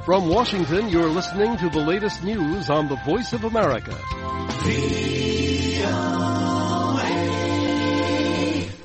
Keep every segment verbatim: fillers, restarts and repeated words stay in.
From Washington, you're listening to the latest news on the Voice of America.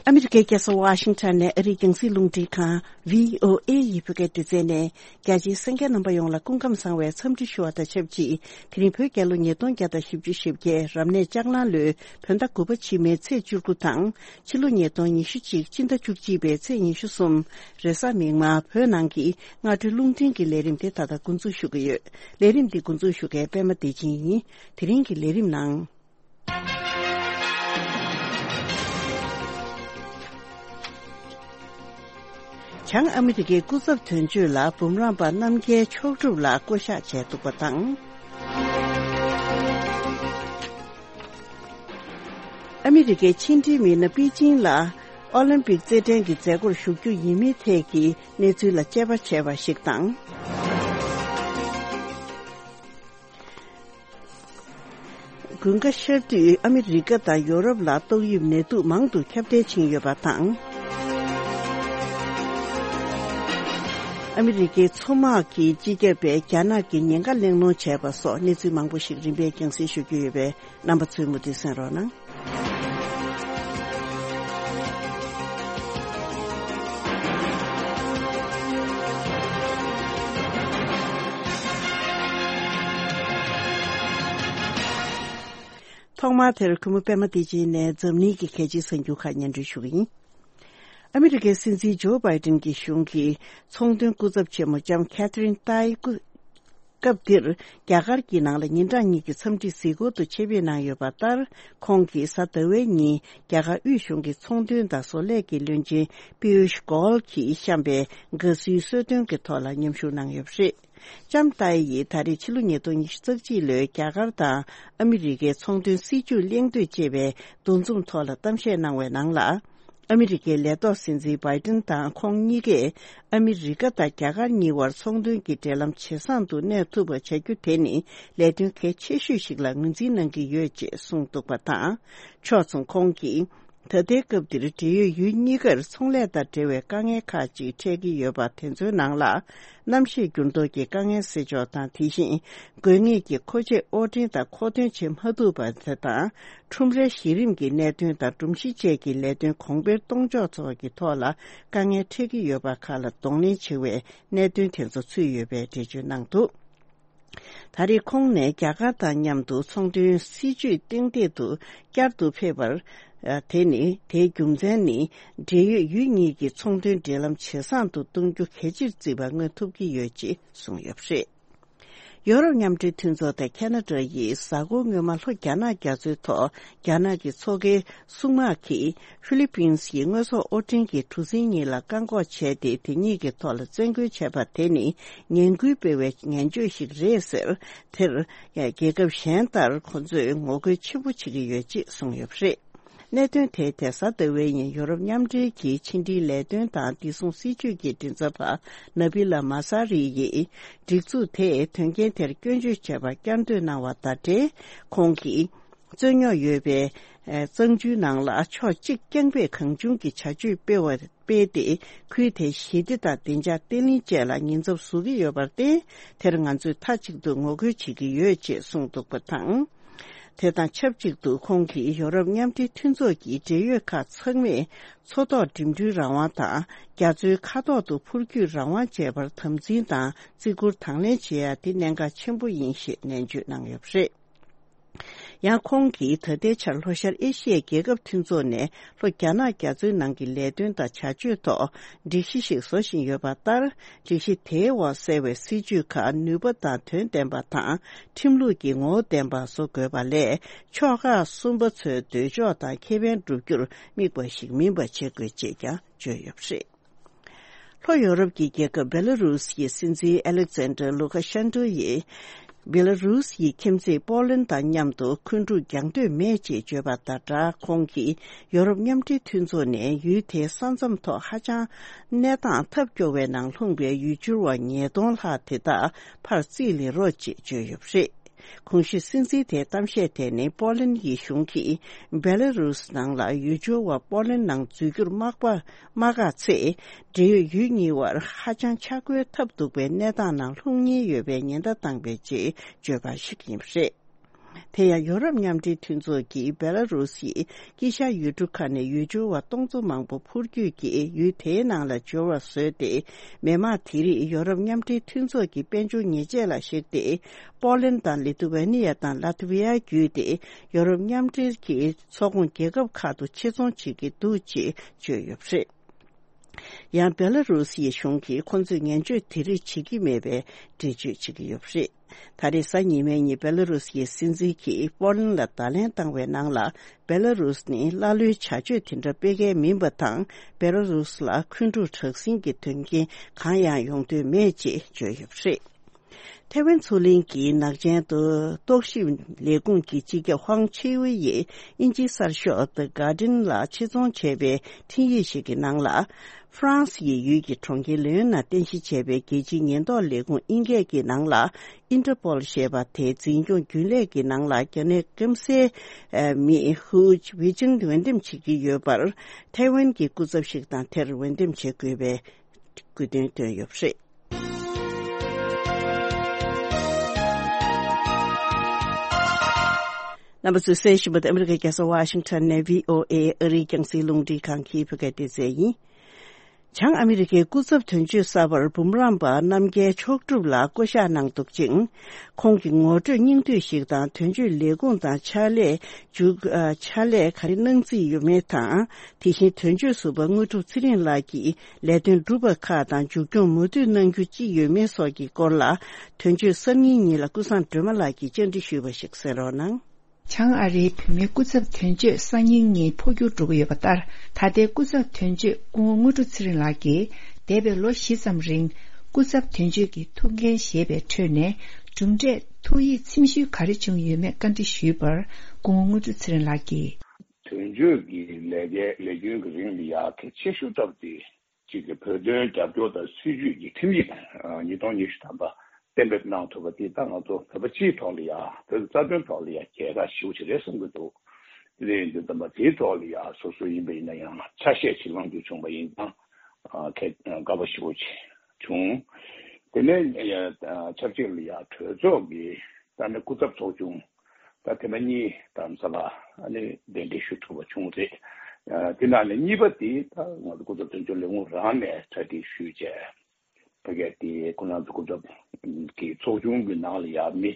ཨ་མི་རི་ཀའི་རྒྱལ་ས་ཝ་ཤིང་ཊོན་ནས་ཨ་རིའི་རྒྱང་སྲིང་རླུང་འཕྲིན་ཁང་བྷི་ཨོ་ཨེ་ཡི་བོད་སྐད་སྡེ་ཚན་ནས། རྒྱ་ཆེའི་གསན་མཁན་རྣམ་པ་ཡོངས་ལ་སྐུ་ཁམས་བཟང་བའི་འཚམས་འདྲི་ཞུ་བ་དང་ཆབས་ཅིག་དེ་རིང་བོད་རྒྱལ་ལོ་ཉིས་སྟོང་བརྒྱ་དང་བཞི་བཅུ་ཞེ་བརྒྱད་རབ་གནས་ལྕགས་གླང་ལོའི་བོད་ཟླ་དགུ་པ་ཕྱི་མའི་ཚེས་བཅུ་དགུ་དང་། ཕྱི་ལོ་ཉིས་སྟོང་ཉི་ཤུ་གཅིག་སྤྱི་ཟླ་བཅུ་གཅིག་པའི་ཚེས་ཉི་ཤུ་གསུམ་རེས་གཟའ་མིག་དམར། བོད་ནང་གི་སྔ་དྲོའི་རླུང་འཕྲིན་གྱི་ལས་རིམ་དེ་ད་ལྟ་འགོ་འཛུགས་ཞུ་གི་ཡོད། ལས་རིམ་འདི་འགོ་འཛུགས་ཞུ་མཁན་པད་མ་བདེ་ཆེན་ཡིན། དེ་རིང་གི་ལས་རིམ་ནང་། བྱང་ཨ་མི་རི་ཀའི་སྐུ་ཚབ་དོན་གཅོད་ལ་འབུམ་རམས་པ་རྣམ་རྒྱལ་མཆོག་གྲུབ་ལགས་བསྐོ་གཞག་བྱས་འདུག་པ་དང་། ཨ་མི་རི་ཀའི་ཕྱི་འབྲེལ་མི་སྣ་པེ་ཅིང་ལ་ཨོ་ལིམ་པིག་རྩེད་འགྲན་གྱི་མཛད་སྒོར་ཞུགས་རྒྱུ་ཡིན་མིན་ཐད་ཀྱི་གནས་ཚུལ་ལ་དཔྱད་པ་བྱས་པ་ཞིག་དང་། དགུན་ཁ་ཤར་དུས་ཨ་མི་རི་ཀ་དང་ཡོ་རོབ་ལ་ཏོག་དབྱིབས་ནད་དུག་མང་དུ་ཁྱབ་གདལ་ཕྱིན་ཡོད་པ་དང་། ཨ་མི་རི་ཀའི་མཚོ་དམག་གི་སྤྱི་ཁྱབ་པས་རྒྱ་ནག་གི་ཉེན་ཁ་གླེང་སློང་བྱས་པ་སོགས་གནས་ཚུལ་མང་པོ་ཞིག་རིམ་པས་རྒྱང་སྲིང་ཞུ་རྒྱུ་ཡོད་པས། རྣམ་པ་ཚོས་མུ་མཐུད་གསན་རོགས་གནང་། ཐོག་མར་དེར་གུས་མོ་པད་མ་བདེ་ཆེན་ནས་འཛམ་གླིང་གི་གལ་ཆེའི་གསར་འགྱུར་ཁག་སྙན་སྒྲོན་ཞུ་གི་ཡིན། ཨ་མི་རི་ཀའི་སྲིད་འཛིན་ཇོ་བྷའི་ཏིན་གྱི་གཞུང་གི་ཚོང་དོན་སྐུ་ཚབ་ཆེན་མོ་ལྕམ་ཁེ་ཐི་རིན་ཏཱི་སྐུ། སྐབས་འདིར་རྒྱ་གར་གྱི་ནང་ལ་ཉིན་གྲངས་གཉིས་ཀྱི་འཚམས་འདྲི་གཟིགས་སྐོར་དུ་ཆེད་ཕེབས་གནང་ཡོད་པ་ལྟར། ཁོང་གིས་གཟའ་ཟླ་བའི་ཉིན་རྒྱ་གར་དབུས་གཞུང་གི་ཚོང་དོན་དང་བཟོ་ལས་ཀྱི་བློན་ཆེན་པི་ཡུཤ་གོལ་གྱིས་བཤམས་པའི་དགའ་བསུའི་གསོལ་སྟོན་གྱི་ཐོག་ལ་མཉམ་ཞུགས་གནང་ཡོད་པ་རེད། ལྕམ་ཏཱི་ཡིས་ད་རེས་ཕྱི་ལོ་ཉིས་སྟོང་ཉི་ཤུ་རྩ་གཅིག་ལོའི་རྒྱ་གར་དང་ཨ་མི་རི་ཀའི་ཚོང་དོན་སྲིད་ཇུས་གླེང་འདོད་ཅེས་པའི་འདུ་འཛོམས་ཐོག་ལ་གཏམ་བཤད་གནང་བའི་ནང་ལ། ཨ་མི་རི་ཀའི་ལས་ཐོག་སྲིད་འཛིན་བྷའི་ཏིན་དང་ཁོང་གཉིས་ཀས་ཨ་མི་རི་ཀ་དང་རྒྱ་གར་གཉིས་བར་ཚོང་དོན་གྱི་འབྲེལ་ལམ་ཇེ་བཟང་དུ་གནས་ཐུབ་པ་བྱ་རྒྱུ་དེ་ནི་ལས་དོན་གལ་ཆེ་ཤོས་ཤིག་ལ་ངོས་འཛིན་གནང་གི་ཡོད་ཅེས་གསུངས་འདུག་པ་དང་། ཕྱོགས་མཚུངས་ཁོང་གིས། ད་ལྟའི་སྐབས་འདིར་འབྲེལ་ཡོད་ཡུལ་གཉིས་ཀར་ཚོང་ལས་དང་འབྲེལ་བའི་དཀའ་ངལ་ཁག་ཅིག་འཕྲད་ཀྱི་ཡོད་པ་དེ་ཚོའི་ནང་ལ། གནམ་གཤིས་འགྱུར་ལྡོག་གི་དཀའ་ངལ་སེལ་ཕྱོགས་དང་། དེ་བཞིན་དགོས་ངེས་ཀྱི་མཁོ་ཆས་དབོར་འདྲེན་དང་མཁོ་འདོན་བྱེད་མ་ཐུབ་པ་དེ་དང་། ཁྲོམ་རའི་གཞི་རིམ་གྱི་གནད་དོན་དང་སྒྲོམ་གཞི་བཅས་ཀྱི་ལས་དོན་གོང་འཕེལ་གཏོང་ཕྱོགས་སོགས་ཀྱི་ཐོག་ལ་དཀའ་ངལ་འཕྲད་ཀྱི་ཡོད་པ་ཁག་ལ་གདོང་ལེན་བྱེད་པའི་གནད་དོན་དེ་ཚོ་ཚུད་ཡོད་པའི་འགྲེལ་བརྗོད་གནང་འདུག། ད་རེས་ཁོང་ནས་རྒྱ་གར་དང་མཉམ་དུ་ཚོང་དོན་སྲིད་ཇུས་གཏན་འཁེལ་དུ་བསྐྱར་དུ་ཕེབས་པར། ཨ། དེ་ནི། དེའི་རྒྱུ་མཚན་ནི། འབྲེལ་ཡོད་ཡུལ་གཉིས་ཀྱི་ཚོང་དོན་འབྲེལ་ལམ་ཇེ་བཟང་དུ་གཏོང་རྒྱུ་གལ་ཆེར་བརྩིས་པ་མངོན་ཐུབ་ཀྱི་ཡོད་ཅེས་གསུངས་ཡོད་པ་རེད། ཡོ་རོབ་མཉམ་འབྲེལ་མཐུན་ཚོགས་དང་ཁ་ན་ཌ་ཡིས་གཟའ་འཁོར་སྔོན་མ་ལྷོ་རྒྱ་ནག་རྒྱ་མཚོའི་ཐོག་རྒྱ་ནག་གི་མཚོ་ཁའི་སྲུང་དམག་གིས་ཧྥི་ལི་པིན་སི་ཡི་དངོས་ཟོག་དབོར་འདྲེན་གྱི་གྲུ་གཟིངས་གཉིས་ལ་བཀག་འགོག་བྱས་ཏེ། དེ་གཉིས་ཀྱི་ཐོག་ལ་བཙན་རྒོལ་བྱས་པ་དེ་ནི་ངན་སྐུལ་སྤེལ་བའི་ངན་བྱུས་ཤིག་རེད་ཟེར། དེར་རྒྱལ་ཁབ་གཞན་ལྟར་ཁོ་ཚོས་ངོ་རྒོལ་ཆེན་པོ་བྱེད་ཀྱི་ཡོད་ཅེས་གསུངས་ཡོད་པ་རེད། གནད་དོན་དེའི་ཐད་གཟའ་ཟླ་བའི་ཉིན་ཡོ་རོབ་མཉམ་འབྲེལ་གྱི་ཕྱི་འབྲེལ་ལས་དོན་དང་བདེ་སྲུང་སྲིད་ཇུས་ཀྱི་མགྲིན་ཚབ་པ་ན་བི་ལ་མ་ས་རི་ཡིས། སྒྲིག་འཛུགས་དེས་དོན་རྐྱེན་དེར་སྐྱོན་བརྗོད་བྱས་པར་བསྐྱར་ཟློས་གནང་བ་དང་འབྲེལ། ཁོང་གིས། རྩོད་རྙོག་ཡོད་པའི་གཙང་ཆུའི་ནང་ལ་ཕྱོགས་གཅིག་རྐྱང་པས་གང་བྱུང་གི་བྱ་སྤྱོད་སྤེལ་བ་སྤེལ་ཏེ། ཁུལ་དེའི་ཞི་བདེ་དང་བདེ་འཇགས་བརྟན་ལྷིང་བཅས་ལ་ཉེན་ཚབས་བཟོ་གི་ཡོད་པར་བརྟེན། དེར་ང་ཚོས་མཐའ་གཅིག་ཏུ་ངོ་རྒོལ་བྱེད་ཀྱི་ཡོད་ཅེས་གསུངས་འདུག་པ་དང་། དེ་དང་ཆབས་ཅིག་ཏུ་ཁོང་གིས་ཡོ་རོབ་མཉམ་འབྲེལ་མཐུན་ཚོགས་ཀྱི་འབྲེལ་ཡོད་ཁག་ཚང་མས་མཚོ་ཐོག་འགྲིམ་འགྲུལ་རང་དབང་དང་རྒྱ་མཚོའི་མཁའ་ཐོག་ཏུ་འཕུར་སྐྱོད་རང་དབང་བཅས་པར་དམ་འཛིན་དང་བརྩི་བཀུར་དང་ལེན་བྱེད་ཡ་དེ་གནད་འགག་ཆེན་པོ་ཡིན་ཞེས་ནན་བརྗོད་གནང་ཡོད་པ་རེད། ཡང་ཁོང་གིས་ད་ལྟའི་ཆར་ལྷོ་ཤར་ཨེ་ཤི་ཡའི་རྒྱལ་ཁབ་མཐུན་ཚོགས་ནས་ལྷོ་རྒྱ་ནག་རྒྱ་མཚོའི་ནང་གི་ལས་དོན་དང་བྱ་སྤྱོད་ཐོག་སྒྲིག་གཞི་ཞིག་བཟོ་བཞིན་ཡོད་པ་ལྟར། སྒྲིག་གཞི་དེའི་འོག་གསལ་བའི་སྲིད་ཇུས་ཁག་ནུས་པ་དང་དོན་ལྡན་པ་དང་ཁྲིམས་ལུགས་ཀྱི་ངོ་བོ་ལྡན་པ་བཟོ་དགོས་པ་ལས། ཕྱོགས་ཁག་གསུམ་པ་ཚོའི་འདོད་ཕྱོགས་དང་ཁེ་ཕན་བསྒྲུབ་རྒྱུར་དམིགས་པ་ཞིག་མིན་པ་བྱེད་དགོས་ཅེས་ཀྱང་བརྗོད་ཡོད་པ་རེད། ལྷོ་ཡོ་རོབ་ཀྱི་རྒྱལ་ཁབ་བེ་ལ་རུས་ཀྱི་སྲིད་འཛིན་ཨ་ལེག་ཛན་ཌར་ལུ་ཁ་ཤན་ཏྲོ་ཡིས། བེ་ལ་རུས་ཀྱི་ཁྱིམ་མཚེས་པོ་ལན་དང་མཉམ་དུ་འཁོན་འཁྲུག་རྒྱག་འདོད་མེད་ཅེས་བརྗོད་པ་དང་སྦྲགས། ཁོང་གིས་ཡོ་རོབ་མཉམ་འབྲེལ་མཐུན་ཚོགས་ནས་ཡུལ་དེའི་ས་མཚམས་ཐོག་ཧ་ཅང་གནས་སྟངས་ཐབས་སྐྱོ་བའི་ནང་ལྷུང་པའི་ཡུལ་སྐྱོར་བ་ཉིས་སྟོང་ལྷག་དེ་དག་ཕར་རྩིས་ལེན་རོགས་ཅེས་བརྗོད་ཡོད་པ་རེད། གོང་ཞུས་སྲིད་འཛིན་དེའི་གཏམ་བཤད་དེ་ནི་པོ་ལན་གྱི་གཞུང་གིས་བེ་ལ་རུས་ནང་ལ་ཡུལ་སྦྱོར་བ་པོ་ལན་ནང་འཛུལ་རྒྱུར་དམག་པ་མ་བཀག་ཚེ། འབྲེལ་ཡོད་ཡུལ་གཉིས་བར་ཧ་ཅང་ཆག་སྒོའི་ཐབས་སྡུག་པའི་གནས་སྟངས་ནང་ལྷུང་ཉེན་ཡོད་པའི་ཉེན་བརྡ་བཏང་བའི་རྗེས་བརྗོད་པ་ཞིག་ཡིན་པ་རེད། དེ་ཡང་ཡོ་རོབ་མཉམ་འབྲེལ་མཐུན་ཚོགས་ཀྱིས་བེ་ལ་རུ་སིའི་དཀྱིལ་ཤར་ཡུལ་གྲུ་ཁག་ནས་ཡུལ་སྦྱོར་བ་སྟོང་ཚོ་མང་པོ་འཕུར་སྐྱོད་ཀྱིས་ཡུལ་དེའི་ནང་ལ་འབྱོར་བ་བཟོས་ཏེ། མི་མང་དེ་རིགས་ཡོ་རོབ་མཉམ་འབྲེལ་མཐུན་ཚོགས་ཀྱི་དཔལ་འབྱོར་ཉེས་ཆད་ལ་གཞིགས་ཏེ། པོ་ལན་དང་ལི་ཐུ་ཝེ་ནི་ཡ་དང་ལ་ཐི་ཝི་ཡ་བརྒྱུད་དེ་ཡོ་རོབ་མཉམ་འབྲེལ་གྱི་ཚོགས་ཁོངས་རྒྱལ་ཁབ་ཁག་ཏུ་ཆེད་རྫོང་བྱེད་ཀྱི་འདུག་ཅེས་བརྗོད་ཡོད་པ་རེད། ཡང་བེ་ལ་རུ་སིའི་གཞུང་གིས་ཁོ་ཚོས་ངན་བྱུས་དེ་རིགས་བྱེད་ཀྱི་མེད་པའི་འགྲེལ་བརྗོད་བྱེད་ཀྱི་ཡོད་པ་རེད། ད་རེས་གཟའ་ཉི་མའི་ཉིན་བེ་ལ་རུ་སིའི་སྲིད་འཛིན་གྱིས་པོ་ལན་ལ་བརྡ་ལན་བཏང་བའི་ནང་ལ། བེ་ལ་རུ་སི་ནི་ཀླ་ཀློའི་བྱ་སྤྱོད་དེ་འདྲ་སྤེལ་མཁན་མིན་པ་དང་། བེ་ལ་རུ་སི་ལ་འཁོན་འཁྲུག་དྲག་ཟིང་གི་དོན་རྐྱེན་གང་ཡང་ཡོང་འདོད་མེད་ཅེས་བརྗོད་ཡོད་པ་རེད། ཐའེ་ཝན་མཚོ་གླིང་གི་ནག་ཅན་དུ་རྟོག་ཞིབ་ལས་ཁུངས་ཀྱི་སྤྱི་ཁྱབ་ཧོང་ཆེ་ཝེ་ཡིས་དབྱིན་ཇིའི་གསར་ཤོག་The Guardian ལ་ཆེད་རྫོང་བྱས་པའི་འཕྲིན་ཡིག་ཞིག་གི་ནང་ལ། ཧྥ་རན་སི་ཡི་ཡུལ་གྱི་གྲོང་ཁྱེར་ལེའོན་ནང་རྟེན་གཞི་བྱས་པའི་རྒྱལ་སྤྱིའི་ཉེན་རྟོག་ལས་ཁུངས་ཨིན་སྐད་ཀྱི་ནང་ལ། ཨིན་ཏྲ་པོལ་ཞེས་པ་དེའི་འཛིན་སྐྱོང་རྒྱུན་ལས་ཀྱི་ནང་ལ་རྒྱ་ནག་སྐམ་སའི་མི་ཧུའུ་ཝེ་ཅིན་འོས་འདེམས་བྱེད་ཀྱི་ཡོད་པར། ཐའེ་ཝན་གྱི་སྐུ་ཚབ་ཞིག་དང་དེར་འོས་འདེམས་བྱེད་དགོས་པའི་དགོས་འདུན་བཏོན་ཡོད་པ་རེད། རྣམ་པ་ཚོས་གསན་བཞིན་པ་དེ་ཨ་མི་རི་ཀའི་རྒྱལ་ས་ཝ་ཤིང་ཊོན་ནས་བྷི་ཨོ་ཨེ་ཨ་རིའི་རྒྱང་སྲིང་རླུང་འཕྲིན་ཁང་གི་བོད་སྐད་སྡེ་ཚན་ཡིན། བྱང་ཨ་མི་རི་ཀའི་སྐུ་ཚབ་དོན་གཅོད་གསར་པར་འབུམ་རམས་པ་རྣམ་རྒྱལ་མཆོག་གྲུབ་ལགས་བསྐོ་གཞག་གནང་འདུག་ཅིང་། ཁོང་གི་ངོ་སྤྲོད་སྙིང་བསྡུས་ཤིག་དང་དོན་གཅོད་ལས་ཁུངས་དང་ཕྱག་ལས་མཇུག་ཨ་ཕྱག་ལས་ག་རེ་གནང་རྩིས་ཡོད་མེད་དང་། དེ་བཞིན་དོན་གཅོད་ཟུར་པ་དངོས་གྲུབ་ཚེ་རིང་ལགས་ཀྱིས་ལས་དོན་སྒྲུབ་པ་ཁག་དང་མཇུག་སྐྱོང་མུ་མཐུད་གནང་རྒྱུ་ཅི་ཡོད་མེད་སོགས་ཀྱི་སྐོར་ལ། དོན་གཅོད་གསར་རྙིང་གཉིས་ལ་ཀུན་བཟང་སྒྲོལ་མ་ལགས་ཀྱིས་བཅར་འདྲི་ཞུས་པ་ཞིག་གསན་རོགས་གནང་། བྱང་ཨ་རིའི་བོད་མིའི་སྐུ་ཚབ་དོན་གཅོད་གསར་རྙིང་གཉིས་འཕོ་འགྱུར་འགྲོ་གི་ཡོད་པ་ལྟར། ད་ལྟའི་སྐུ་ཚབ་དོན་གཅོད་སྐུ་ངོ་དངོས་གྲུབ་ཚེ་རིང་ལགས་ཀྱིས་འདས་པའི་ལོ་བཞི་ཙམ་རིང་སྐུ་ཚབ་དོན་གཅོད་ཀྱི་ཐུགས་འགན་བཞེས་པའི་ཁྲོད་ནས། གྲུབ་འབྲས་ཐུགས་ཡིད་ཚིམ་ཤོས་ག་རེ་བྱུང་ཡོད་མེད་བཀའ་འདྲི་ཞུས་པར། སྐུ་ངོ་དངོས་གྲུབ་ཚེ་རིང་ལགས་ཀྱིས། དོན་གཅོད་ཀྱི་ལས་ཀའི་ལས་རྒྱུན་གྱི་རིང་ལ་ཡ་གལ་ཆེ་ཤོས་ལྟ་བུ་དེ། གཅིག་གི་བོད་དོན་རྒྱབ་སྐྱོར་དང་སྲིད་ཇུས་ཀྱི་ཁྲིམས་ཡིག་ཉིས་སྟོང་ཉི་ཤུ་ཐམ་པ་གཏན་འབེབས་གནང་ཐུབ་པ་དེ། ད་ང་ཚོ་བོད་པ་སྤྱིའི་ཐོག་ལ་ཡ། བོད་རྩ་དོན་ཐོག་ལ་ཡ་རྒྱལ་ཁ་ཞེ་པོ་ཅིག་རེད་བསམ་གྱི་འདུག་དེ་འདྲ་ཡིན་དུས་ཙམ་པ་དེའི་ཐོག་ལ་ཡ་སོ་སོ་ཡིན་པ་ཡིན་ན་ཡང་ཆ་ཤས་ཅིག་བླང་རྒྱུ་བྱུང་པ་ཡིན་ཙང་། ཨ་ཁྱེད་དགའ་པོ་ཞེ་པོ་ཅིག་བྱུང་། དེ་ནས་ཡ་ཆབས་ཅིག་ལ་ཡ་གྲོས་ཚོགས་ཀྱི་ད་ནི་སྐུ་ཚབ་ཚོགས་ཆུང་། ད་ཐེངས་མ་གཉིས་རྡ་རམ་ས་ལ་ཨ་ནི་གདན་འདྲེན་ཞུ་ཐུབ་པ་བྱུང་རེད། ཨ་དེ་ནང་ནས་གཉིས་པ་དེ་ད་ང་ཚོ་སྐུ་ཚབ་དོན་གཅོད་ལས་ཁུངས་རང་ནས་གྲ་སྒྲིག་ཞུས་བྱས། ཕ་གི་དེ་ཁོ་རང་ཚོ་སྐུ་ཚབ་ཀྱི་ཚོགས་ཆུང་གི་ནང་ལ་ཡ་མི་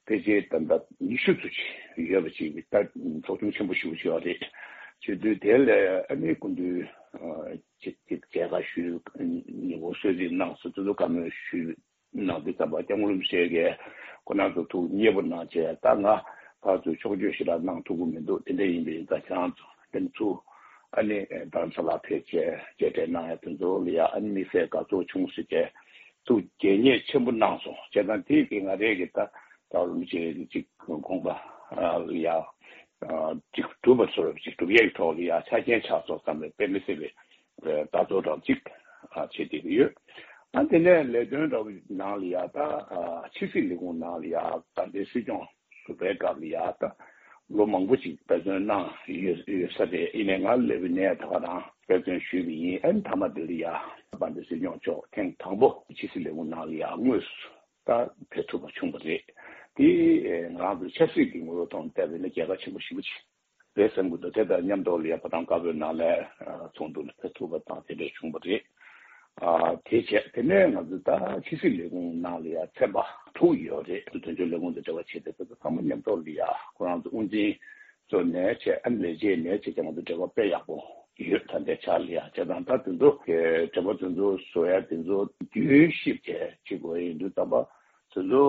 ཕལ་ཆེར་ད་ལྟ་ཉི་ཤུ་ཚོ་ཅིག་ཡོད་པ་ཅིག་ད་ཚོགས་ཆུང་ཆེན་པོ་ཞེ་པོ་ཅིག་ཡོད་རེད། བྱེད་དུས་དེ་ལས་ཨ་ནི་སྐུ་མདུན་ཅིག་ཅིག་མཇལ་ཁ་ཞུས། ཉིན་གུང་གསོལ་ཚིགས་གནང་སོང་། དེ་ཚོ་བཀའ་མོལ་ཞུས། གནང་དུས་ཙམ་པ་སྐྱབས་མགོན་རིན་པོ་ཆེ་གིས་ཁོ་རང་ཚོ་ཐུགས་མཉེས་པོ་གནང་བྱས། ད་ང་ཕར་ཚུར་ཕྱོགས་བསྐྱོད་ཞེ་དྲག་གནང་ཐུབ་ཀྱི་མི་འདུག་དེ་འདྲ་ཡིན་པ་ཡིན་ཙང་ཁྱེད་རང་ཚོ་དེ་ཚོ་ཨ་ནི་རྡ་རམ་ས་ལ་ཕེབས་བྱས་མཇལ་འཕྲད་གནང་ཡ་དེ་ཚོ་ལ་ཡ་ཨ་ནི་དམིགས་བསལ་དགའ་ཚོར་བྱུང་ཟེར་བྱས་ཐུགས་དགྱེས་མཉེས་ཆེན་པོ་གནང་སོང་། བྱས་ཙང་དེ་གི་ང་རང་གི་ད་རྡ་རམ་ས་ལ་ཅིག་དགོངས་པ་ལ་ཡ་ཅིག་གྲུབ་པ་ཚོར་ཅིག་གྲུབ་ཡ་གི་ཐོག་ལ་ཡ་ཆ་རྐྱེན་ཆགས་སོང་བསམ་པའི་དཔེ་མི་སྲིད་པའི་ལྟ་ཚུལ་རང་གཅིག་བྱེད་བསྡད་ཀྱི་ཡོད། ཨ་དེ་ནས་ལས་དོན་འདྲ་བོ་ནང་ལ་ཡ་ད་ཕྱི་སྲིད་ལས་ཁུངས་ནང་ལ་ཡ་ད་ལྟའི་སྲིད་སྐྱོང་ཟུར་པའི་སྐབས་ལ་ཡ་ད་ལོ་མང་པོ་ཅིག་འབད་བརྩོན་གནང་ཡོད་ཡོད་ས་རེད། ཡིན་ནའི་ང་སླེབས་པའི་ནས་ད་ག་རང་འབད་བརྩོན་ཞུས་པ་ཡིན། ཨ་ནི་མཐའ་མ་དེ་ལ་ཡ་ད་ལྟའི་སྲིད་སྐྱོང་མཆོག་ཐེངས་དང་པོ་ཕྱི་སྲིད་ལས་ཁུངས་ནང་ལ་ཡ་དངོས་སུ་ད་ཕེབས་ཐུབ་པ་བྱུང་བ་རེད། དེ་ང་རང་ཚོ་ཆབ་སྲིད་ཀྱི་ངོ་བོའི་ཐོག་ནས་བལྟས་པ་ཡིན་ན་རྒྱལ་ཁ་ཆེན་པོ་ཞེ་པོ་ཅིག་རེད་བསམ་གྱི་འདུག་དེ་དང་མཉམ་དུ་ལ་ཡ་ཕོ་བྲང་དཀར་པོའི་ནང་ལ་ཚོགས་འདུ་ལ་ཕེབས་ཐུབ་པ་དང་དེ་འདྲ་བྱུང་བ་རེད། ཨ་དེ་བྱས་དེ་ནས་ང་ཚོ་ད་ཕྱི་སྲིད་ལས་ཁུངས་ནང་ལ་ཡ་ཚན་པ་དྲུག་ཡོད་རེད། དོན་གཅོད་ལས་ཁུངས་དང་འབྲེལ་བ་བྱེད་བསྡད་པ་ཚང་མ་མཉམ་དུ་ལ་ཡ་ཁོ་རང་ཚོ་དབུ་འཛིན་ཚོ་ནས་བྱས། ཨ་ནི་ལས་བྱེད་ནས་བྱས་ཀྱང་ང་ཚོ་འབྲེལ་བ་དཔེ་ཡག་པོ་ཡོད། ད་ལྟའི་ཆར་ལ་ཡ་བྱས་ཙང་ད་དེ་ཚོ་གི་འབྲེལ་བ་དེ་ཚོ་བཟོ་ཡ་དེ་ཚོ་རྒྱུན་ཞིབ་བྱས་བྱེད་དགོས་ཡིན་དུས་ཙམ་པ། དེ་ཚོ་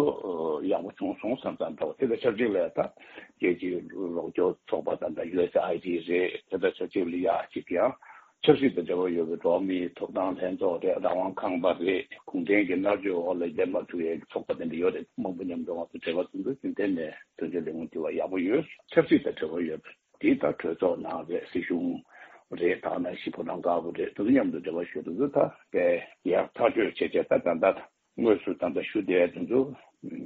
ཡག་པོ་བྱུང་སོང་བསམ་ཙང་འདྲ་བོ། དེ་དང་ཆབས་ཅིག་ལ་ད་རྒྱལ་སྤྱིའི་རོགས་སྐྱོར་ཚོགས་པ་དང་ད་ཡུ་ཨེས་ཨའི་ཌི་རེད། དེ་དང་ཆབས་ཅིག་ལ་ཡ་གཅིག་ཡང་ཆབ་སྲིད་དང་འབྲེལ་བ་ཡོད་པའི་འགྲོ་བ་མིའི་ཐོབ་ཐང་ལྷན་ཚོགས་རེད། རང་དབང་ཁང་པ་རེད། གུང་ཁྲན་གྱི་མནར་གཅོད་འོག་ལ་སྡོད་མ་ཐུབ་ཡའི་ཚོགས་པ་དེ་འདྲ་ཡོད་རེད། མང་པོ་མཉམ་དུ་ང་ཚོ་འབྲེལ་བ་དེ་ཚོ་རྒྱུན་གཏན་ནས་དོན་གཅོད་ལས་ཁུངས་དེ་བ་ཡག་པོ་ཡོད། ཆབ་སྲིད་དང་འབྲེལ་བ་ཡོད་པ་དེ་ད་གྲོས་ཚོགས་ནང་རེད། སྲིད་གཞུང་རེད། ད་ནང་བཞིན་ཕོ་བྲང་དཀར་པོ་རེད། དེ་ཚོ་མཉམ་དུ་འབྲེལ་བ་ཞུ་དུས་ཚོ་ད་དེ་ཡག་ཐག་གཅོད་བྱས་བྱས་ད་ད་ད། དངོས་སུ་ད་ལྟ་ཞུ་བསྡད་དེ་ཚོ་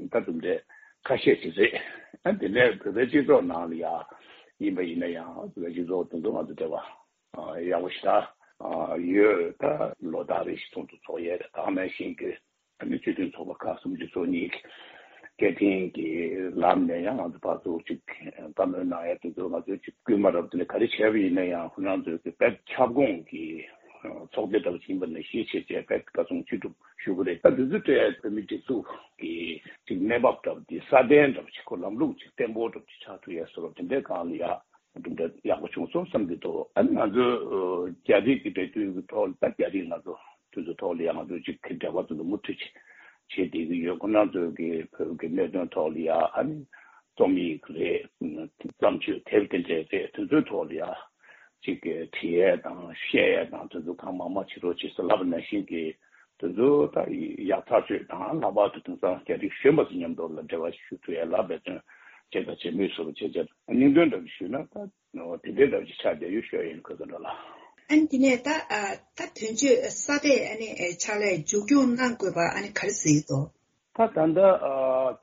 ད་དུམ་རེ་ ཁ་ཤས་ཅིག་རེད། ཨ་དེ་ནས་བོད་པའི་སྤྱི་ཚོགས་ནང་ལ་ཡ་ཡིན་པ་ཡིན་ན་ཡང་བོད་པའི་སྤྱི་ཚོགས་དེ་ཚོ་ང་ཚོ་འབྲེལ་བ་ཡག་པོ་ཞེ་དྲག་ཡོད། ད་ལོ་ལྟར་རེ་བཞིན་ཚོགས་འདུ་ཚོགས་ཡས་དེ་དང་ནང་བཞིན་གྱི་ཨ་ནི་སྤྱི་མཐུན་ཚོགས་པ་ཁག་སུམ་ཅུ་སོ་གཉིས་ཀྱི་སྐད་འཕྲིན་གྱི་ལམ་ནས་ཡང་ང་ཚོ་ཕར་ཚུར་ཅིག་བཀའ་མོལ་གནང་ཡས་དེ་ཚོ་ང་ཚོས་ཅིག་སྐུལ་མ་རབ་དེ་ལ་ག་རེ་བྱས་པ་ཡིན་ན་ཡང་ཁོ་རང་ཚོའི་གི་དཔེ་ཁྱབ་ཁོངས་ཀྱི་ཚོགས་སྡེ་འདྲ་བ་ཞིག་ཡིན་པ་ནང་བཞིན་བྱས་བྱས་དཔེ་བཀའ་གསུང་ཅི་སྒྲུབ་ཞུ་གི་རེད། ད་འདི་ཚོ་སྤྲད་བོད་མིའི་སྒྲིག་འཛུགས་ཀྱི་ཅིག་གནས་བབ་འདྲ་བ་དེ་སྲ་བརྟན་འདྲ་བ་ཅིག་ཁོ་ལམ་ལུགས་ཅིག་བརྟན་པོ་འདྲ་བ་ཅིག་ཆགས་ཐུབ་ཡས་བཟོ་འདྲ་དེ་འདྲའི་སྒང་ལ་ཡ་གྲུབ་འབྲས་ཡག་པོ་བྱུང་སོང་བསམ་གྱི་འདུག་ཨ་ནི་ང་ཚོ་རྒྱ་རིགས་ཀྱི་འབྲེལ་མཐུད་ཀྱི་ཐོག་ལ་ད་རྒྱ་རིགས་ང་ཚོ་དེ་ཚོ་ཐོག་ལ་ཡ་ང་ཚོ་ཅིག་གི་འབྲེལ་བ་དེ་ཚོ་མུ་མཐུད་ཅིག་བྱེད་བསྡད་ཀྱི་ཡོད། ཁོ་རང་ཚོའི་གི་བོད་ཀྱི་གནད་དོན་ཐོག་ལ་ཡ་ཨ་ནི་རྩོམ་ཡིག་རེད། བརྩམས་ཆོས་དེབ་དེ་འདྲས་རེད། དེ་ཚོའི་ཐོག་ལ་ཡ་ཅིག་གི་བྲིས་ཡས་དང་བཤད་ཡས་དང་དེ་ཚོ་གང་མང་མང་བྱེད་རོགས་བྱེད་ཟེར་ལབ་པ་ནང་བཞིན་གྱི་དེ་ཚོ་ད་ཡག་ཐག་ཆོད་དང་། ལྷག་པར་དུ་དེང་སང་རྒྱ་རིགས་གཞོན་པ་ཚོ་མཉམ་དུ་ལ་འབྲེལ་བ་ཞུ་ཐུབ་ཡས་ལ་འབད་བརྩོན་བྱེད་དང་བྱེད་མུས་སུ་བྱེད་བྱེད་སྙིང་དོན་འདྲ་ཞུས་ན་ད་དེ་འདྲའི་འདྲ་ཞིག་ཆགས་བསྡད་ཡོད་ཤོད་ཡིན་ཁོ་ཚོ་འདྲ་ལ། ཨ་ནི་དེ་ནས་ད་ཨ་ད་དོན་གཅོད་ས་དེ་ཨ་ནི་ཕྱག་ལས་མཇུག་སྐྱོང་གནང་དགོས་པ་ཨ་ནི་ག་རེ་ཟེར་གྱི་འདུག་ད་ད་ལྟ་ཨ་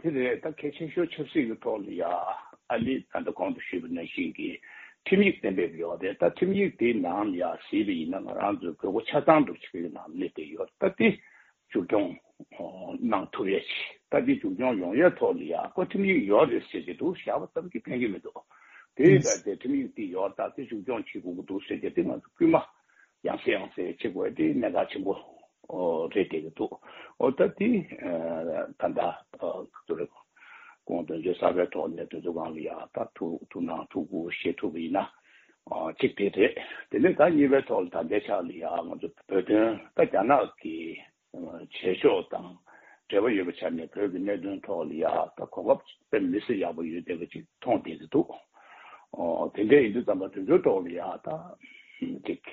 དེ་རེད། ད་གལ་ཆེ་ཤོས་ཆབ་སྲིད་ཀྱི་ཐོག་ལ་ཡ་ཨ་ནི་ད་ལྟ་གོང་དུ་ཞུས་པ་ནང་བཞིན་གྱི་ཁྲིམས་ཡིག་གཏན་འབེབས་ཡོད་རེད། ད་ཁྲིམས་ཡིག་དེའི་ནང་ལ་ཡ་གཟིགས་པ་ཡིན་ན་ང་རང་ཚོའི་དགོས་མཁོ་ཆ་ཚང་འདྲ་ཅིག་གི་ནང་སླེབས་བསྡད་ཡོད། ད་དེ་མཇུག་སྐྱོང་གནང་ཐུབ་ཡས་ཅིག་ད་དེ་མཇུག་སྐྱོང་ཡོང་ཡས་ཐོག་ལ་ཡ་ཁོ་ཁྲིམས་ཡིག་ཡོད་རེད་ཟེར་གྱི་འདུག་བཞག་པ་ཙམ་གྱིས་ཕན་གྱི་མི་འདུག་དེ་ཡིན་ཙང་དེ་ཁྲིམས་ཡིག་དེ་ཡོད། ད་དེ་མཇུག་སྐྱོང་བྱེད་དགོས་ཀྱི་འདུག་ཟེར་གྱི་དེ་ང་ཚོ་སྐུལ་མ་ཡང་སེ་ཡང་སེ་བྱེད་དགོས་དེ་གནད་འགག་ཆེན་པོ་རེད་བསྡད་ཀྱི་འདུག་འོ་ད་དེ་ད་ལྟ་ཚོ་རེ་སྐུ་ངོ་དོན་གཅོད་གསར་པའི་ཐོག་ནས་དེ་ཚོ་སྒང་ལ་ཡ་ད་ཐུགས་ཐུགས་སྣང་ཐུགས་ཁུར་བཞེས་ཐུབ་པ་ཡིན་ན་གཅིག་དེ་རེད། དེ་ནས་ད་གཉིས་པའི་ཐོག་ལ་ད་ལྟའི་ཆ་ལ་ཡ་ང་ཚོ་བོད་དོན་ད་རྒྱ་ནག་གི་བྱེད་ཕྱོགས་དང་འབྲེལ་བ་ཡོད་པའི་ཆ་ནས་བོད་ཀྱི་གནད་དོན་ཐོག་ལ་ཡ་ད་གོ་སྐབས་དཔེ་མི་སྲིད་ཡག་པོ་ཡོད་བསྡད་པ་ཅིག་མཐོང་བསྡད་ཀྱི་འདུག་ཨོ་དེ་འདྲ་ཡིན་དུས་ཙམ་པ་དེ་ཚོའི་ཐོག་ལ་ཡ་ད་ཅིག་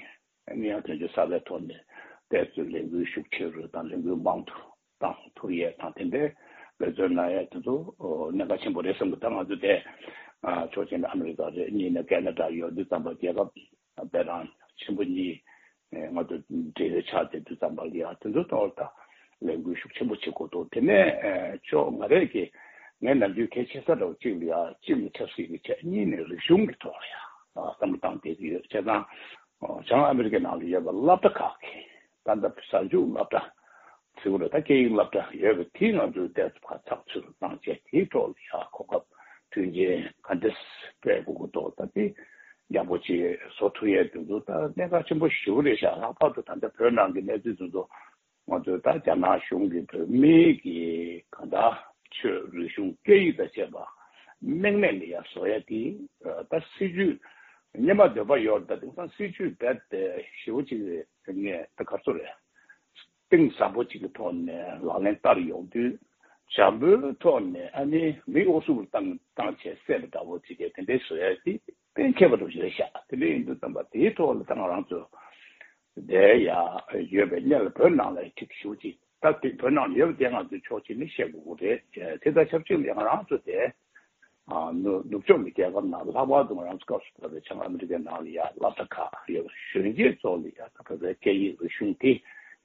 ཨ་ནི་ཡང་དོན་གཅོད་གསར་པའི་ཐོག་ནས་ཏོག་ཙམ་ལས་འགུལ་ཤུགས་ཆེ་རུ་དང་ལས་འགུལ་མང་དུ་བཏང་ཐུབ་ཡས་དང་དེ་འདྲའི་འབད་བརྩོན་གནང་ཡས་དེ་ཚོ་གནད་འགག་ཆེན་པོ་རེད་བསམ་གི། ད་ང་ཚོ་དེ་ཕྱོགས་གཅིག་ནས་ཨ་མི་རི་ཀ་རེད། གཉིས་ནས་ཁེ་ན་ཌ་ཡོད་དུས་ཙམ་པ་རྒྱལ་ཁབ་དཔེ་རང་ཆེན་པོ་གཉིས་ང་ཚོ་འབྲེལ་ཡོད་ཆགས་བསྡད་དུས་ཙམ་པ་ལ་ཡ་དེ་ཚོ་ཐོག་ལ་ད་ལས་འགུལ་ཤུགས་ཆེན་པོ་བྱེད་དགོས་འདུག་དེ་ནས་ཕྱོགས་ང་རང་གིས་ངས་ནམ་རྒྱུན་གལ་ཆེ་ས་འདྲ་བོ་གཅིག་ལ་ཡ་གཅིག་ནི་ཆབ་སྲིད་ཀྱི་ཆ་གཉིས་ནི་རིག་གཞུང་གི་ཐོག་ལ་ཡ་བསམ་བློ་བཏང་བསྡད་ཀྱི་ཡོད། བྱས་ཙང་བྱང་ཨ་མི་རི་ཀའི་ནང་ལ་ཡོད་པ་སློབ་གྲྭ་ཁག་གི་ད་ལྟ་གཟའ་མཇུག་སློབ་གྲྭ་ཟེར་དགོས་རེད། ད་སྐད་ཡིག་སློབ་གྲྭ་ཡོད་པ་དེ་ང་ཚོས་ཏོག་ཙམ་ཕར་ཚགས་ཚུད་དུ་བཏང་བྱས་དེའི་ཐོག་ལ་ཡ་གོ་སྐབས་མཐུན་རྐྱེན་ག་འདྲ་སྤྲད་དགོས་ཀྱི་འདུག་ད་དེ་ཡག་པོ་ཅིག་བཟོ་ཐུབ་ཡས་དེ་ཚོ་ད་གནད་འགག་ཆེན་པོ་ཞེ་པོ་རེད་ཤག་ལྷག་པར་དུ་ད་ལྟ་བོད་ནང་གི་གནས་ཚུལ་དེ་ཚོ་ང་ཚོས་ད་རྒྱ་ནག་གཞུང་གིས་བོད་མིའི་གི་གང་ལྟར་ཆོས་རིག་གཞུང་སྐད་ཡིག་དང་བཅས་པ་རྨེག་མེད་ལ་ཡ་བཟོ་ཡ་དེ་ད་སྲིད་ཇུས་སྔོན་མ་འདོད་པ་ཡོད་རེད། ད་དེང་སང་སྲིད་ཇུས་རྦད་དེ་ཞེ་པོ་ཅིག་ངས་ད་ག་རེ་ཟེར་དགོས་རེད། གཏིང་ཟབ་པོ་ཅིག་གི་ཐོག་ནས་ལག་ལེན་བསྟར་ཡོང་དུས་འཇམ་པོའི་ཐོག་ནས་ཨ་ནི་མི་འུ་སུ་བཏང་བཏང་བྱས་བསད་པ་འདྲ་བོ་ཅིག་གི་དེ་འདྲའི་བཟོ་ཡ་དེ་གཏན་འཁེལ་བ་འདྲ་བོ་ཞིག་རེད་ཤག་དེ་འདྲ་ཡིན་དུས་ཙམ་པ་དེའི་ཐོག་ལ་ད་ང་རང་ཚོ་བསྡད་ཡ་ཡོད་པའི་གནས་ལ་བོད་ནང་ལ་ཁྲིག་ཞུ་ཅིག་ད་དེ་བོད་ནང་ལ་ཡོད་པ་དེ་ང་ཚོས་ཕྱོགས་གཅིག་ནས་བཤད་དགོས་ཀྱི་རེད། དེ་དང་ཆབས་ཅིག་ལ་ང་རང་ཚོ་དེ་ཨ་ནུབ་ནུབ་ཕྱོགས་ཀྱི་རྒྱལ་ཁབ་ནང་ལྷག་པར་དུ་ང་རང་ཚོ་སྐབས་སུ་བབས་པའི་བྱང་ཨ་མི་རི་ཀའི་ནང་ལ་ཡ་སློབ་གྲྭ་ཁག་ཡོད་པ་གཞོན་སྐྱེས་ཚོ་ལ་ཡ་ད་བོད་པའི་སྐད་ཡིག་རིག་གཞུང་དེ་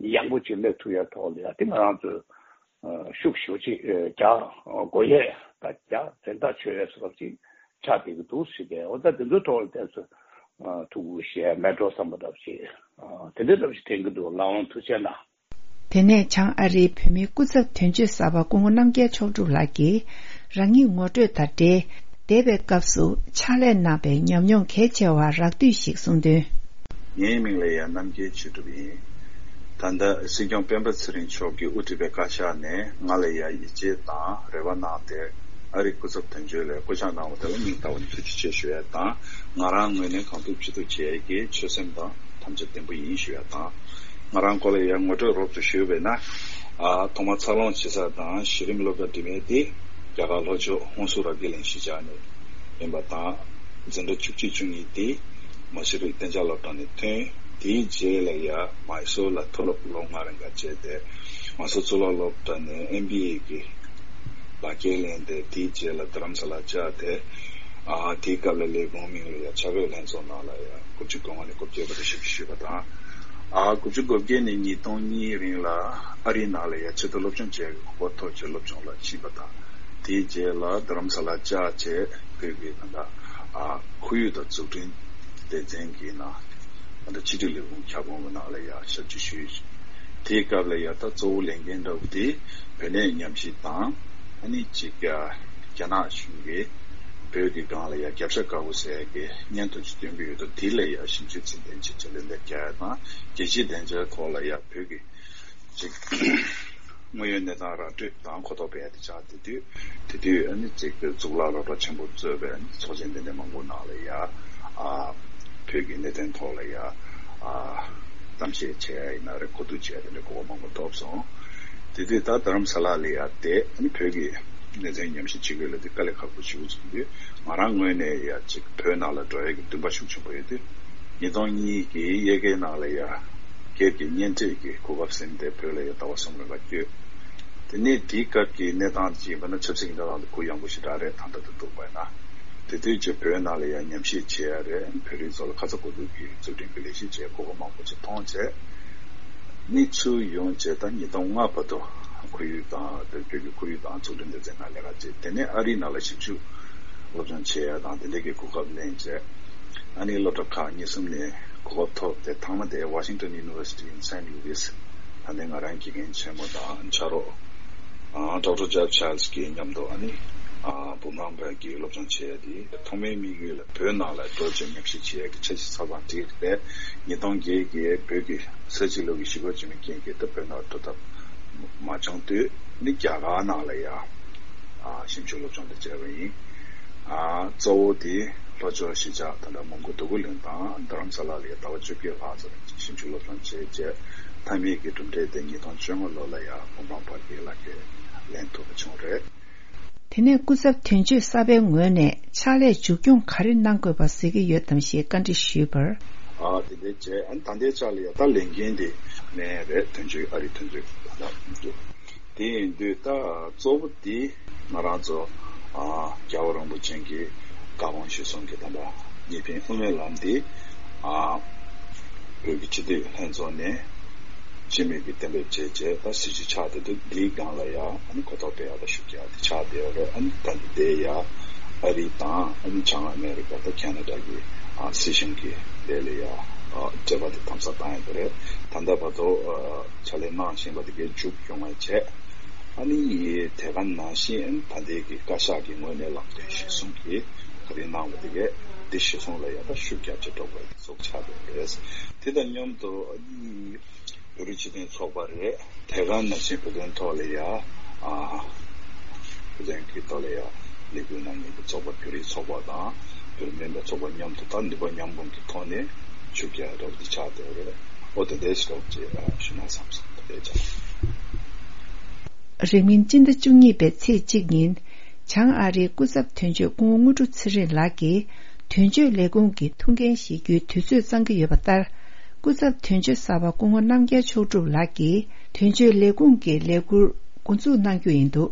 ཡག་པོ་ཅིག་སླེབས་ཐུབ་ཡ་ཐོག་ལ་ཡ་དེ་ང་རང་ཚོས་ཤུགས་ཞེ་པོ་ཅིག་རྒྱག་དགོས་ཡས་ད་རྒྱག་རེ་ད་ཆོད་ཡས་སོགས་ཅིག་ཆགས་བསྡད་ཀྱི་འདུག་ཟེར་གི། འོ་ད་དེ་ཚོའི་ཐོག་ལ་ཏོག་ཙམ་ཐུགས་ཁུར་བཞེས་མེད་འགྲོ་བསམ་པ་འདྲ་ཞིག་དེ་འདྲ་འདྲ་ཞིག་དྲན་གྱི་འདུག་ལགས་འོང་། ཐུགས་རྗེ་གནང་། དེ་ནས་བྱང་ཨ་རིའི་བོད་མིའི་སྐུ་ཚབ་དོན་གཅོད་གསར་པ་སྐུ་ངོ་རྣམ་རྒྱལ་མཆོག་གྲུབ་ལགས་ཀྱིས་རང་ཉིད་ངོ་སྤྲོད་དང་འབྲེལ། འདས་པའི་སྐབས་སུ་ཕྱག་ལས་གནང་བའི་ཉམས་མྱོང་གལ་ཆེ་བ་རགས་བསྡུས་ཤིག་གསུངས་དོན། ངའི་མིང་ལ་ཡ་རྣམ་རྒྱལ་ཆོས་གྲུབ་ཡིན། ད་ལྟ་སྲིད་སྐྱོང་སྤེན་པ་ཚེ་རིང་མཆོག་གིས་དབུ་ཁྲིད་པའི་བཀའ་ཤག་ནས་ང་ལ་ཡ་ཡིད་ཆེས་དང་རེ་བ་གནང་སྟེ་ཨ་རིའི་སྐུ་ཚབ་དོན་གཅོད་ལ་བསྐོ་གཞག་གནང་བ་དེ་ལ་སྙིང་ཐག་པ་ནས་ཐུགས་རྗེ་ཆེ་ཞུ་ཡ་དང་། ང་རང་ངོས་ནས་གང་ཐུབ་ཅི་ཐུབ་བྱེད་ཡ་གི་ཆོད་སེམས་དང་དམ་བཅའ་བརྟན་པོ་ཡིན་ཞུ་ཡ་དང་། ང་རང་སྐོར་ལ་ཡ་ངོ་སྤྲོད་རོབ་ཙམ་ཞུས་པས་ན། ཨ་ཐོག་མ་འཚར་ལོངས་བྱེད་ས་དང་གཞི་རིམ་སློབ་གྲྭ་འགྲིམ་ཡས་དེ་རྒྱ་གར་ལྷོ་ཕྱོགས་ཧོན་སུར་དགེ་ལེགས་གཞིས་ཆགས་ནས་ཡིན་པ་དང་། འཛིན་གྲྭ་བཅུ་གཅིག་བཅུ་གཉིས་དེ་མ་ཤེས་རིག་གཏན་འཇགས་སློབ་གྲྭ་ནས་ཐོན། དེའི་རྗེས་ལ་ཡ་མའི་སོར་ལ་མཐོ་སློབ་ལོ་ལྔ་རིང་ག་བྱས་ཏེ། མའི་སོར་གཙུག་ལག་སློབ་གྲྭ་ནས་ཨེམ་བི་ཨེ་གི་ལག་འཁྱེར་ལེན་ཏེ། དེའི་རྗེས་ལ་རྡ་རམ་ས་ལ་བཅར་ཏེ། ཨ་དེའི་སྐབས་ལ་ལས་ཁུངས་མིང་ལ་ཡ་ཕྱག་དཔེ་ལྷན་ཚོགས་ནང་ལ་ཡ་དགུ་བཅུ་གོ་ལྔ་ནས་དགུ་བརྒྱད་བར་དུ་ཞུགས་ཞུས་པ་དང་། ཨ་དགུ་བཅུ་གོ་བརྒྱད་ནས་ཉིས་སྟོང་གཉིས་རིང་ལ་ཨ་རིའི་ནང་ལ་ཡ་ཆེད་དུ་སློབ་སྦྱོང་བྱས་གོ་སྐབས་ཐོབ་བྱས་སློབ་སྦྱོང་ལ་ཕྱིན་པ་དང་། དེའི་རྗེས་ལ་རྡ་རམ་ས་ལ་བཅར་བྱས་བོད་ཀྱི་ད་ལྟ་ཨ་ཁོར་ཡུག་དང་འཛུགས་སྐྲུན་སྡེ་ཚན་གྱི་ནང་ད་ལྟ་ཕྱི་དྲིལ་ལས་ཁུངས་ཁྱབ་ཁོངས་ཀྱི་ནང་ལ་ཡ་ཞབས་ཕྱི་ཞུས། དེའི་སྐབས་ལ་ཡ་ད་གཙོ་བོ་ལས་འགན་འདྲ་བོ་དེ་བོད་གནས་ཉམས་ཞིབ་དང་ཨ་ནི་གཅིག་རྒྱ་ནག་གཞུང་གིས་བོད་ཀྱི་སྒང་ལ་ཡ་རྒྱབ་ཤ་དཀར་པོ་ཟེར་ཡ་གི་བརྙན་ཐུང་ཅིག་སྟོན་གྱི་ཡོད་དོ། དེ་ལ་ཡ་ཞིབ་འཇུག་ཚད་ལྡན་ཅིག་ལེགས་འདེབས་རྒྱག་ཡ་དང་རྒྱལ་སྤྱིའི་བདེ་འཇགས་ཐོག་ལ་ཡ་བོད་ཀྱི་ཅིག་དངོས་ཡོད་གནས་སྟངས་ར་སྤྲོད་དང་གོ་རྟོགས་སྤེལ་ཡ་དེ་ཆགས་བསྡད་དུས་དེ་དུས་ཨ་ནི་ཅིག་གཙུག་ལག་སློབ་གྲྭ་ཆེན་པོ་གཙོས་པའི་ཨ་ནི་ཚོགས་ཆེན་དེ་འདྲ་མང་པོ་ནང་ལ་ཡ་ཨ་བོད་ཀྱི་གནད་དོན་ཐོག་ལ་ཡ་ཨ་གཏམ་བཤད་བྱས་ཡ་ཡིན་ན་རེད། གོ་བསྡུར་བྱས་ཡ་དེ་འདྲ་གོ་སྐབས་མང་པོ་ཐོབ་སོང་། དེ་དུས་ད་རྡ་རམ་ས་ལ་ལ་ཡ་བསྡད་ཨ་ནི་བོད་ཀྱི་གནད་དོན་ཉམས་ཞིབ་བྱེད་དགོས་ལབ་དུས་དཀའ་ལས་ཁག་པོ་ཞིག་བྱུང་དུས་ང་རང་ངོས་ནས་ཡ་ཅིག་བོད་ནང་ལ་འགྲོ་ཡ་གི་འདུན་པ་ཤུགས་ཆེན་པོ་ཡོད་དུས། ཉིས་སྟོང་གཉིས་ཀྱི་དབྱར་ཁའི་ནང་ལ་ཡ་སྒེར་གྱི་གཉེན་འཕྲད་ཀྱི་གོ་སྐབས་ཟིན་ཏེ་བོད་ལ་ཡ་ཟླ་བ་གསུམ་རིང་ལ་བསྐྱོད། དེ་ནས་དེའི་སྐབས་ཀྱི་གནས་སྟངས་ཅིག་ཡིན་པ་ན་ཆབ་སྲིད་ཀྱི་གནས་སྟངས་དེ་གུ་ཡངས་པོ་ཞེ་དྲག་རེད། ད་ལྟ་དུ་འདུག་པ་ཡིན་ན། དེ་དུས་ཀྱི་བོད་ནང་ལ་ཡ་ཉམས་ཞིབ་བྱེད་ཡ་རེད། བོད་རིགས་ཚོ་ལ་ཁ་ཚ་དགོས་གཏུགས་ཀྱི་འཛུགས་སྐྲུན་གྱི་ལས་གཞི་བྱས་གོ་སྐབས་མང་པོ་ཅིག་མཐོང་བྱས། ནི་ཚུར་ཡོང་བྱས་ད་ཉིས་སྟོང་ལྔ་བར་དུ་ཁོར་ཡུག་དང་བོད་བོད་ཀྱི་ཁོར་ཡུག་དང་འཛུགས་སྐྲུན་སྡེ་ཚན་ནང་ལས་ཀ་བྱས། དེ་ནས་ཨ་རིའི་ནང་ལ་ཞིབ་འཇུག་སློབ་སྦྱོང་བྱེད་ཡ་དང་དེ་འདྲ་གི་གོ་སྐབས་ལེན་བྱས། ཨ་ནི་སློབ་གྲྭ་ཁག་གཉིས་གསུམ་ནས་གོ་སྐབས་ཐོབ་སྟེ་ཐང་མ་དེ་Washington University in Saint Louis ད་ལྟའི་ང་རང་དགེ་རྒན་ཆེན་མོ་དང་ཕྱག་རོགས་ཨ་Doctor Jeff Childs་གི་མཉམ་དུ་ཨ་ནི་ཨ་འབུམ་རམས་པ་གི་སློབ་སྦྱོང་བྱེད་ཡ་དེ་ཐོག་མའི་དམིགས་ཡུལ་ལ་བོད་ནང་ལ་འགྲོ་བྱས་ཉམས་ཞིབ་བྱེད་ཡ་གི་འཆར་གཞི་ཚགས་ཚང་བསྒྲིགས་ཏེ་ཉིས་སྟོང་བརྒྱད་ཀྱི་བོད་ཀྱི་ས་བྱི་ལོ་གི་ཞི་རྒོལ་རྗེས་མའི་རྐྱེན་གྱིས་ད་བོད་ནང་འགྲོ་ཐབས་མ་བྱུང་དུས་ནི་རྒྱ་གར་ནང་ལ་ཡ་ཨ་ཞིབ་འཇུག་སློབ་སྦྱོང་དེ་བྱས་པ་ཡིན། ཨ་གཙོ་བོ་དེ་ལྷོ་ཕྱོགས་གཞིས་ཆགས་ད་ལྟ་མོན་གྷོ་འདོད་རྒུ་གླིང་དང་རྡ་རམ་ས་ལ་ལ་ཡ་ཟླ་བ་བཅོ་བརྒྱད་ལྷག་ཙམ་ཞིབ་འཇུག་སློབ་སྦྱོང་བྱས་རྗེས་མཐའ་མའི་གི་གྲུབ་འབྲས་དེ་ཉིས་སྟོང་བཅོ་ལྔ་ལོ་ལ་ཡ་འབུམ་རམས་པ་གི་ལག་ཁྱེར་ལེན་ཐུབ་པ་བྱུང་རེད། དེ་ནས་སྐུ་ཚབ་དོན་གཅོད་གསར་པའི་ངོས་ནས་ཕྱག་ལས་མཇུག་སྐྱོང་ག་རེ་གནང་དགོས་པ་གཟིགས་ཀྱི་ཡོད་དམ་ཞེས་བཀའ་འདྲི་ཞུས་པར། ཨ་དེ་འདྲའི་བྱས་ཨ་ནི་ད་ལྟའི་ཆ་ལ་ཡ་ད་ལས་འགན་དེ་ལེན་རེད། དོན་གཅོད་ཨ་རིའི་དོན་གཅོད་ད་ལྟ་འདུག་དེ་ཡིན་དུས་ད་གཙོ་བོ་དེ་ང་རང་ཚོ་ཨ་རྒྱལ་བ་རིན་པོ་ཆེ་གི་བཀའ་དགོངས་གཞིར་བཟུང་གི་ད་ལྟ་གཉིས་ཕན་དབུ་མའི་ལམ་དེ་ཨ་བོད་ཀྱི་སྤྱི་འཐུས་ལྷན་ཚོགས་ནས་སྤྱི་མོས་ཀྱིས་གཏན་འབེབས་བྱས་རྗེས་ད་སྲིད་ཇུས་ཆགས་བསྡད་འདུག་འདིའི་སྒང་ལ་ཡང་ཨ་ནི་གོ་རྟོགས་སྤེལ་ཡག་དང་ཤུགས་རྒྱག་ཡག་དེ་ཆགས་བསྡད་ཡོད་རེད། ཨ་ནི་ད་ལྟ་དེ་ཡང་ཨ་རི་དང་ཨ་ནི་བྱང་ཨ་མེ་རི་ཀ་དང་ཁེ་ན་ཌ་གི་ཨ་སྲིད་གཞུང་གི་དེ་ལ་ཡང་ཨ་འབྲེལ་བ་དེ་དམ་ཟབ་བཏང་ཡོད་རེད། ད་ལྟ་བར་དུ་ཨ་ཕྱག་ལས་གནང་བཞིན་པ་དེ་གའི་མཇུག་ཡོང་བ་བྱས། ཨ་ནི་དེ་ག་ནང་བཞིན་ཨ་ནི་ད་ལྟའི་གི་བཀའ་ཤག་གི་ངོས་ནས་ལམ་སྟོན་གཞིར་བཟུང་གིས་ག་རེ་གནང་བ་དེ་གའི་དེ་གཞིར་བཟུང་ལ་ཡང་ད་ཤུགས་རྒྱབ་བྱས་འགྲོ་དགོས་པའི་གཙོ་བོ་ཆགས་བསྡད་ཡོད་རེད། དེ་དང་མཉམ་དུ་ཨ་ནི་བོད་རིགས་སྤྱི་མཐུན་ཚོགས་པ་རེད། དེ་ག་ནང་བཞིན་བོད་དོན་ཐོག་ལ་ཡ་ཨ་བོད་དོན་གྱི་ཐོག་ལ་ཡ་ལས་འགུལ་གནང་མཁན་གྱི་ཚོགས་པ་བོད་རིགས་ཚོགས་པ་དང་བོད་མིན་པའི་ཚོགས་པ་མཉམ་དུ་ད་ནུས་པ་མཉམ་སྤུངས་ཀྱི་ཐོག་ནས་ཤུགས་རྒྱག་རོགས་འདི་ཆགས་བསྡད་ཡོད་རེད། ཨོ་དེ་འདྲའི་ཞིག་རོགས་ཅེས་ཞུ་ན་བསམ་སོང་། དེ་འདྲའི་ཆགས། རིང་མིན་སྤྱི་ཟླ་བཅུ་གཉིས་པའི་ཚེས་གཅིག་ཉིན། བྱང་ཨ་རིའི་སྐུ་ཚབ་དོན་གཅོད་སྐུ་ངོ་དངོས་གྲུབ་ཚེ་རིང་ལགས་ཀྱིས་དོན་གཅོད་ལས་ཁུངས་ཀྱི་ཐུགས་འགན་བཞེས་རྒྱུའི་དུས་ཚོད་གཙང་གི་ཡོད་པ་ལྟར། སྐུ་ཚབ་དོན་གཅོད་གསར་པ་སྐུ་ངོ་རྣམ་རྒྱལ་མཆོག་གྲུབ་ལགས་ཀྱིས་དོན་གཅོད་ལས་ཁུངས་ཀྱི་ལས་འཁུར་འགོ་འཛུགས་གནང་རྒྱུ་ཡིན་འདུག་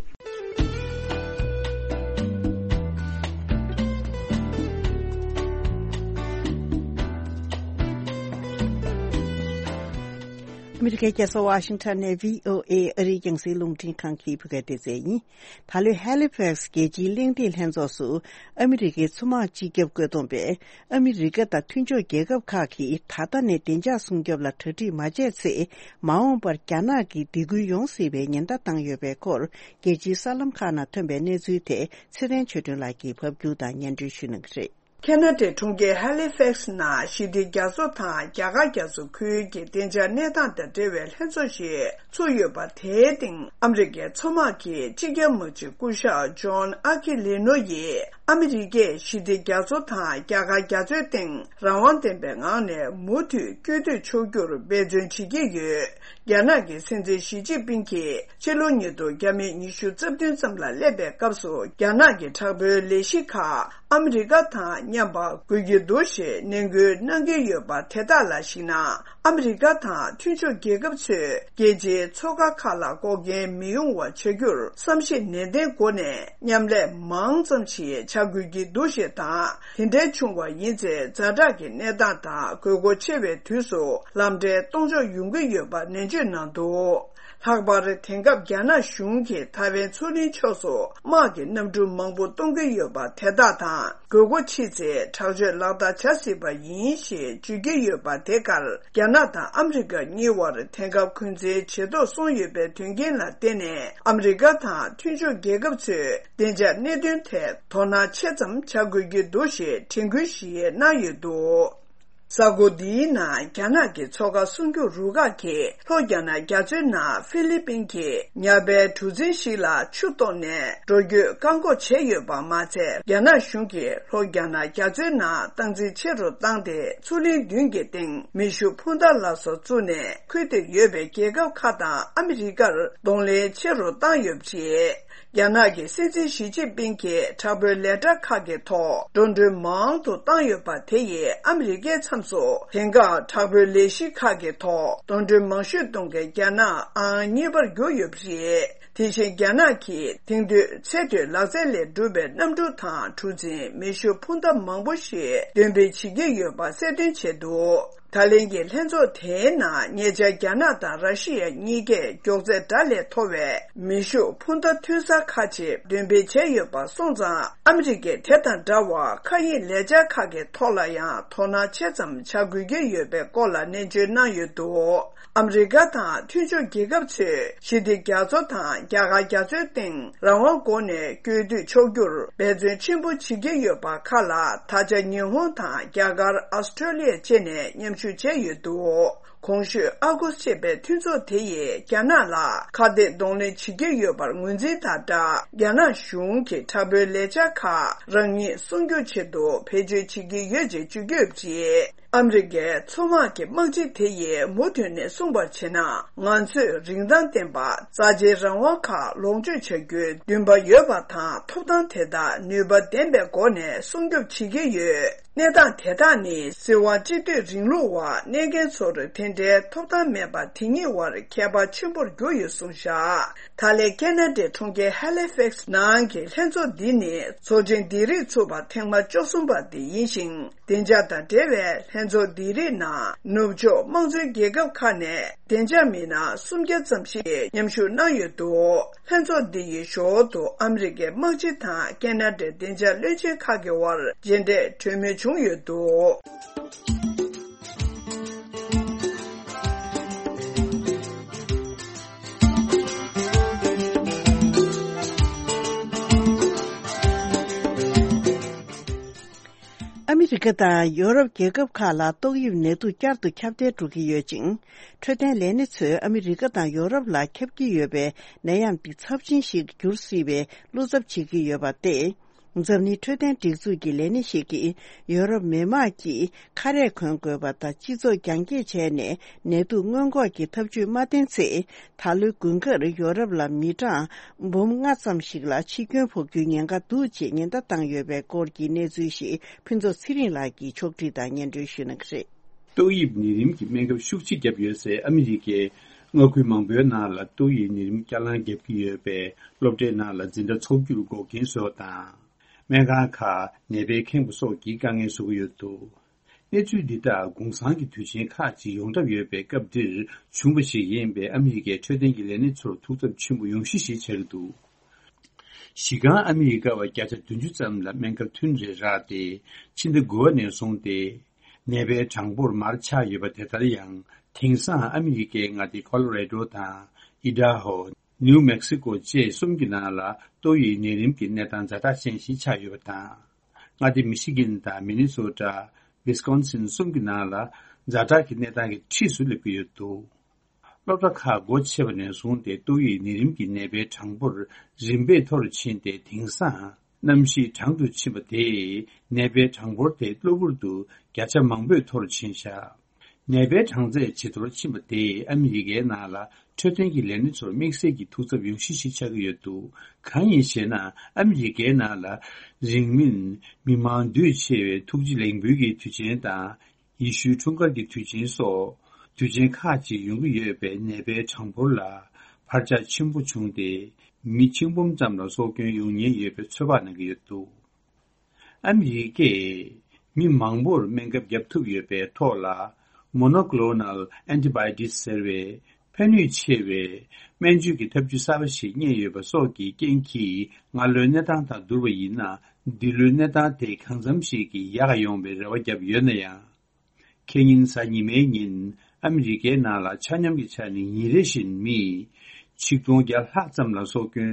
ཨ་མི་རི་ཀའི་རྒྱལ་ས་ཝ་ཤིང་ཊོན་ནས་བྷི་ཨོ་ཨེ་ཨ་རིའི་རྒྱང་སྲིང་རླུང་འཕྲིན་ཁང་གི་བོད་སྐད་སྡེ་ཚན་ཡིན། ད་ལོའི་ཧེ་ལི་ཕེག་སི་རྒྱལ་སྤྱིའི་གླེང་སྟེགས་ལྷན་ཚོགས་སུ་ཨ་མི་རི་ཀའི་མཚོ་དམག་སྤྱི་ཁྱབ་བཀོད་འདོམས་པས་ཨ་མི་རི་ཀ་དང་མཐུན་ཕྱོགས་རྒྱལ་ཁབ་ཁག་གིས་ད་ལྟ་ནས་བདེ་འཇགས་སྲུང་སྐྱོབ་ལ་གྲ་སྒྲིག་མ་བྱས་ཚེ་མ་འོངས་པར་རྒྱ་ནག་གིས་སྡིགས་སྐུལ་ཡོང་སྲིད་པའི་ཉེན་བརྡ་བཏང་ཡོད་པའི་སྐོར་རྒྱལ་སྤྱིའི་གསར་ལམ་ཁག་ནང་ཐོན་པའི་གནས་ཚུལ་དེ་ཚེ་བརྟན་ཆོས་སྒྲོན་ལགས་ཀྱིས་ཕབ་སྒྱུར་དང་སྙན་སྒྲོན་ཞུ་གནང་གི་རེད། ཁེ་ན་ཌའི་གྲོང་ཁྱེར་ཧེ་ལི་ཕེག་སི་ནང་ཞི་བདེ་རྒྱ་མཚོ་དང་རྒྱ་གར་རྒྱ་མཚོ་ཁུལ་གྱི་བདེ་འཇགས་གནས་སྟངས་དང་འབྲེལ་བའི་ལྷན་ཚོགས་ཤིག་ཚུགས་ཡོད་པ། དེའི་སྟེང་ཨ་མི་རི་ཀའི་མཚོ་དམག་གི་སྤྱི་ཁྱབ་དམག་སྤྱི་སྐུ་ཞབས་ཇོན་ཨ་ཁི་ལེ་ནོ་ཡིས་ཨ་མི་རི་ཀས་ཞི་བདེ་རྒྱ་མཚོ་དང་རྒྱ་གར་རྒྱ་མཚོའི་སྟེང་རང་དབང་ལྡན་པའི་ངང་ནས་མུ་མཐུད་སྐྱོད་སྡུད་ཆོག་རྒྱུར་འབད་བརྩོན་བྱེད་ཀྱི་ཡོད། རྒྱ་ནག་གི་སྲིད་འཛིན་ཞི་ཅིན་ཕིང་གིས་ཕྱི་ལོ་ཉིས་སྟོང་ཉི་ཤུ་རྩ་བདུན་ཙམ་ལ་སླེབས་པའི་སྐབས་སུ་རྒྱ་ནག་གི་དྲག་པོའི་ལས་གཞི་ཁག་ཨ་མི་རི་ཀ་དང་མཉམ་པ་དགོས་ཀྱི་འདུག་ཞེས་ནན་སྐུལ་གནང་གི་ཡོད་པ། དེ་དག་ལ་གཞིགས་ན་ཨ་མི་རི་ཀ་དང་མཐུན་ཕྱོགས་རྒྱལ་ཁབ་ཚོས་རྒྱལ་སྤྱིའི་མཚོ་ཁ་ཁག་ལ་འགོག་རྐྱེན་མི་ཡོང་བ་བྱ་རྒྱུར་བསམ་གཞིགས་ནན་ཏན་སྒོ་ནས་མཉམ་ལས་མང་ཙམ་ཞིག་ ཆགས་དགོས་ཀྱི་འདུག་ཞེས་དང་། དེ་འདྲའི་བྱུང་བ་ཡིན་ཚེ་ཛ་དྲག་གི་གནས་སྟངས་དང་དགོས་མཁོ་ཆེ་བའི་དུས་སུ་ལམ་འབྲས་གཏོང་ཕྱོགས་ཡོང་གི་ཡོད་པ་ནན་བརྗོད་གནང་འདུག། ལྷག་པར་དེང་སྐབས་རྒྱ་ནག་གཞུང་གིས་ཐའེ་ཝན་མཚོ་གླིང་ཕྱོགས་སུ་དམག་གི་གནམ་གྲུ་མང་པོ་གཏོང་གི་ཡོད་པ་དེ་དག་དང་། དགོས་མཁོ་ཆེ་ཚེ་དྲག་སྤྱོད་ལག་བསྟར་བྱ་སྲིད་པ་ཡིན་ཞེས་བརྗོད་ཀྱི་ཡོད་པ་དེ་གར། རྒྱ་ནག་དང་ཨ་མི་རི་ཀ་གཉིས་བར་དེང་སྐབས་འཁོན་འཛིན་ཇེ་མཐོར་སོང་ཡོད་པའི་དོན་རྐྱེན་ལ་བརྟེན་ནས། ཨ་མི་རི་ཀ་དང་མཐུན་ཕྱོགས་རྒྱལ་ཁབ་ཚོས་བདེ་འཇགས་གནད་དོན་ཐད་དོ་སྣང་ཆེ་ཙམ་བྱ་དགོས་ཀྱི་འདུག་ཞེས་དྲན་སྐུལ་ཞིག་གནང་ཡོད་འདུག། གསར་འགོད་འདིའི་ནང་རྒྱ་ནག་གི་མཚོ་ཁ་སྲུང་སྐྱོབ་རུ་ཁག་གིས་ལྷོ་རྒྱ་ནག་རྒྱ་མཚོའི་ནང་ཧྥི་ལི་པིན་གྱི་ཉ་པའི་གྲུ་གཟིངས་ཤིག་ལ་ཆུ་གཏོར་ནས་འགྲོ་སྐྱོད་བཀག་འགོག་བྱས་ཡོད་པ་མ་ཚད། རྒྱ་ནག་གཞུང་གིས་ལྷོ་རྒྱ་ནག་རྒྱ་མཚོའི་ནང་སྟངས་འཛིན་ཆེ་རུ་བཏང་སྟེ། མཚོ་གླིང་མདུན་གྱི་སྟེང་མེ་ཤུགས་འཕུར་མདའ་ལ་སོགས་བཙུགས་ནས། ཁུལ་དེར་ཡོད་པའི་རྒྱལ་ཁབ་ཁག་དང་ཨ་མི་རི་ཀར་གདོང་ལེན་ཆེ་རུ་བཏང་ཡོད་པ་རེད། རྒྱ་ནག་གི་སྲིད་འཛིན་ཞི་ཅིན་ཕིང་གིས་དྲག་པོའི་ལས་གྲྭ་ཁག་གི་ཐོག་འགྲོ་གྲོན་མང་དུ་བཏང་ཡོད་པ་དེ་ཡིས་ཨ་མི་རི་ཀའི་མཚམས་སུ་དེང་སྐབས་དྲག་པོའི་ལས་གཞི་ཁག་གི་ཐོག་འགྲོ་གྲོན་མང་ཤོས་གཏོང་མཁན་རྒྱ་ནག་ཨང་གཉིས་པར་གྱུར་ཡོད་པ་རེད། དེ་བཞིན་རྒྱ་ནག་གིས་དེང་དུས་ཚད་མཐོའི་ལག་རྩལ་ལས་གྲུབ་པའི་གནམ་གྲུ་དང་གྲུ་གཟིངས། མེ་ཤུགས་འཕུར་མདའ་མང་པོ་ཞིག་འདོན་སྤེལ་བྱེད་ཀྱི་ཡོད་པ་གསལ་སྟོན་བྱས་འདུག། ད་ལན་གྱི་ལྷན་ཚོགས་དེའི་ནང་ཉེ་ཆར་རྒྱ་ནག་དང་ར་ཤི་ཡ་གཉིས་ཀས་མགྱོགས་ཚད་འདྲ་ལས་མཐོ་བའི་མེ་ཤུགས་འཕུར་མདའ་ཐོན་གསར་ཁག་ཅིག་འདོན་སྤེལ་བྱས་ཡོད་པ་སོང་ཙང་། ཨ་མི་རི་ཀས་དེ་དང་འདྲ་བར་མཁའ་དབྱིངས་ལས་འཆར་ཁག་གི་ཐོག་ལ་ཡང་དོ་སྣང་ཆེ་ཙམ་བྱ་དགོས་ཀྱི་ཡོད་པའི་སྐོར་ལ་ནན་བརྗོད་གནང་ཡོད་འདུག། ཨ་མི་རི་ཀ་དང་མཐུན་ཕྱོགས་རྒྱལ་ཁབ་ཚོས་ཞི་བདེ་རྒྱ་མཚོ་དང་རྒྱ་གར་རྒྱ་མཚོའི་སྟེང་རང་དབང་སྒོ་ནས་སྐྱོད་དུ་ཆོག་རྒྱུར་འབད་བརྩོན་ཆེན་པོ་བྱེད་ཀྱི་ཡོད་པ་ཁག་ལ། ད་ཆ་ཉི་ཧོང་དང་རྒྱ་གར། ཨོ་སི་ཀྲོ་ལི་ཡ་བཅས་ནས་མཉམ་ཞུགས་བྱས་ཡོད་འདུག། གོང་ཞུས་ཨ་གུ་སི་ཅེས་པའི་མཐུན་ཚོགས་དེ་ཡིས་རྒྱ་ནག་ལ་ཁ་གཏད་གདོང་ལེན་བྱེད་ཀྱི་ཡོད་པར་ངོས་འཛིན་དང་སྦྲགས། རྒྱ་ནག་གཞུང་གིས་དྲག་པོའི་ལས་འཆར་ཁག་རང་ཉིད་སྲུང་སྐྱོབ་ཆེད་དུ་བེད་སྤྱོད་བྱེད་ཀྱི་ཡོད་ཅེས་བརྗོད་ཀྱི་ཡོད་པ་རེད། ཨ་མི་རི་ཀའི་མཚོ་དམག་གི་དམག་སྤྱི་དེ་ཡིས་མུ་མཐུད་ནས་གསུངས་པར་བྱས་ན། ང་ཚོས་རིན་ཐང་ལྡན་པ་རྩ་ཆེའི་རང་དབང་ཁག་ལོངས་སྤྱོད་བྱ་རྒྱུའི་འདུན་པ་ཡོད་པ་དང་། ཐོབ་ཐང་དེ་དག་ནུས་པ་ལྡན་པའི་སྒོ་ནས་སྲུང་སྐྱོབ་བྱེད་ཀྱི་ཡོད། གནས་སྟངས་དེ་དག་ནི་སྲིད་དབང་སྤྱི་འཐུས་རིང་ལུགས་པ་གནས་མཁན་ཚོར་དེ་འདྲའི་ཐོབ་ཐང་མེད་པ་དེ་གཉིས་བར་ཁྱད་པར་ཆེན་པོར་གྱུར་ཡོད་གསུངས་བཞག། ད་ལན་ཁེ་ན་ཌའི་གྲོང་ཁྱེར་ཧ་ལི་ཕེག་སི་ནང་གི་ལྷན་ཚོགས་འདི་ནི་ཚོགས་ཆེན་འདི་རིགས་ཚུགས་པ་ཐེངས་མ་བཅུ་གསུམ་པ་དེ་ཡིན་ཞིང་། བདེ་འཇགས་དང་འབྲེལ་བའི་ལྷན་ཚོགས་འདི་རིགས་ནང་ནུབ་ཕྱོགས་དམངས་གཙོའི་རྒྱལ་ཁབ་ཁག་ནས་བདེ་འཇགས་མི་སྣ་སུམ་བརྒྱ་ཙམ་ཞིག་མཉམ་ཞུགས་གནང་ཡོད་འདུག། ལྷན་ཚོགས་འདི་ཡི་ཞོར་དུ་ཨ་མི་རི་ཀའི་དམག་སྤྱི་དང་ཁེ་ན་ཌའི་བདེ་འཇགས་བློན་ཆེན་ཁག་གི་དབར་མཇལ་འཕྲད་གྲོས་མོལ་བྱུང་ཡོད་འདུག། ཨ་མི་རི་ཀ་དང་ཡོ་རོབ་རྒྱལ་ཁབ་ཁག་ལ་ཏོག་དབྱིབས་ནད་དུག་བསྐྱར་དུ་ཁྱབ་གདལ་འགྲོ་གི་ཡོད་ཅིང་། འཕྲོད་བསྟེན་ལས་སྣེ་ཚོས་ཨ་མི་རི་ཀ་དང་ཡོ་རོབ་ལ་ཁྱབ་ཀྱི་ཡོད་པའི་ནད་ཡམས་འདི་ཚབས་ཆེན་ཞིག་འགྱུར་སྲིད་པའི་བློ་འཚབ་བྱེད་ཀྱི་ཡོད་པ་སྟེ། འཛམ་གླིང་འཕྲོད་བསྟེན་སྒྲིག་འཛུགས་ཀྱི་ལས་སྣེ་ཞིག་གིས་ཡོ་རོབ་མི་དམངས་ཀྱིས་ཁ་རས་གོན་དགོས་པ་དང་། སྤྱི་ཚོགས་རྒྱང་བཀྱེད་བྱས་ནས་ནད་དུག་སྔོན་འགོག་གི་ཐབས་ཇུས་མ་བསྟེན་ཚེ། ད་ལོའི་དགུན་ཁར་ཡོ་རོབ་ལ་མི་གྲངས་འབུམ་ལྔ་ཙམ་ཞིག་ལ་འཆི་སྐྱོན་ཕོག་རྒྱུའི་ཉེན་ཁ་འདུག་ཅེས་ཉེན་བརྡ་བཏང་ཡོད་པའི་སྐོར་གྱི་གནས་ཚུལ་ཞིག་ཕུན་ཚོགས་ཚེ་རིང་ལགས་ཀྱིས་ཕྱོགས་སྒྲིག་དང་སྙན་སྒྲོན་ཞུ་གནང་གི་རེད། ཏོག་དབྱིབས་ནད་རིམས་ཀྱི་སྨན་ཁབ་ཤུགས་ཆེ་བརྒྱབ་ཡོད་སའི་ཨ་མི་རི་ཀའི་མངའ་ཁུལ་མང་པོའི་ནང་ལ་ཏོག་དབྱིབས་ནད་རིམས་བསྐྱར་ལངས་བརྒྱབ་ཀྱི་ཡོད་པས། སློབ་གྲྭའི་ནང་ལ་འཛིན་གྲྭ་འཚོགས་རྒྱུར་འགོག་རྐྱེན་བཟོ་བ་དང་། སྨན་ཁང་ཁག་ནད་པས་ཁེངས་པ་སོགས་ཀྱི་དཀའ་ངལ་བཟོ་གི་ཡོད་འདུག། གནས་ཚུལ་འདི་དག་གུང་སེང་གི་དུས་ཆེན་ཁག་ཅིག་ཡོངས་གྲབས་ཡོད་པའི་སྐབས་འདིར་བྱུང་བ་ཞིག་ཡིན་པས། ཨ་མི་རི་ཀའི་འཕྲོད་བསྟེན་གྱི་ལས་སྣེ་ཚོར་ཐུགས་འཚབ་ཆེན་པོ་ཡོང་གཞི་ཞིག་ཆགས་ཀྱི་འདུག། གཞི་རྐང་ཨ་མི་རི་ཀ་བ་བརྒྱ་ཆ་བདུན་ཅུ་ཙམ་ལ་སྨན་ཁབ་ཐུན་རེ་རག་སྟེ། ཕྱི་ཟླ་དགུ་པ་ནས་བཟུང་སྟེ་ནད་པའི་གྲངས་འབོར་མར་ཆག་ཡོད་པ་དེ་ལྟར་ཡང་། དེང་སང་ཨ་མི་རི་ཀའི་མངའ་སྡེ་ཀོ་ལོ་རེ་ཌོ་དང་ཨི་ཌ་ཧོ། ནིའུ་མེག་སི་ཀོ་བཅས་གསུམ་གྱི་ནང་ལ་ཏོག་དབྱིབས་ནད་རིམས་ཀྱི་གནས་སྟངས་ཛ་དྲག་ཅན་ཞིག་ཆགས་ཡོད་པ་དང་། མངའ་སྡེ་མི་ཤི་གིན་དང་མི་ནི་སོ་ཊ། ཝི་སི་ཀོན་སིན་གསུམ་གྱི་ནང་ལ་ཛ་དྲག་གི་གནས་སྟངས་ཀྱི་འཁྲིས་སུ་སླེབས་ཀྱི་ཡོད་འདུག། སློབ་གྲྭ་ཁག་སྒོ་ཕྱེ་བ་ནས་བཟུང་སྟེ་ཏོག་དབྱིབས་ནད་རིམས་ཀྱི་ནད་པའི་གྲངས་འབོར་རིམ་པས་མཐོ་རུ་ཕྱིན་ཏེ། དེང་སང་གནམ་གཤིས་གྲང་དུ་ཕྱིན་པ་དེས་ནད་པའི་གྲངས་འབོར་དེ་གློ་བུར་དུ་བརྒྱ་ཆ་མང་པོས་མཐོ་རུ་ཕྱིན་བཞག། ནད་པའི་གྲངས་ཚད་ཇེ་མཐོར་ཕྱིན་པ་དེས་ཨ་མི་རི་ཀའི་ནང་ལ་འཕྲོད་བསྟེན་གྱི་ལས་སྣེ་ཚོར་དམིགས་བསལ་གྱི་ཐུགས་འཚབ་ཡོང་གཞི་ཞིག་ཆགས་ཀྱི་ཡོད་འདུག། གང་ཡིན་ཞེ་ན། ཨ་མི་རི་ཀའི་ནང་ལ་རིང་མིན་མི་མང་འདུས་ཆེ་བའི་ཐུགས་རྗེ་ལེགས་འབུལ་གྱི་དུས་ཆེན་དང་། ཡེ་ཤུའི་འཁྲུངས་སྐར་གྱི་དུས་ཆེན་སོགས་དུས་ཆེན་ཁག་ཅིག་ཡོང་གི་ཡོད་པས། ནད་པའི་གྲངས་འབོར་ལ་འཕར་ཆག་ཆེན་པོ་བྱུང་སྟེ། མི་ཆིག་འབུམ་ཙམ་ལ་སྲོག་སྐྱོན་ཡོང་ཉེན་ཡོད་པའི་ཚོད་དཔག་གནང་གི་ཡོད་འདུག། ཨ་མི་རི་ཀས་མི་མང་པོར་སྨན་ཁབ་བརྒྱབ་ཐུབ་ཡོད་པའི་ཐོག་ལ། Monoclonal Antibodies ཟེར་བའི་ཕན་ནུས་ཆེ་བའི་སྨན་བཅོས་ཀྱི་ཐབས་ཇུས་གསར་པ་ཞིག་རྙེད་ཡོད་པ་སོགས་ཀྱི་རྐྱེན་གྱིས། སྔ་ལོའི་གནས་སྟངས་དང་བསྡུར་བ་ཡིན་ན། འདི་ལོའི་གནས་སྟངས་དེ་གང་འཚམ་ཞིག་གིས་ཡག་ཡོང་བའི་རེ་བ་བརྒྱབ་ཡོད་ན་ཡང་། ཁེ་ཉིན་གཟའ་ཉི་མའི་ཉིན་ཨ་མི་རི་ཀའི་ནང་ལ་ཆ་སྙོམས་ཀྱི་ཆ་ནས་ཉིན་རེ་བཞིན་མི་ཆིག་སྟོང་བརྒྱ་ལྷག་ཙམ་ལ་སྲོག་སྐྱོན་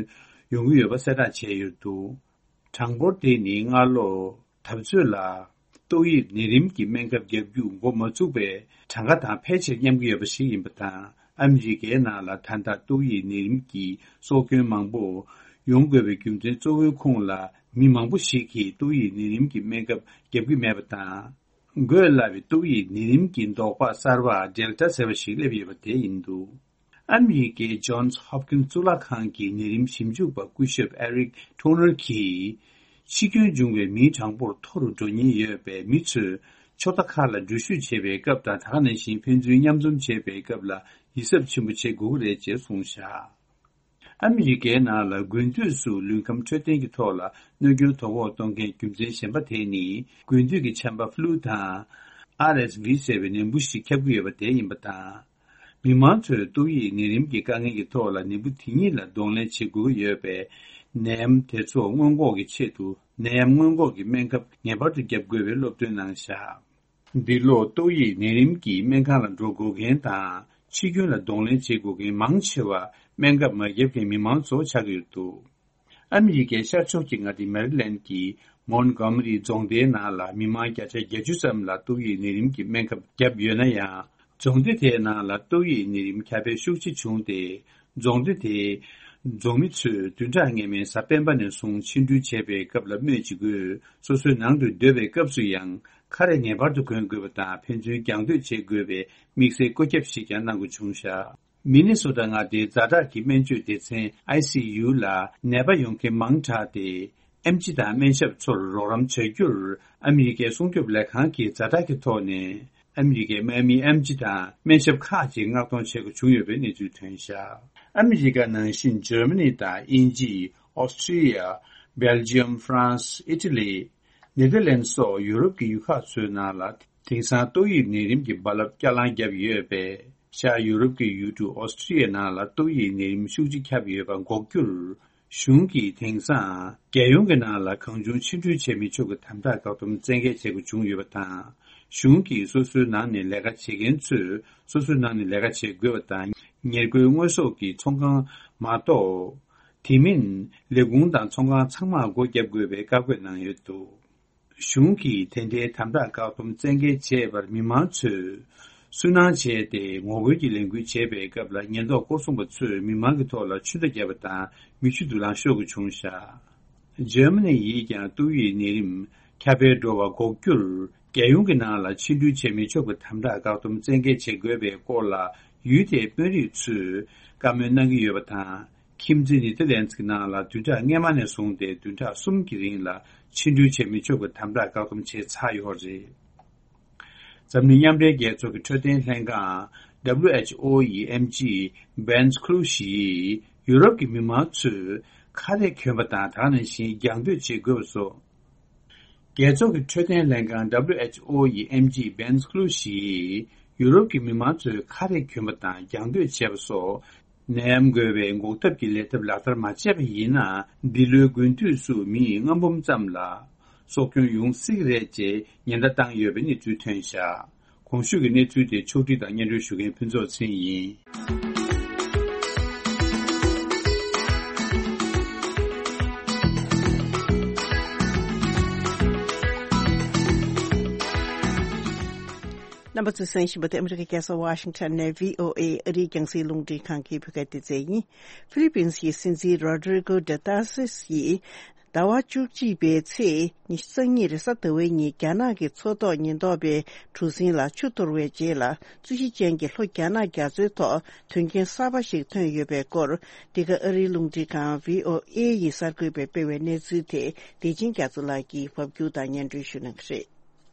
ཡོང་གི་ཡོད་པ་གསལ་བསྒྲགས་བྱས་ཡོད་འདུག་གྲངས་འབོར་དེ་ནི་སྔ་ལོ་འཐབ་རྩོད་ལ་ཏོག་དབྱིབས་ནད་རིམས་ཀྱི་སྨན་ཁབ་བརྒྱབ་རྒྱུ་འགོ་མ་ཚུགས་པའི་གྲངས་ཀ་དང་ཕལ་ཆེར་མཉམ་གྱི་ཡོད་པ་ཞིག་ཡིན་པ་དང་། ཨ་མི་རི་ཀའི་ནང་ལ་ད་ལྟ་ཏོག་དབྱིབས་ནད་རིམས་ཀྱི་སྲོག་སྐྱོན་མང་པོ་ཡོང་དགོས་པའི་རྒྱུ་མཚན་གཙོ་བོའི་ཁོངས་ལ། མི་མང་པོ་ཞིག་གིས་ཏོག་དབྱིབས་ནད་རིམས་ཀྱི་སྨན་ཁབ་བརྒྱབ་ཀྱི་མེད་པ་དང་། འགོས་སླ་བའི་ཏོག་དབྱིབས་ནད་རིམས་ཀྱི་ཟློག་པ་གསར་པ་Delta ཟེར་བ་ཞིག་སླེབས་ཡོད་པ་དེ་ཡིན་འདུག་ཨ་མི་རི་ཀའི་Johns Hopkins གཙུག་ལག་ཁང་གི་ནད་རིམས་ཞིབ་འཇུག་པ་སྐུ་ཞབས་Eric Toner གྱིས། འཆི་སྐྱོན་བྱུང་བའི་མིའི་གྲངས་འབོར་མཐོ་རུ་འགྲོ་ཉེན་ཡོད་པས། མི་ཚོས་ཕྱོགས་མཐའ་ཁག་ལ་འགྲུལ་བཞུད་བྱེད་པའི་སྐབས་དང་། དེ་ག་ནང་བཞིན་ཕན་ཚུན་མཉམ་འཛོམས་བྱེད་པའི་སྐབས་ལ་ཡིད་གཟབ་ཆེན་པོ་བྱེད་དགོས་ཀྱི་རེད་ཅེས་གསུངས་བཞག་ཨ་མི་རི་ཀའི་ནང་ལ་དགུན་དུས་སུ་ལུས་ཁམས་འཕྲོད་བསྟེན་གྱི་ཐོག་ལ་གནོད་སྐྱོན་དོ་ཕོག་གཏོང་མཁན་རྒྱུ་མཚན་གཞན་པ་དེ་ནི། དགུན་དུས་ཀྱི་ཆམ་པ་flu དང་R S V ཟེར་བའི་ནད་འབུ་ཞིག་ཁྱབ་ཀྱི་ཡོད་པ་དེ་ཡིན་པ་དང་། མི་མང་ཚོས་ཏོག་དབྱིབས་ནད་རིམས་ཀྱི་དཀའ་ངལ་གྱི་ཐོག་ལ་ནད་འབུ་དེ་ཉིད་ལ་གདོང་ལེན་བྱེད་དགོས་ཀྱི་ཡོད་པས། ནད་ཡམས་དེ་ཚོ་སྔོན་འགོག་གི་ཆེད་དུ་ནད་ཡམས་སྔོན་འགོག་གི་སྨན་ཁབ་ངེས་པར་དུ་བརྒྱབ་དགོས་པའི་སློབ་སྟོན་གནང་བཞག་འདི་ལོ་ཏོག་དབྱིབས་ནད་རིམས་ཀྱི་སྨན་ཁང་ལ་འགྲོ་དགོས་མཁན་དང་། འཆི་སྐྱོན་ལ་གདོང་ལེན་བྱེད་དགོས་མཁན་མང་ཆེ་བ། སྨན་ཁབ་མ་བརྒྱབ་མཁན་མི་མང་ཚོ་ཆགས་ཀྱི་ཡོད་འདུག་ཨ་མི་རི་ཀའི་ཤར་ཕྱོགས་ཀྱི་མངའ་སྡེ་མེ་རི་ལན་གྱི་མོན་གྷོ་མ་རི་རྫོང་སྡེའི་ནང་ལ་མི་མང་བརྒྱ་ཆ་བརྒྱད་ཅུ་ཙམ་ལ་ཏོག་དབྱིབས་ནད་རིམས་ཀྱི་སྨན་ཁབ་བརྒྱབ་ཡོད་ན་ཡང་། རྫོང་སྡེ་དེའི་ནང་ལ་ཏོག་དབྱིབས་ནད་རིམས་ཁྱབ་སྤེལ་ཤུགས་ཆེ་བྱུང་སྟེ། རྫོང་སྡེ་དེའི་རྫོང་མི་ཚོས་བདུན་ཕྲག་སྔ་མའི་གཟའ་སྤེན་པ་ནས་བཟུང་ཕྱི་འགྲུལ་བྱེད་པའི་སྐབས་ལ་སྨོས་ཅི་དགོས། སོ་སོའི་ནང་དུ་སྡོད་པའི་སྐབས་སུ་ཡང་ཁ་རས་ངེས་པར་དུ་གོན་དགོས་པ་དང་། ཕན་ཚུན་རྒྱང་སྡོད་བྱེད་དགོས་པའི་དམིགས་བསལ་བཀོད་ཁྱབ་ཞིག་ཀྱང་གནང་དགོས་བྱུང་བཞག་མི་ནི་སོ་ཊ་མངའ་སྡེའི་ཛ་དྲག་གི་སྨན་བཅོས་སྡེ་ཚན་I C U ལ་ནད་པ་ཡོང་མཁན་མང་དྲགས་ཏེ། ཨེམ་ཆི་དང་སྨན་ཞབས་ཚོར་རོགས་རམ་བྱ་རྒྱུར་ཨ་མི་རི་ཀའི་སྲུང་སྐྱོབ་ལས་ཁང་གིས་ཛ་དྲག་གི་ཐོག་ནས་ཨ་མི་རི་ཀའི་དམག་མིའི་ཨེམ་ཆི་དང་སྨན་ཞབས་ཁག་ཅིག་མངགས་གཏོང་བྱེད་དགོས་བྱུང་ཡོད་པའི་གནས་ཚུལ་ཐོན་བཞག་ཨ་མི་རི་ཀ་ནང་བཞིན་འཇར་མ་ནི་དང་དབྱིན་ཇི། ཨོ་སི་ཀྲི་ཡ། སྦེལ་ཇི་ཡམ། ཧྥ་རན་སི། ཨི་ཊ་ལི། ནེ་དར་ལན་སོགས་ཡུ་རོབ་ཀྱི་ཡུལ་ཁག་ཚོའི་ནང་ལ་དེང་སང་ཏོག་དབྱིབས་ནད་རིམས་ཀྱི་རྦ་རླབས་བསྐྱར་ལངས་བརྒྱབ་ཡོད་པས། ཤར་ཡུ་རོབ་ཀྱི་ཡུལ་གྲུ་ཨོ་སི་ཀྲི་ཡའི་ནང་ལ་ཏོག་དབྱིབས་ནད་རིམས་ཤུགས་ཆེ་ཁྱབ་ཡོད་པ་འགོག་རྒྱུར། གཞུང་གིས་དེང་སང་རྒྱལ་ཡོངས་ཀྱི་ནང་ལ་གང་བྱུང་ཕྱིར་འགྲུལ་བྱེད་མི་ཆོག་གི་དམ་དྲག་བཀག་སྡོམ་བཙན་འགེལ་བྱེད་དགོས་བྱུང་ཡོད་པ་དང་། གཞུང་གིས་སོ་སོའི་ནང་ནས་ལས་ཀ་བྱེད་མཁན་ཚོས་སོ་སོའི་ནང་ནས་ལས་ཀ་བྱེད་དགོས་པ་དང་། ཉེར་མཁོའི་དངོས་ཟོག་གི་ཚོང་ཁང་མ་གཏོགས། དེ་མིན་ལས་ཁུངས་དང་ཚོང་ཁང་ཚང་མར་སྒོ་བརྒྱབ་དགོས་པའི་བཀའ་བཀོད་གནང་ཡོད་འདུག་གཞུང་གིས་དེ་འདྲའི་དམ་དྲག་བཀག་སྡོམ་བཙན་འགེལ་བྱས་པར་མི་མང་ཚོས་སུན་སྣང་བྱས་ཏེ། ངོ་རྒོལ་གྱི་ལས་འགུལ་བྱེད་པའི་སྐབས་ལ་ཉེན་རྟོག་སྐོར་སྲུང་པ་ཚོས་མི་མང་གི་ཐོག་ལ་ཆུ་ད་བརྒྱབ་པ་དང་མེ་ཆུ་དུག་རླངས་ཤོར་དགོས་བྱུང་བཞག་འཇར་མ་ནི་ཡིས་ཀྱང་ཏོག་དབྱིབས་ནད་རིམས་ཁྱབ་སྤེལ་འགྲོ་བ་འགོག་རྒྱུར། རྒྱལ་ཡོངས་ཀྱི་ནང་ལ་ཕྱིར་འགྲུལ་བྱེད་མི་ཆོག་པའི་དམ་དྲག་བཀག་སྡོམ་བཙན་འགེལ་བྱེད་དགོས་པའི་སྐོར་ལ་ཡུལ་དེའི་དཔོན་རིགས་ཚོས་བཀའ་མོལ་གནང་གི་ཡོད་པ་དང་། ཁྱིམ་མཚེས་ནེ་ཐར་ལན་ཛི་གི་ནང་ལ་བདུན་ཕྲག་སྔ་མ་ནས་བཟུང་སྟེ་བདུན་ཕྲག་གསུམ་གྱི་རིང་ལ་ཕྱིར་འགྲུལ་བྱེད་མི་ཆོག་པའི་དམ་དྲག་བཀག་སྡོམ་བྱས་ཚར་ཡོད་རེད། འཛམ་གླིང་མཉམ་འབྲེལ་རྒྱལ་ཚོགས་ཀྱི་འཕྲོད་བསྟེན་ལྷན་ཁང་W H O ཡི་ཨེམ་ཆི་Bence Kluge ཡིས་ཡུ་རོབ་ཀྱི་མི་མང་ཚོས་ཁ་རས་གྱོན་པ་དང་། དེ་ག་ནང་བཞིན་རྒྱང་སྡོད་བྱེད་དགོས་པ་སོགས། རྒྱལ་ཚོགས་ཀྱི་འཕྲོད་བསྟེན་ལྷན་ཁང་W H O ཡི་ཨེམ་ཆི་Bence Kluge ཡིས་ཡུ་རོབ་ཀྱི་མི་མང་ཚོས་ཁ་རས་གྱོན་པ་དང་རྒྱང་སྡོད་བྱས་པ་སོགས་ནད་ཡམས་འགོས་པའི་འགོག་ཐབས་ཀྱི་ལས་ཐབས་ལག་བསྟར་མ་བྱས་པ་ཡིན་ན། འདི་ལོའི་དགུན་དུས་སུ་མི་ལྔ་འབུམ་ཙམ་ལ་སྲོག་སྐྱོན་ཡོང་སྲིད་ཀྱི་རེད་ཅེས་ཉེན་བརྡ་བཏང་ཡོད་པའི་གནས་ཚུལ་ཐོན་བཞག་གོང་ཞུས་ཀྱི་གནས་ཚུལ་དེ་ཕྱོགས་སྒྲིག་དང་སྙན་སྒྲོན་ཞུ་མཁན་ཕུན་ཚོགས་ཚེ་རིང་ཡིན། རྣམ་པ་ཚོས་གསན་བཞིན་པ་དེ་ཨ་མི་རི་ཀའི་རྒྱལ་ས་ཝ་ཤིང་ཊོན་ནས་བྷི་ཨོ་ཨེ་ཨ་རིའི་རྒྱང་སྲིང་རླུང་འཕྲིན་ཁང་གི་བོད་སྐད་སྡེ་ཚན་ཡིན། ཧྥི་ལི་པིན་སི་ཡི་སྲིད་འཛིན་རོ་ཌི་རི་གོ་ཌུ་ཏར་ཏེ་སི་ཡིས། ཟླ་བ་བཅུ་གཅིག་པའི་ཚེས་ཉི་ཤུ་རྩ་གཉིས་རེས་གཟའ་ཟླ་བའི་ཉིན་རྒྱ་ནག་གི་མཚོ་ཐོག་ཉེན་རྟོག་པའི་གྲུ་གཟིངས་ལ་ཆུ་གཏོར་བའི་རྗེས་ལ། རྩོད་གཞི་ཅན་གྱི་ལྷོ་རྒྱ་ནག་རྒྱ་མཚོའི་ཐོག་དོན་རྐྱེན་གསར་པ་ཞིག་ཐོན་ཡོད་པའི་སྐོར། འདི་ག་ཨ་རིའི་རླུང་འཕྲིན་ཁང་བྷི་ཨོ་ཨེ་ཡི་གསར་འགོད་པས་སྤེལ་བའི་གནས་ཚུལ་དེ་བདེ་ཆེན་རྒྱ་མཚོ་ལགས་ཀྱིས་ཕབ་སྒྱུར་དང་སྙན་སྒྲོན་ཞུ་གནང་གི་རེད།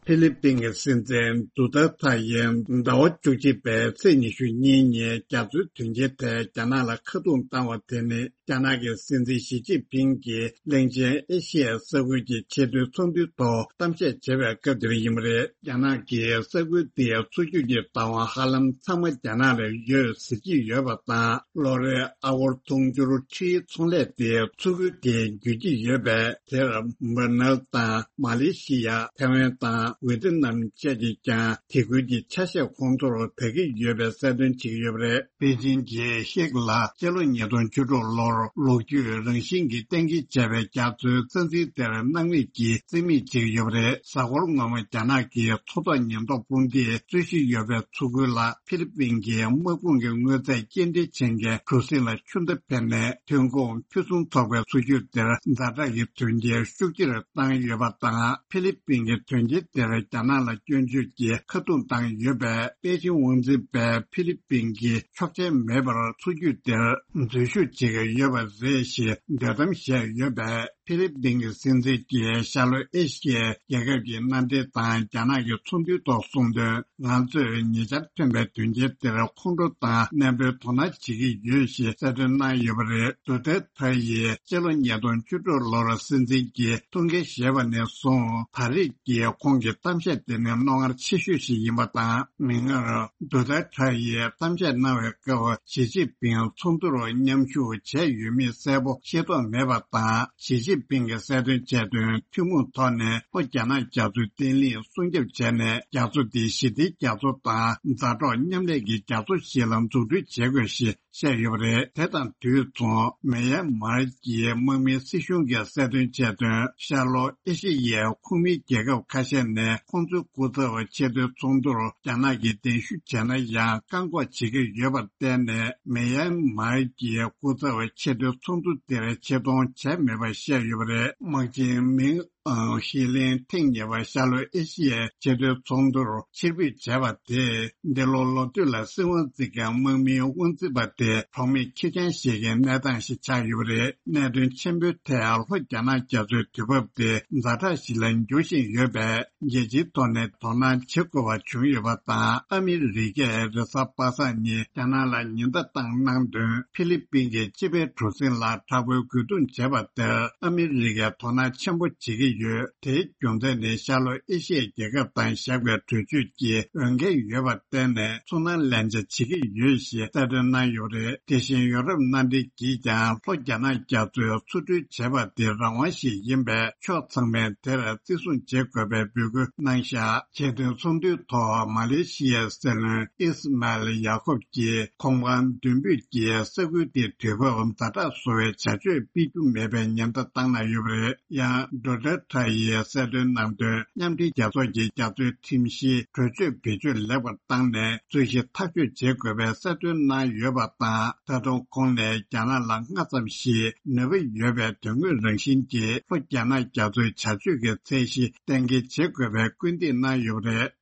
ཕི་ལི་པིན་གྱི་སྲིད་འཛིན་ཌུ་ཏེར་ཐེ་ཡིས་ཟླ་བ་བཅུ་གཅིག་པའི་ཚེས་ཉི་ཤུ་གཉིས་ཉིན་རྒྱ་མཚོའི་དོན་རྐྱེན་ཐད་རྒྱ་ནག་ལ་ཁ་རྡུང་བཏང་བ་དེ་ནི། རྒྱ་ནག་གི་སྲིད་འཛིན་ཞི་ཅིན་ཕིང་གིས་གླིང་ཆེན་ཨེ་ཤི་ཡའི་ས་ཁུལ་གྱི་ཆེས་མཐོའི་ཚོགས་འདུའི་ཐོག་གཏམ་བཤད་བྱེད་པའི་སྐབས་དེར་ཡིན་པ་རེད། རྒྱ་ནག་གིས་ས་ཁུལ་དེའི་མཚོ་རྒྱུད་ཀྱི་བདག་དབང་ཧ་ལམ་ཚང་མ་རྒྱ་ནག་ལ་ཡོད་ཟེར་གྱི་ཡོད་པ་དང་། ལོ་རེར་ཨ་སྒོར་དུང་ཕྱུར་ཁྲིའི་ཚོང་ལས་དེ་མཚོ་ཁུལ་དེས་བརྒྱུད་ཀྱི་ཡོད་པས། དེར་འབར་ནལ་དང་མ་ལེ་ཤི་ཡ། ཐའེ་ཝན་དང་ཝེ་ཏི་ནམ་བཅས་ཀྱིས་ཀྱང་དེ་ཁུལ་གྱི་ཆ་ཤས་ཁོང་ཚོར་ད་གི་ཡོད་པའི་གསལ་སྟོན་བྱེད་ཀྱི་ཡོད་པ་རེད། པེ་ཅིན་གྱིས་ཤིག་ལ་སྤྱི་ལོ་ཉིས་སྟོང་བཅུ་དྲུག་ལོར་ལོ་རྒྱུས་རང་བཞིན་གྱིས་གཏན་འཁེལ་བྱས་པའི་རྒྱ་མཚོའི་རྩ་འཛིན་དེར་སྣང་མེད་ཀྱིས་རྩིས་མེད་བྱེད་ཀྱི་ཡོད་པ་རེད། གཟའ་འཁོར་སྔོན་མ་རྒྱ་ནག་གི་མཚོ་ཐོག་ཉེན་རྟོག་དཔུང་སྡེས་རྩོད་གཞི་ཡོད་པའི་མཚོ་ཁུལ་ལ་ཕི་ལི་པིན་གྱི་དམག་དཔུང་གི་དངོས་རྫས་སྐྱེལ་འདྲེན་བྱེད་མཁན་གྲུ་གཟིངས་ལ་ཆུ་མདའ་འཕེན་ནས་ཐོན་ཁུངས་ཕུན་སུམ་ཚོགས་པའི་མཚོ་རྒྱུད་དེར་ཛ་དྲག་གི་དོན་རྐྱེན་ཤུགས་ཆེར་བཏང་ཡོད་པ་དང་། ཕི་ལི་པིན་གྱི་དོན་རྐྱེན་དེར་རྒྱ་ནག་ལ་སྐྱོན་བརྗོད་ཀྱིས་ཁ་རྡུང་བཏང་ཡོད་པས། པེ་ཅིན་དབང་འཛིན་པས་ཕི་ལི་པིན་གྱིས་ཆོག་མཆན་མེད་པར་མཚོ་རྒྱུད་དེར་འཛུལ་ཞུགས་བྱེད་ཀྱི་ཡོད་པ་རེད་ཞེས་འདོད་གཏམ་བཤད་ཡོད་པས། ཕི་ལི་པིན་གྱི་སྲིད་འཛིན་གྱིས་ཤར་ལྷོ་ཨེ་ཤི་ཡའི་རྒྱལ་ཁབ་ཀྱི་མནའ་འབྲེལ་དང་རྒྱ་ནག་གི་ཚོགས་འདུའི་ཐོག་གསུངས་དོན། ང་ཚོས་ཉེ་ཆར་ཐོན་པའི་དོན་རྐྱེན་དེར་ཁོང་ཁྲོ་དང་ནན་པོའི་དོ་སྣང་བྱེད་ཀྱི་ཡོད་ཞེས་གསལ་སྟོན་གནང་ཡོད་པ་རེད། ཌུ་ཏེར་ཐེ་ཡིས་སྤྱི་ལོ་ཉིས་སྟོང་བཅུ་དྲུག་ལོར་སྲིད་འཛིན་གྱི་ཐུགས་འགན་བཞེས་པ་ནས་བཟུང་ད་རེས་ཀྱི་ཁོང་གི་གཏམ་བཤད་དེ་ནི་རྣོ་ངར་ཆེ་ཤོས་ཤིག་ཡིན་པ་དང་། མིག་སྔར་ཌུ་ཏེར་ཐེ་ཡིས་གཏམ་བཤད་གནང་བའི་སྐབས་ཞི་ཅིན་ཕིང་ཚོགས་འདུར་མཉམ་ཞུགས་བྱས་ཡོད་མེད་གསལ་པོ་ཤེས་རྟོགས་མེད་པ་དང་། ཞི་ཅིན་ཕིང་གིས་གསལ་སྟོན་བྱས་དོན། ཐུན་མོང་ཐོག་ནས་ལྷོ་རྒྱ་ནག་རྒྱ་མཚོའི་བརྟན་ལྷིང་སྲུང་སྐྱོབ་བྱས་ནས། རྒྱ་མཚོ་འདི་ཞི་བདེའི་རྒྱ་མཚོ་དང་མཛའ་གྲོགས་མཉམ་ལས་ཀྱི་རྒྱ་མཚོ་ཞིག་ལ་འཛུགས་སྐྲུན་བྱེད་དགོས་ཞེས་བཤད་ཡོད་པ་རེད། དེ་དང་དུས་མཚུངས། མེན་ཡན་མར་གྱི་དམག་མིའི་སྲིད་གཞུང་གིས་གསལ་སྟོན་བྱས་དོན། ཤར་ལྷོ་ཨེ་ཤེ་ཡའི་ཁོངས་མིའི་རྒྱལ་ཁབ་ཁ་ཤས་ནས་ཁོང་ཚོའི་སྐུ་ཚབ་ཆེས་མཐོའི་ཚོགས་འདུར་རྒྱ་ནག་གིས་གདན་ཞུ་བྱས་ན་ཡང་བཀག་འགོག་བྱེད་ཀྱི་ཡོད་པར་བརྟེན་ནས། མེན་ཡན་མར་གྱི་སྐུ་ཚབ་ཆེས་མཐོའི་ཚོགས་འདུ་དེར་ཆེད་གཏོང་བྱས་མེད་པ་བཤད་ཡོད་པ་རེད། དམག་ཆེན་མིང་ཨང་ཤི་ལིན་ཐེངས་གཉིས་པ་ཤར་ལྷོ་ཨེ་ཤི་ཡའི་ཆེས་མཐོའི་ཚོགས་འདུར་ཕྱིར་འབུད་བྱས་པ་དེས། འདི་ལོ་ལོ་སྟོད་ལ་སྲིད་དབང་འཛིན་མཁན་དམག་མིའི་དབང་འཛིན་པ་དེ་གྲོགས་མེད་ཁེར་རྐྱང་ཞིག་གི་གནས་སྟངས་ཤིག་ཆགས་ཡོད་པ་རེད། གནད་དོན་ཆེན་པོའི་ཐད་ལྷོ་རྒྱ་ནག་རྒྱ་མཚོའི་དུས་བབ་དེ་ཛ་དྲག་ཞིག་ལ་འགྱུར་བཞིན་ཡོད་པས། རྒྱལ་སྤྱིའི་ཐོག་ནས་དོ་སྣང་བྱེད་དགོས་པ་བྱུང་ཡོད་པ་དང་། ཨ་མི་རི་ཀས་རེས་གཟའ་པ་སངས་ཉིན་རྒྱ་ནག་ལ་ཉེན་བརྡ་བཏང་གནང་དོན། ཧྥི་ལི་པིན་གྱི་དཔྱིད་དཔལ་གྲུ་གཟིངས་ལ་དྲག་པོའི་རྒོལ་རྡུང་བྱས་པ་དེར་ཨ་མི་རི་ཀས་དོ་སྣང་ཆེན་པོ་བྱེད་ཀྱི་ཡོད། དེའི་རྒྱུ་མཚན་ནི་ཤར་ལྷོ་ཨེ་ཤི་ཡའི་རྒྱལ་ཁབ་དང་བཞག་པའི་གྲོས་ཆོད་ཀྱི་འོས་འགན་ཡོད་པར་བརྟེན་ནས་ཚོར་སྣང་ལེན་བྱ་བྱེད་ཀྱི་ཡོད་ཞེས་གསལ་སྟོན་གནང་ཡོད་རེད། དེ་བཞིན་ཡོ་རོབ་མནའ་འབྲེལ་གྱིས་ཀྱང་ལྷོ་རྒྱ་ནག་རྒྱ་མཚོའི་མཚོ་གྲུ་བྱས་པ་དེ་རང་དབང་ཞིག་ཡིན་པས། ཕྱོགས་ཚང་མས་དེར་བརྩི་སྲུང་བྱེད་དགོས་པའི་འབོད་སྐུལ་གནང་བཞག་ཆེས་མཐོའི་ཚོགས་འདུའི་ཐོག་མ་ལེ་ཤི་ཡའི་སྲིད་བློན་ཨིས་མཱལ་ཡ་ཁོབ་ཀྱིས་གོམ་གང་མདུན་སྤོས་ཀྱིས་ས་ཁུལ་དེའི་དུས་བབ་ཛ་དྲག་བཟོ་བའི་བྱ་སྤྱོད་སྤེལ་རྒྱུ་མེད་པའི་ཉེན་བརྡ་བཏང་གནང་ཡོད་པ་རེད། ཡང་ཌོ་ནལ་ཊརམ་ཡིས་གསལ་སྟོན་གནང་དོན། མཉམ་འབྲེལ་རྒྱལ་ཚོགས་ཀྱི་རྒྱ་མཚོའི་ཁྲིམས་གཞིའི་གྲོས་ཆོད་བེད་སྤྱོད་ལེགས་པར་བཏང་ནས་རྩོད་གཞི་ཐག་གཅོད་བྱེད་དགོས་པའི་གསལ་སྟོན་གནང་ཡོད་པ་དང་། ད་དུང་ཁོང་ནས་རྒྱ་ནག་ལ་སྔ་ཙམ་ཞིག་ནུས་པ་ཡོད་པའི་དོན་དངོས་རང་བཞིན་གྱིས་ལྷོ་རྒྱ་ནག་རྒྱ་མཚོའི་བྱ་སྤྱོད་ཀྱི་ཚད་གཞི་གཏན་འཁེལ་བྱེད་དགོས་པའི་སྐུལ་འདེད་གནང་ཡོད་པ་རེད།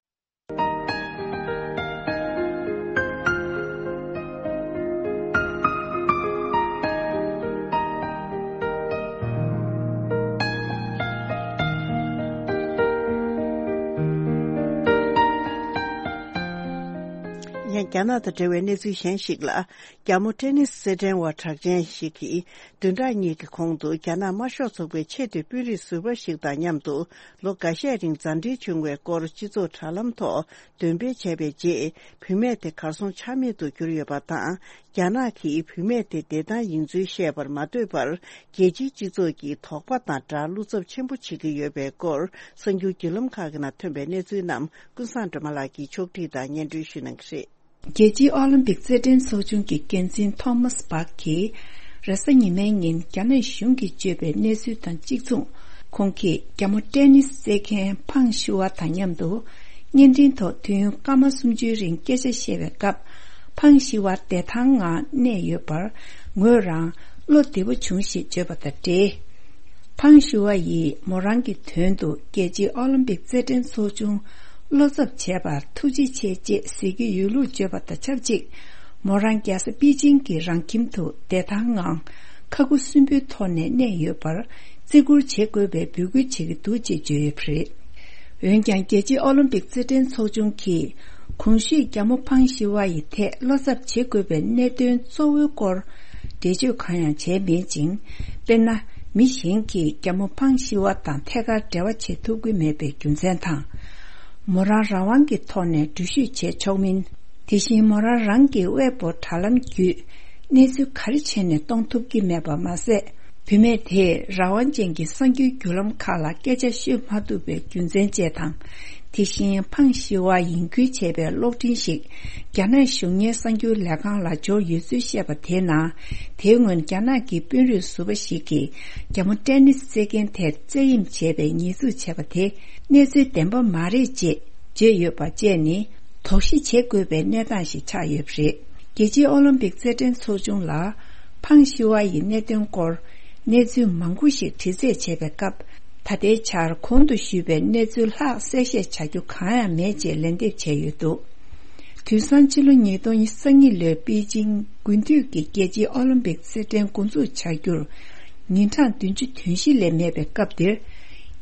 ཡང་རྒྱ་ནག་དང་འབྲེལ་བའི་གནས་ཚུལ་གཞན་ཞིག་ལ། རྒྱ་མོ་ཊེ་ནིས་རྩེད་འགྲན་བ་གྲགས་ཅན་ཞིག་གིས། བདུན་ཕྲག་གཉིས་ཀྱི་གོང་དུ་རྒྱ་ནག་དམར་ཤོག་ཚོགས་པའི་ཆེས་མཐོའི་དཔོན་རིགས་ཟུར་པ་ཞིག་དང་མཉམ་དུ། ལོ་འགའ་ཤས་རིང་མཛའ་འབྲེལ་བྱུང་བའི་སྐོར་སྤྱི་ཚོགས་དྲ་ལམ་ཐོག་འདོན་སྤེལ་བྱས་པའི་རྗེས། བུད་མེད་དེ་གར་སོང་ཆ་མེད་དུ་གྱུར་ཡོད་པ་དང་། རྒྱ་ནག་གིས་བུད་མེད་དེ་བདེ་ཐང་ཡིན་ཚུལ་བཤད་པར་མ་འདོད་པར། རྒྱལ་སྤྱིའི་སྤྱི་ཚོགས་ཀྱིས་དོགས་པ་དང་སྦྲགས་བློ་འཚབ་ཆེན་པོ་བྱེད་ཀྱི་ཡོད་པའི་སྐོར། གསར་འགྱུར་བརྒྱུད་ལམ་ཁག་གི་ནང་ཐོན་པའི་གནས་ཚུལ་རྣམས་ཀུན་བཟང་སྒྲོལ་མ་ལགས་ཀྱིས་ཕྱོགས་སྒྲིག་དང་སྙན་སྒྲོན་ཞུ་གནང་གི་རེད། རྒྱལ་སྤྱིའི་ཨོ་ལིམ་པིག་རྩེད་འགྲན་ཚོགས་ཆུང་གི་འགན་འཛིན་ཐོ་མཱས་བྷག་གིས། རེས་གཟའ་ཉི་མའི་ཉིན་རྒྱ་ནག་གཞུང་གིས་བརྗོད་པའི་གནས་ཚུལ་དང་གཅིག་མཚུངས། ཁོང་གིས་རྒྱ་མོ་ཊེ་ནིས་རྩེད་མཁན་ཕང་ཤི་ཝ་དང་མཉམ་དུ། བརྙན་འཕྲིན་ཐོག་དུས་ཡུན་སྐར་མ་སུམ་ཅུའི་རིང་སྐད་ཆ་བཤད་པའི་སྐབས། ཕང་ཤི་ཝ་བདེ་ཐང་ངང་གནས་ཡོད་པར། ངོས་རང་བློ་བདེ་པོ་བྱུང་ཞེས་བརྗོད་པ་དང་འབྲེལ། ཕང་ཤི་ཝ་ཡིས་མོ་རང་གི་དོན་དུ་རྒྱལ་སྤྱིའི་ཨོ་ལིམ་པིག་རྩེད་འགྲན་ཚོགས་ཆུང་བློ་འཚབ་བྱས་པར་ཐུགས་རྗེ་ཆེ་ཅེས་ཟེར་རྒྱུ་ཡོད་ལུགས་བརྗོད་པ་དང་ཆབས་ཅིག་མོ་རང་རྒྱལ་ས་པེ་ཅིང་གི་རང་ཁྱིམ་དུ་བདེ་ཐང་ངང་ཁ་ཁུ་སིམ་པོའི་ཐོག་ནས་གནས་ཡོད་པར་བརྩི་བཀུར་བྱེད་དགོས་པའི་འབོད་སྐུལ་བྱེད་ཀྱི་འདུག་ཅེས་བརྗོད་ཡོད་པ་རེད། འོན་ཀྱང་རྒྱལ་སྤྱིའི་ཨོ་ལིམ་པིག་རྩེད་འགྲན་ཚོགས་ཆུང་གིས་གོང་ཞུས་རྒྱ་མོ་ཕང་ཞི་ཝ་ཡི་ཐད་བློ་འཚབ་བྱེད་དགོས་པའི་གནད་དོན་གཙོ་བོའི་སྐོར་འགྲེལ་བརྗོད་གང་ཡང་བྱས་མེད་ཅིང་། དཔེར་ན། མི་གཞན་གྱིས་རྒྱ་མོ་ཕང་ཞི་ཝ་དང་ཐད་ཀར་འབྲེལ་བ་བྱེད་ཐུབ་ཀྱི་མེད་པའི་རྒྱུ་མཚན་དང་། མོ་རང་རང་དབང་གི་ཐོག་ནས་འགྲུལ་བཞུད་བྱེད་ཆོག་མིན། དེ་བཞིན་མོ་རང་རང་གི་ཝེ་པོ་དྲ་ལམ་བརྒྱུད་གནས་ཚུལ་ག་རེ་བྱས་ནས་གཏོང་ཐུབ་ཀྱི་མེད་པ་མ་ཟད། བུད་མེད་དེས་རང་དབང་ཅན་གྱི་གསར་འགྱུར་བརྒྱུད་ལམ་ཁག་ལ་སྐད་ཆ་ཤོད་མ་ཐུབ་པའི་རྒྱུ་མཚན་བཅས་དང་། དེ་བཞིན་ཕང་ཞི་ཝ་ཡིན་ཁུལ་བྱས་པའི་གློག་འཕྲིན་ཞིག་རྒྱ་ནག་གཞུང་གཉེར་གསར་འགྱུར་ལས་ཁང་ལ་འབྱོར་ཡོད་ཚུལ་བཤད་པ་དེའི་ནང་། དེའི་སྔོན་རྒྱ་ནག་གི་དཔོན་རིགས་ཟུར་པ་ཞིག་གིས་རྒྱ་མོ་ཏེ་ནིས་རྩེད་མཁན་དེར་རྩེད་གཡེམ་བྱས་པའི་ཉེས་འཛུགས་བྱས་པ་དེ་གནས་ཚུལ་བདེན་པ་མ་རེད་ཅེས་བརྗོད་ཡོད་པ་བཅས་ནི་དོགས་གཞི་བྱེད་དགོས་པའི་གནས་སྟངས་ཤིག་ཆགས་ཡོད་པ་རེད། རྒྱལ་སྤྱིའི་ཨོ་ལིམ་པིག་རྩེད་འགྲན་ཚོགས་ཆུང་ལ་ཕང་ཞི་ཝ་ཡི་གནད་དོན་སྐོར་གནས་ཚུལ་མང་པོ་ཞིག་དྲི་རྩད་བྱས་པའི་སྐབས། ད་ལྟའི་ཆར་གོང་དུ་ཞུས་པའི་གནས་ཚུལ་ལྷག་གསལ་བཤད་བྱ་རྒྱུ་གང་ཡང་མེད་ཅེས་ལན་འདེབས་བྱས་ཡོད་འདུག་དུས་སང་ཕྱི་ལོ་ཉིས་སྟོང་ཉེར་གཉིས་ལོའི་པེ་ཅིང་དགུན་དུས་ཀྱི་རྒྱལ་སྤྱིའི་ཨོ་ལིམ་པིག་རྩེད་འགྲན་འགོ་འཛུགས་བྱ་རྒྱུར་ཉིན་གྲངས་བདུན་ཅུ་དོན་བཞི་ལས་མེད་པའི་སྐབས་འདིར།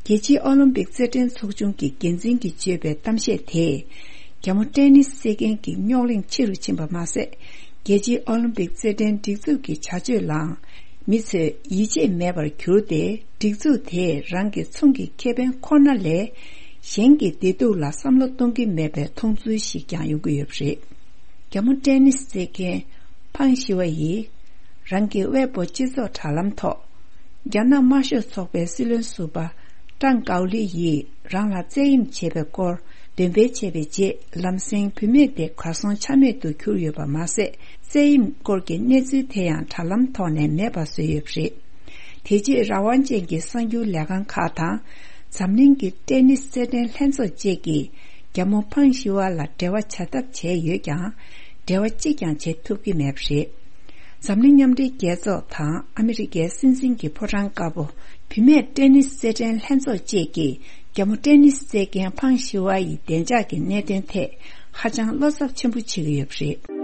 རྒྱལ་སྤྱིའི་ཨོ་ལིམ་པིག་རྩེད་འགྲན་ཚོགས་ཆུང་གི་འགན་འཛིན་གྱིས་བརྗོད་པའི་གཏམ་བཤད་དེས། རྒྱ་མོ་ཏེ་ནིས་རྩེད་མཁན་གྱི་རྙོག་གླེང་ཆེ་རུ་ཕྱིན་པ་མ་ཟད། རྒྱལ་སྤྱིའི་ཨོ་ལིམ་པིག་རྩེད་འགྲན་སྒྲིག་འཛུགས་ཀྱི་བྱ་སྤྱོད་ལའང་མི་ཚོས་ཡིད་ཆེས་མེད་པར་གྱུར་ཏེ། སྒྲིག་འཛུགས་དེས་རང་གི་ཚོང་གི་ཁེ་ཕན་ཁོ་ན་ལས་གཞན་གྱི་བདེ་སྡུག་ལ་བསམ་བློ་གཏོང་གི་མེད་པའི་མཐོང་ཚུལ་ཞིག་ཀྱང་ཡོང་གི་ཡོད་པ་རེད། རྒྱ་མོ་ཏེ་ནིས་རྩེད་མཁན་ཕང་ཞི་ཝ་ཡིས་རང་གི་ཝེ་པོ་སྤྱི་ཚོགས་དྲ་ལམ་ཐོག་རྒྱ་ནག་དམར་ཤོག་ཚོགས་པའི་སྲིད་བློན་ཟུར་པ་ཀྲང་ཀའོ་ལི་ཡིས་རང་ལ་རྩེད་གཡེམ་བྱས་པའི་སྐོར་འདོན་སྤེལ་བྱས་པའི་རྗེས། ལམ་སེང་བུད་མེད་དེ་གར་སོང་ཆ་མེད་དུ་གྱུར་ཡོད་པ་མ་ཟད། རྩེད་གཡེམ་སྐོར་གྱི་གནས་ཚུལ་དེ་ཡང་དྲ་ལམ་ཐོག་ནས་མེད་པ་བཟོས་ཡོད་པ་རེད། དེ་རྗེས་རང་དབང་ཅན་གྱི་གསར་འགྱུར་ལས་ཁང་ཁག་དང་། འཛམ་གླིང་གི་ཏེ་ནིས་རྩེད་འགྲན་ལྷན་ཚོགས་བཅས་ཀྱིས་རྒྱ་མོ་ཕང་ཞི་ཝ་ལ་འབྲེལ་བ་བྱ་ཐབས་བྱས་ཡོད་ཀྱང་། འབྲེལ་བ་གཅིག་ཀྱང་བྱེད་ཐུབ་ཀྱི་མེད་པ་རེད། འཛམ་གླིང་མཉམ་འབྲེལ་རྒྱལ་ཚོགས་དང་ཨ་མི་རི་ཀའི་སྲིད་འཛིན་གྱི་ཕོ་བྲང་དཀར་པོ། བུད་མེད་ཏེ་ནིས་རྩེད་འགྲན་ལྷན་ཚོགས་བཅས་ཀྱིས་རྒྱ་མོ་ཏེ་ནིས་རྩེད་མཁན་ཕང་ཞི་ཝ་ཡི་བདེ་འཇགས་ཀྱི་གནད་དོན་ཐད་ཧ་ཅང་བློ་འཚབ་ཆེན་པོ་བྱེད་ཀྱི་ཡོད་པ་རེད།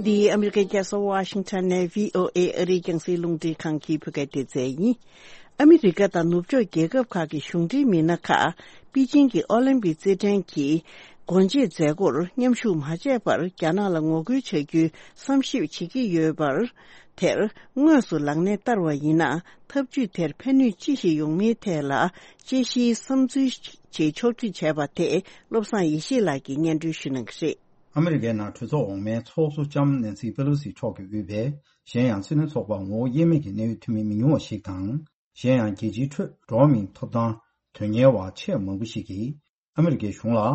འདི་ཨ་མི་རི་ཀའི་རྒྱལ་ས་ཝ་ཤིང་ཊོན་ནས་བྷི་ཨོ་ཨེ་ཨ་རིའི་རྒྱང་སྲིང་རླུང་འཕྲིན་ཁང་གི་བོད་སྐད་སྡེ་ཚན་ཡིན། ཨ་མི་རི་ཀ་དང་ནུབ་ཕྱོགས་རྒྱལ་ཁབ་ཁག་གི་གཞུང་འབྲེལ་མི་སྣ་ཁག་པེ་ཅིང་གི་ཨོ་ལིམ་པིག་རྩེད་འགྲན་གྱི་སྒོ་འབྱེད་མཛད་སྒོར་མཉམ་ཞུགས་མ་བྱས་པར་རྒྱ་ནག་ལ་ངོ་རྒོལ་བྱ་རྒྱུའི་བསམ་ཞིབ་བྱེད་ཀྱི་ཡོད་པར། དེར་དངོས་སུ་ལག་གནས་བསྟར་བ་ཡིན་ན། ཐབས་ཇུས་དེར་ཕན་ནུས་ཅི་ཞིག་ཡོང་མིན་ཐད་ལ་དཔྱད་གཞིའི་བསམ་ཚུལ་ཞིག་ཕྱོགས་སྒྲིག་བྱས་པ་དེ་བློ་བཟང་ཡེ་ཤེས་ལགས་ཀྱིས་སྙན་སྒྲོན་ཞུ་གནང་གི་རེད། ཨ་མི་རི་ཀའི་ནང་གྲོས་ཚོགས་འོག་མའི་ཚོགས་གཙོ་ལྕམ་ནན་སི་པེ་ལོ་སི་མཆོག་གིས་དབུས་པའི་གཞན་ཡང་སྲིད་བློན་ཚོགས་པར་ངོ་བོ་དབྱེར་མེད་ཀྱི་གནད་ཡོད་འཐུས་མི་མི་ཉུང་བ་ཞིག་དང་། གཞན་ཡང་རྒྱལ་སྤྱིའི་ཁྲོད་འགྲོ་བ་མིའི་ཐོབ་ཐང་དོན་གཉེར་བ་ཆེས་མང་པོ་ཞིག་གིས། ཨ་མི་རི་ཀའི་གཞུང་ལ།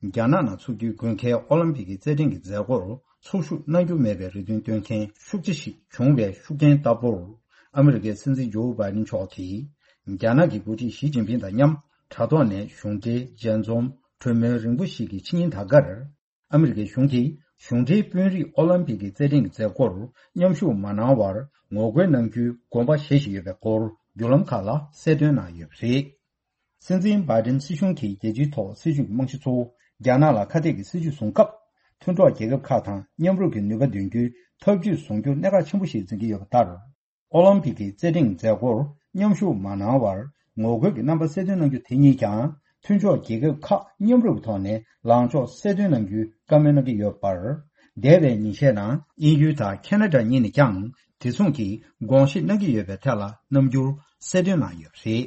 རྒྱ་ནག་ནང་འཚོགས་རྒྱུའི་དགོས་མཁན་ཨོ་ལིམ་པིག་གི་རྩེད་འགྲན་གྱི་མཛད་སྒོར་ཚོགས་ཞུགས་གནང་རྒྱུ་མེད་པའི་རེ་འདུན་བཏོན་མཁན་ཤུགས་ཆེ་ཞིག་བྱུང་བའི་ཤུགས་རྐྱེན་ལྟ་བུར། ཨ་མི་རི་ཀའི་སྲིད་འཛིན་ཇོ་བྷའི་ཌེན་མཆོག་གིས། རྒྱ་ནག་གི་འགོ་ཁྲིད་ཞི་ཅིན་ཕིང་དང་མཉམ་དྲ་ཐོག་ནས་གཞུང་འབྲེལ་མཇལ་འཛོམས་གྲོས་མོལ་རིང་པོ་ཞིག་གི་ཕྱི་ཉིན་ད་གར། ཨ་མི་རི་ཀའི་གཞུང་གིས་གཞུང་འབྲེལ་དཔོན་རིགས་ཨོ་ལིམ་པིག་གི་རྩེད་འགྲན་གྱི་མཛད་སྒོར་མཉམ་ཞུགས་མ་གནང་བར་ངོ་རྒོལ་གནང་རྒྱུའི་དགོངས་པ་བཞེས་བཞིན་ཡོད་པའི་སྐོར་བརྒྱུད་ལམ་ཁག་ལ་གསལ་སྟོན་གནང་ཡོད་པ་རེད། སྲིད་འཛིན་བྷའི་ཌེན་སྲིད་གཞུང་གིས་རྒྱལ་སྤྱིའི་ཐོག་སྲིད་ཇུས་ཀྱི་རྨང་གཞི་གཙོ་བོ་རྒྱ་ནག་ལ་ཁ་གཏད་ཀྱི་སྲིད་ཇུས་བཟུང་སྐབས། མཐུན་གྲོགས་རྒྱལ་ཁབ་ཁག་དང་མཉམ་རུབ་ཀྱི་ནུས་པ་འདོན་རྒྱུའི་ཐབས་ཇུས་བཟུང་རྒྱུ་གནད་འགག་ཆེན་པོ་ཞིག་འཛིན་གྱི་ཡོད་པ་ལྟར། ཨོ་ལིམ་པིག་གི་རྩེད་འགྲན་མཛད་སྒོར་མཉམ་ཞུགས་མ་གནང་བར་ངོ་རྒོལ་གྱི་རྣམ་པ་གསལ་སྟོན་གནང་རྒྱུ་དེ་ཉིད་ཀྱང་མཐུན་ཕྱོགས་རྒྱལ་ཁབ་ཁག་མཉམ་རུབ་ཀྱི་ཐོག་ནས་ལངས་ཕྱོགས་གསལ་སྟོན་གནང་རྒྱུའི་བཀའ་མོལ་གནང་གི་ཡོད་པར། འདས་པའི་ཉིན་ཤས་ནང་དབྱིན་ཡུལ་དང་ཁེ་ན་ཌ་གཉིས་ནས་ཀྱང་དེ་མཚུངས་ཀྱི་དགོངས་བཞེས་གནང་གི་ཡོད་པའི་ཐད་ལ་རྣམ་འགྱུར་གསལ་སྟོན་གནང་ཡོད་པ་རེད།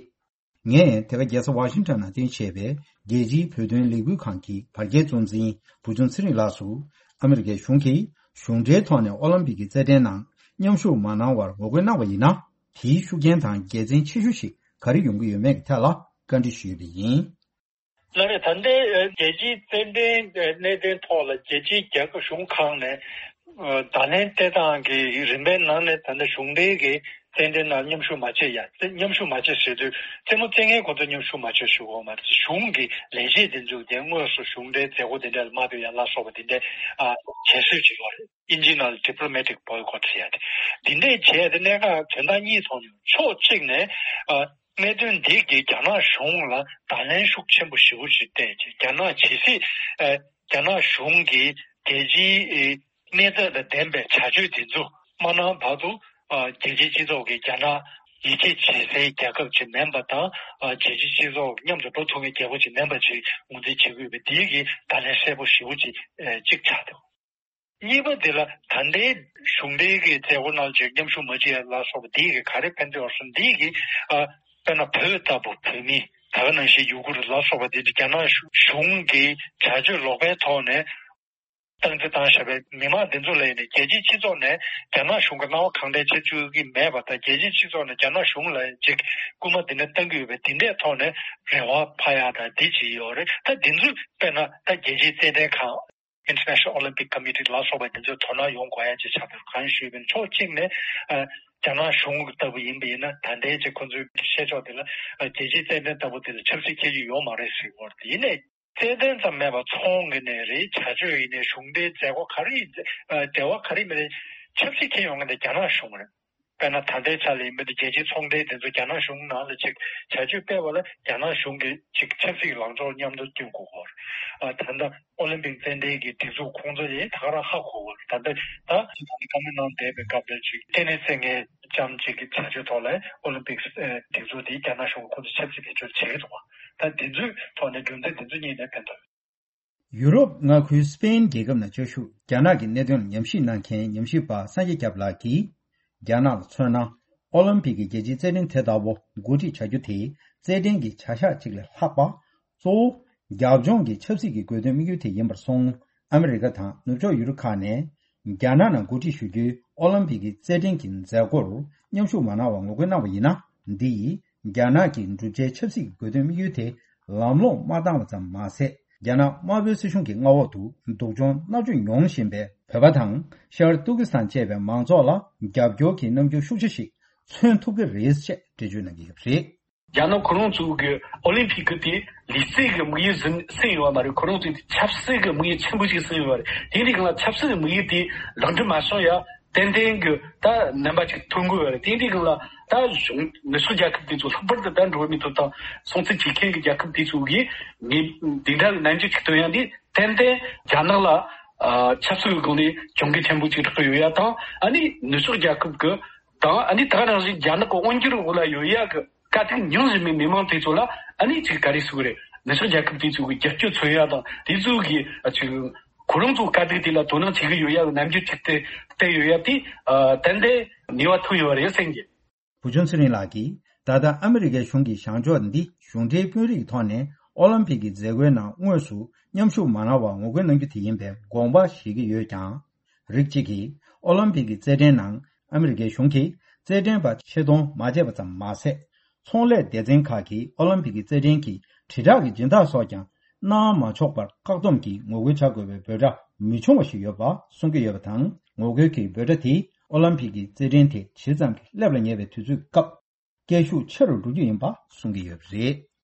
ངས་དེ་ག་རྒྱལ་ས་ཝ་ཤིང་ཊོན་ནང་རྟེན་བྱས་པའི་རྒྱལ་སྤྱིའི་བོད་དོན་ལས་འགུལ་ཁང་གི་བར་བརྒལ་གཙོ་འཛིན་བུ་ཆུང་ཚེ་རིང་ལགས་སུ། ཨ་མི་རི་ཀའི་གཞུང་གིས་གཞུང་འབྲེལ་ཐོག་ནས་ཨོ་ལིམ་པིག་གི་རྩེད་འགྲན་ནང་མཉམ་ཞུགས་མ་གནང་བར་ངོ་རྒོལ་གནང་བ་ཡིན་ན། དེའི་ཤུགས་རྐྱེན་དང་དགེ་མཚན་ཆེ་ཤོས་ཤིག་ག་རེ་ཡོང་གི་ཡོད་མེད་ཀྱི་ཐད་ལ་བཀའ་འདྲི་ཞུས་པ་ཡིན། ལགས་རེད། ད་ལྟའི་རྒྱལ་སྤྱིའི་རྩེད་འགྲན་གནད་དོན་ཐོག་ལ་རྒྱལ་སྤྱིའི་རྒྱལ་ཁབ་གཞུང་ཁག་ནས་བརྡ་ལན་སྤྲད་སྟངས་ཀྱི་རིམ་པའི་ནང་ནས་ད་ལྟ་གཞུང་འབྲེལ་གྱི་རྩེད་འགྲན་ནང་མཉམ་ཞུགས་མ་བྱེད་ཡ། རྩེ་མཉམ་ཞུགས་མ་བྱེད་ཟེར་དུས་རྩེད་མོ་རྩེ་མཁན་ཁོ་ཚོ་མཉམ་ཞུགས་མ་བྱེད་ཞུ་གི་ཡོད་མ་རེད། གཞུང་གི་ལས་བྱེད་དེ་ཚོས་དེ་དངོས་སུ་གཞུང་འབྲེལ་མཛད་སྒོ་དེ་འདྲ་ལ་མ་ཕེབས་ཡ་ལ་སོགས་པ་དེ་འདྲ་ཨ་བྱེད་སྲོལ་ཅིག་ཡོད་རེད། དབྱིན་ཇིའི་ནང་ལ་diplomatic boycott ཟེར་ཡ་དེ། འདི་འདྲས་བྱས་ཏེ་གནད་འགག་དོན་དག་གཉིས་ཐོག་ནས། ཕྱོགས་གཅིག་ནས་ཨ་ གནད་དོན་འདི་གིས་རྒྱ་ནག་གཞུང་ལ་བརྡ་ལན་ཤུགས་ཆེན་པོ་ཞེ་པོ་ཞིག་བསྟན་རྗེས། རྒྱ་ནག་ཇི་སྲིད་ཨ་རྒྱ་ནག་གཞུང་གིས་རྒྱལ་སྤྱིའི་ཨ་གནས་ཚད་དང་ལྡན་པའི་བྱ་སྤྱོད་འདི་ཚོ་མ་གནང་བར་དུ། ཨ་རྒྱལ་སྤྱིའི་སྤྱི་ཚོགས་ཀྱིས་རྒྱ་ནག་ཡིད་ཆེས་བྱེད་སའི་རྒྱལ་ཁབ་ཅིག་མིན་པ་དང་། ཨ་རྒྱལ་སྤྱིའི་སྤྱི་ཚོགས་མཉམ་དུ་འགྲོ་ཐུབ་མཁན་རྒྱལ་ཁབ་ཅིག་མིན་པ་ཅིག་ངོས་འཛིན་བྱེད་དགོས་པ་འདི་གིས་བརྡ་ལན་གསལ་པོ་ཞེ་པོ་ཅིག་ཨ་གཅིག་ཆགས་འདུག་གཉིས་པ་འདི་ལ་ད་ལྟའི་གཞུང་འབྲེལ་གྱི་མཛད་སྒོ་ནང་ཅིག་མཉམ་ཞུགས་མ་བྱེད་ལ་སོགས་པ་འདི་གིས་ག་རེ་ཕན་ཐོགས་སོང་། འདི་གིས་ཨ་དཔེར་ན་བོད་ལྟ་བུ་བོད་མི་ད་ག་ནང་བཞིན་ཡུ་གུར་ལ་སོགས་པ་འདི་རྒྱ་ནག་གཞུང་གི་བྱ་སྤྱོད་ལོག་པའི་ཐོག་ནས་སྟངས་འཛིན་བཏང་བཞག་པའི་མི་མང་འདི་ཚོ་ལ་ཡིན་ནའི་རྒྱལ་སྤྱིའི་སྤྱི་ཚོགས་ནས་རྒྱ་ནག་གཞུང་གི་སྣང་བ་གང་དྲན་བྱེད་བཅུག་གི་མེད་པ་དང་། རྒྱལ་སྤྱིའི་སྤྱི་ཚོགས་ནས་རྒྱ་ནག་གཞུང་ལ་ཅིག་སྐུལ་མ་འདི་འདྲ་བཏང་གི་ཡོད་པའི་འདི་འདྲའི་ཐོག་ནས་རེ་བ་འཕར་ཡག་དང་འདི་ཅིག་ཡོད་རེད། ད་འདི་ཚོས་དཔེར་ན་ད་རྒྱལ་སྤྱིའི་རྩེད་འགྲན་ཁང་། International Olympic Committee ལ་སོགས་པ་འདི་ཚོས་དོ་སྣང་ཡོང་དགོས་ཡ་ཅིག་ཆགས་འདུག་གང་ཞུས་པ་ཡིན་ན། ཕྱོགས་གཅིག་ནས་ཨ་རྒྱ་ནག་གཞུང་ལྟ་བུ་ཡིན་པ་ཡིན་ན། ད་ལྟའི་ཅིག་ཁོ་ཚོའི་བཤད་ཕྱོགས་དེ་ལ་ཨ་རྒྱལ་སྤྱིའི་རྩེད་འགྲན་ལྟ་བུ་དེ་ལ་ཆབ་སྲིད་འཁྱེར་རྒྱུ་ཡོད་མ་རེད་ཟེར་གྱི་ཡོད་རེད། ཡིན་ནའི་རྩེད་འགྲན་ཙམ་མེད་པར་ཚོང་གི་ནས་རེད། བྱ་སྤྱོད་ཡིན་ནའི་གཞུང་འབྲེལ་མཛད་སྒོ་ག་རེ་ཡིན། ཨ་འབྲེལ་བ་ག་རེ་མི་རེད། ཆབ་སྲིད་འཁྱེར་ཡོང་མཁན་དེ་རྒྱ་ནག་གཞུང་རེད། དཔེར་ན་ད་ལྟའི་ཆ་ལ་ཡིན་པ་དེ་རྒྱལ་སྤྱིའི་ཚོང་འབྲེལ་དེ་ཚོ་རྒྱ་ནག་གཞུང་ནང་ལ་ཅིག་བྱ་སྤྱོད་སྤེལ་བ་ལ་རྒྱ་ནག་གཞུང་གིས་ཅིག་ཆབ་སྲིད་ཀྱི་ལངས་ཕྱོགས་མཉམ་དུ་བསྟུན་དགོས་སྐོར། ཨ་ད་ལྟ་ཨོ་ལིམ་པིག་རྩེད་འགྲན་གྱི་སྒྲིག་འཛུགས་ཁོང་ཚོ་ཡིས་ད་ག་རང་ཧ་གོ་གི་རེད། ད་ལྟ་ད་ཅིག་ད་ལྟ་བཀའ་མོལ་གནང་བསྡད་པའི་སྐབས་ལ་ཅིག་ཏེ་ནེ་རྩེད་མཁན་ལྕམ་ཅིག་གི་བྱ་སྤྱོད་ཐོག་ལ་ཨོ་ལིམ་པིག་ཨ་སྒྲིག་འཛུགས་དེ་རྒྱ་ནག་གཞུང་གིས་ཁོང་ཚོ་ཆབ་སྲིད་བེད་སྤྱོད་བྱེད་ཀྱི་འདུག་བ། ད་འདི་ཚོའི་ཐོག་ནས་རྒྱུ་མཚན་འདི་ཚོ་གཉིས་ནས་ཕན་ཐོགས། ཡུ་རོབ་མངའ་ཁུལ་སི་པེན་རྒྱལ་ཁབ་ནང་བཅའ་བཞུགས་རྒྱ་ནག་གི་གནད་དོན་ལ་ཉམས་ཞིབ་གནང་མཁན་ཉམས་ཞིབ་པ་སངས་རྒྱས་སྐྱབས་ལགས་ཀྱིས། རྒྱ་ནག་ལ་མཚོན་ན། ཨོ་ལིམ་པིག་གི་རྒྱལ་སྤྱིའི་རྩེད་འགྲན་དེ་ལྟ་བུ་གོ་སྒྲིག་བྱ་རྒྱུ་དེ་རྩེད་འགྲན་གྱི་བྱ་གཞག་ཅིག་ལས་ལྷག་པ། གཙོ་བོ། རྒྱབ་ལྗོངས་ཀྱི་ཆབ་སྲིད་ཀྱི་དགོས་དོན་དམིགས་ཡུལ་དེ་ཡིན་པར་སོང་། ཨ་མི་རི་ཀ་དང་ནུབ་ཕྱོགས་ཡུ་རོབ་ཁག་ནས། རྒྱ་ནག་ནང་གོ་སྒྲིག་ཞུ་རྒྱུའི་ཨོ་ལིམ་པིག་གི་རྩེད་འགྲན་གྱི་མཛད་སྒོར་མཉམ་ཞུགས་མ་གནང་བར་ངོ་རྒོལ་གནང་བ་ཡིན་ན། འདི་ཡིས་རྒྱ་ནག་གི་བསྒྲུབ་བྱའི་ཆབ་སྲིད་ཀྱི་དགོས་དོན་དམིགས་ཡུལ་དེ་ལམ་ལྷོང་མ་བཏང་བ་ཙམ་མ་ཟད། རྒྱ་ནག་དམར་པོའི་སྲིད་གཞུང་གི་མངའ་འོག་ཏུ་སྡུག་སྦྱོང་མནར་གཅོད་མྱོང་བཞིན་པའི་བོད་པ་དང་། ཤར་ཏུར་ཀི་སི་ཐན་བཅས་པའི་མང་ཚོགས་ལ་རྒྱབ་སྐྱོར་གྱི་རྣམ་འགྱུར་ཤུགས་ཆེ་ཞིག་མཚོན་ཐུབ་ཀྱི་རེད་ཅེས་འགྲེལ་བརྗོད་གནང་གི་ཡོད་པ་རེད། རྒྱ་ནག་ཁོ་རང་ཚོ་གི་ཨོ་ལིམ་ཕིག་གི་དེ་ལུས་རྩལ་གྱི་དམིགས་ཡུལ་ཟིན་ཟིན་ཡོད་མ་རེད། ཁོ་རང་ཚོས་དེ་ཆབ་སྲིད་ཀྱི་དམིགས་ཡུལ་ཆེན་པོ་ཞིག་ཟིན་ཡོད་མ་རེད། དེ་འདྲའི་སྒང་ལ་ཆབ་སྲིད་ཀྱི་དམིགས་ཡུལ་དེ་ལག་འབྲེལ་མ་བྱུང་ཡ། ཏན་ཏན་གྱི་ད་རྣམ་པ་ཅིག་ཐོན་དགོས་པ་རེད། དེ་འདྲའི་སྒང་ལ་ད་གཞུང་ནུབ་ཕྱོགས་རྒྱལ་ཁབ་དེ་ཚོ་ལྷག་པར་དུ་ད་འགྲོ་བ་མིའི་ཐོབ་ཐང་སྲུང་བརྩི་བྱེད་མཁན་གྱི་རྒྱལ་ཁབ་དེ་ཚོ་གིས་ངས་འདི་འདྲ་གི་རྣམ་འགྱུར་ཅིག་སྟོན་ཡ་འདི་ཏན་ཏན་རྒྱ་ནག་ལ་ཨ་ཆབ་སྲིད་ཀྱི་སྒང་ནས་གྱོང་གུད་ཆེན་པོ་ཅིག་རག་གི་ཡོད་ཡ་དང་། ཨ་ནི་ནུབ་ཕྱོགས་རྒྱལ་ཁབ་ཀྱི་དང་། ཨ་ནི་ད་ག་ནང་བཞིན་རྒྱ་ནག་གི་དབང་སྒྱུར་འོག་ལ་ཡོད་ཡ་གི་དཀའ་སྡུག་མྱོང་བཞིན་པའི་མི་མང་དེ་ཚོ་ལ་ཨ་ནི་ཅིག་ག་རེ་ཟེར་དགོས་རེད། ནུབ་ཕྱོགས་རྒྱལ་ཁབ་དེ་ཚོ་གི་རྒྱབ་སྐྱོར་མཚོན་ཡ་དང་། དེ་ཚོ་གི་ཨ་ཅིག་ཁོ་རང་ཚོ་དཀའ་སྡུག་དེ་ལ་དོ་སྣང་བྱེད་ཀྱི་ཡོད་ཡ་གི་རྣམ་འགྱུར་ཅིག་བསྟན་བསྟན་ཡོད་ཡ་དེ་ཨ་ཏན་ཏན་ནུས་པ་ཐོན་ཡོད་རེད་བསམ་གི། བུ་ཆུང་ཚེ་རིང་ལགས་ཀྱིས། ད་ལྟ་ཨ་མི་རི་ཀའི་གཞུང་གི་བྱང་ཕྱོགས་འདི་གཞུང་འབྲེལ་དཔོན་རིགས་ཀྱི་ཐོག་ནས་ཨོ་ལིམ་ཕིག་གི་མཛད་སྒོའི་ནང་དངོས་སུ་མཉམ་ཞུགས་མ་གནང་བར་ངོ་རྒོལ་གནང་རྒྱུ་དེ་ཡིན་པའི་དགོངས་པ་བཞེས་ཀྱི་ཡོད་ཀྱང་། རིགས་གཅིག་གིས་ཨོ་ལིམ་ཕིག་གི་རྩེད་འགྲན་ནང་ཨ་མི་རི་ཀའི་གཞུང་གིས་རྩེད་འགྲན་པ་ཆེད་གཏོང་མ་བྱས་པ་ཙམ་མ་ཟད། ཚོང་ལས་སྡེ་ཚན་ཁག་གིས་ཨོ་ལིམ་ཕིག་གི་རྩེད་འགྲན་གྱི་དྲིལ་བསྒྲགས་ཀྱི་སྦྱིན་བདག་སོགས་ཀྱང་གནང་མ་ཆོག་པར་བཀག་སྡོམ་གྱིས་ངོ་རྒོལ་བྱ་དགོས་པའི་འབོད་སྒྲ་མི་བྱུང་བ་ཞིག་ཡོད་པ་གསུང་གི་ཡོད་པ་དང་། ངོ་རྒོལ་གྱི་འབོད་སྒྲ་དེས་ཨོ་ལིམ་ཕིག་གི་རྩེད་འགྲན་དེ་ཇི་ཙམ་གྱིས་སླེབས་ལ་ཉེ་བའི་དུས་ཚོད་སྐབས། སྐད་ཤུགས་ཆེ་རུ་འགྲོ་རྒྱུ་ཡིན་པ་གསུང་གི་ཡོད་པ་རེད།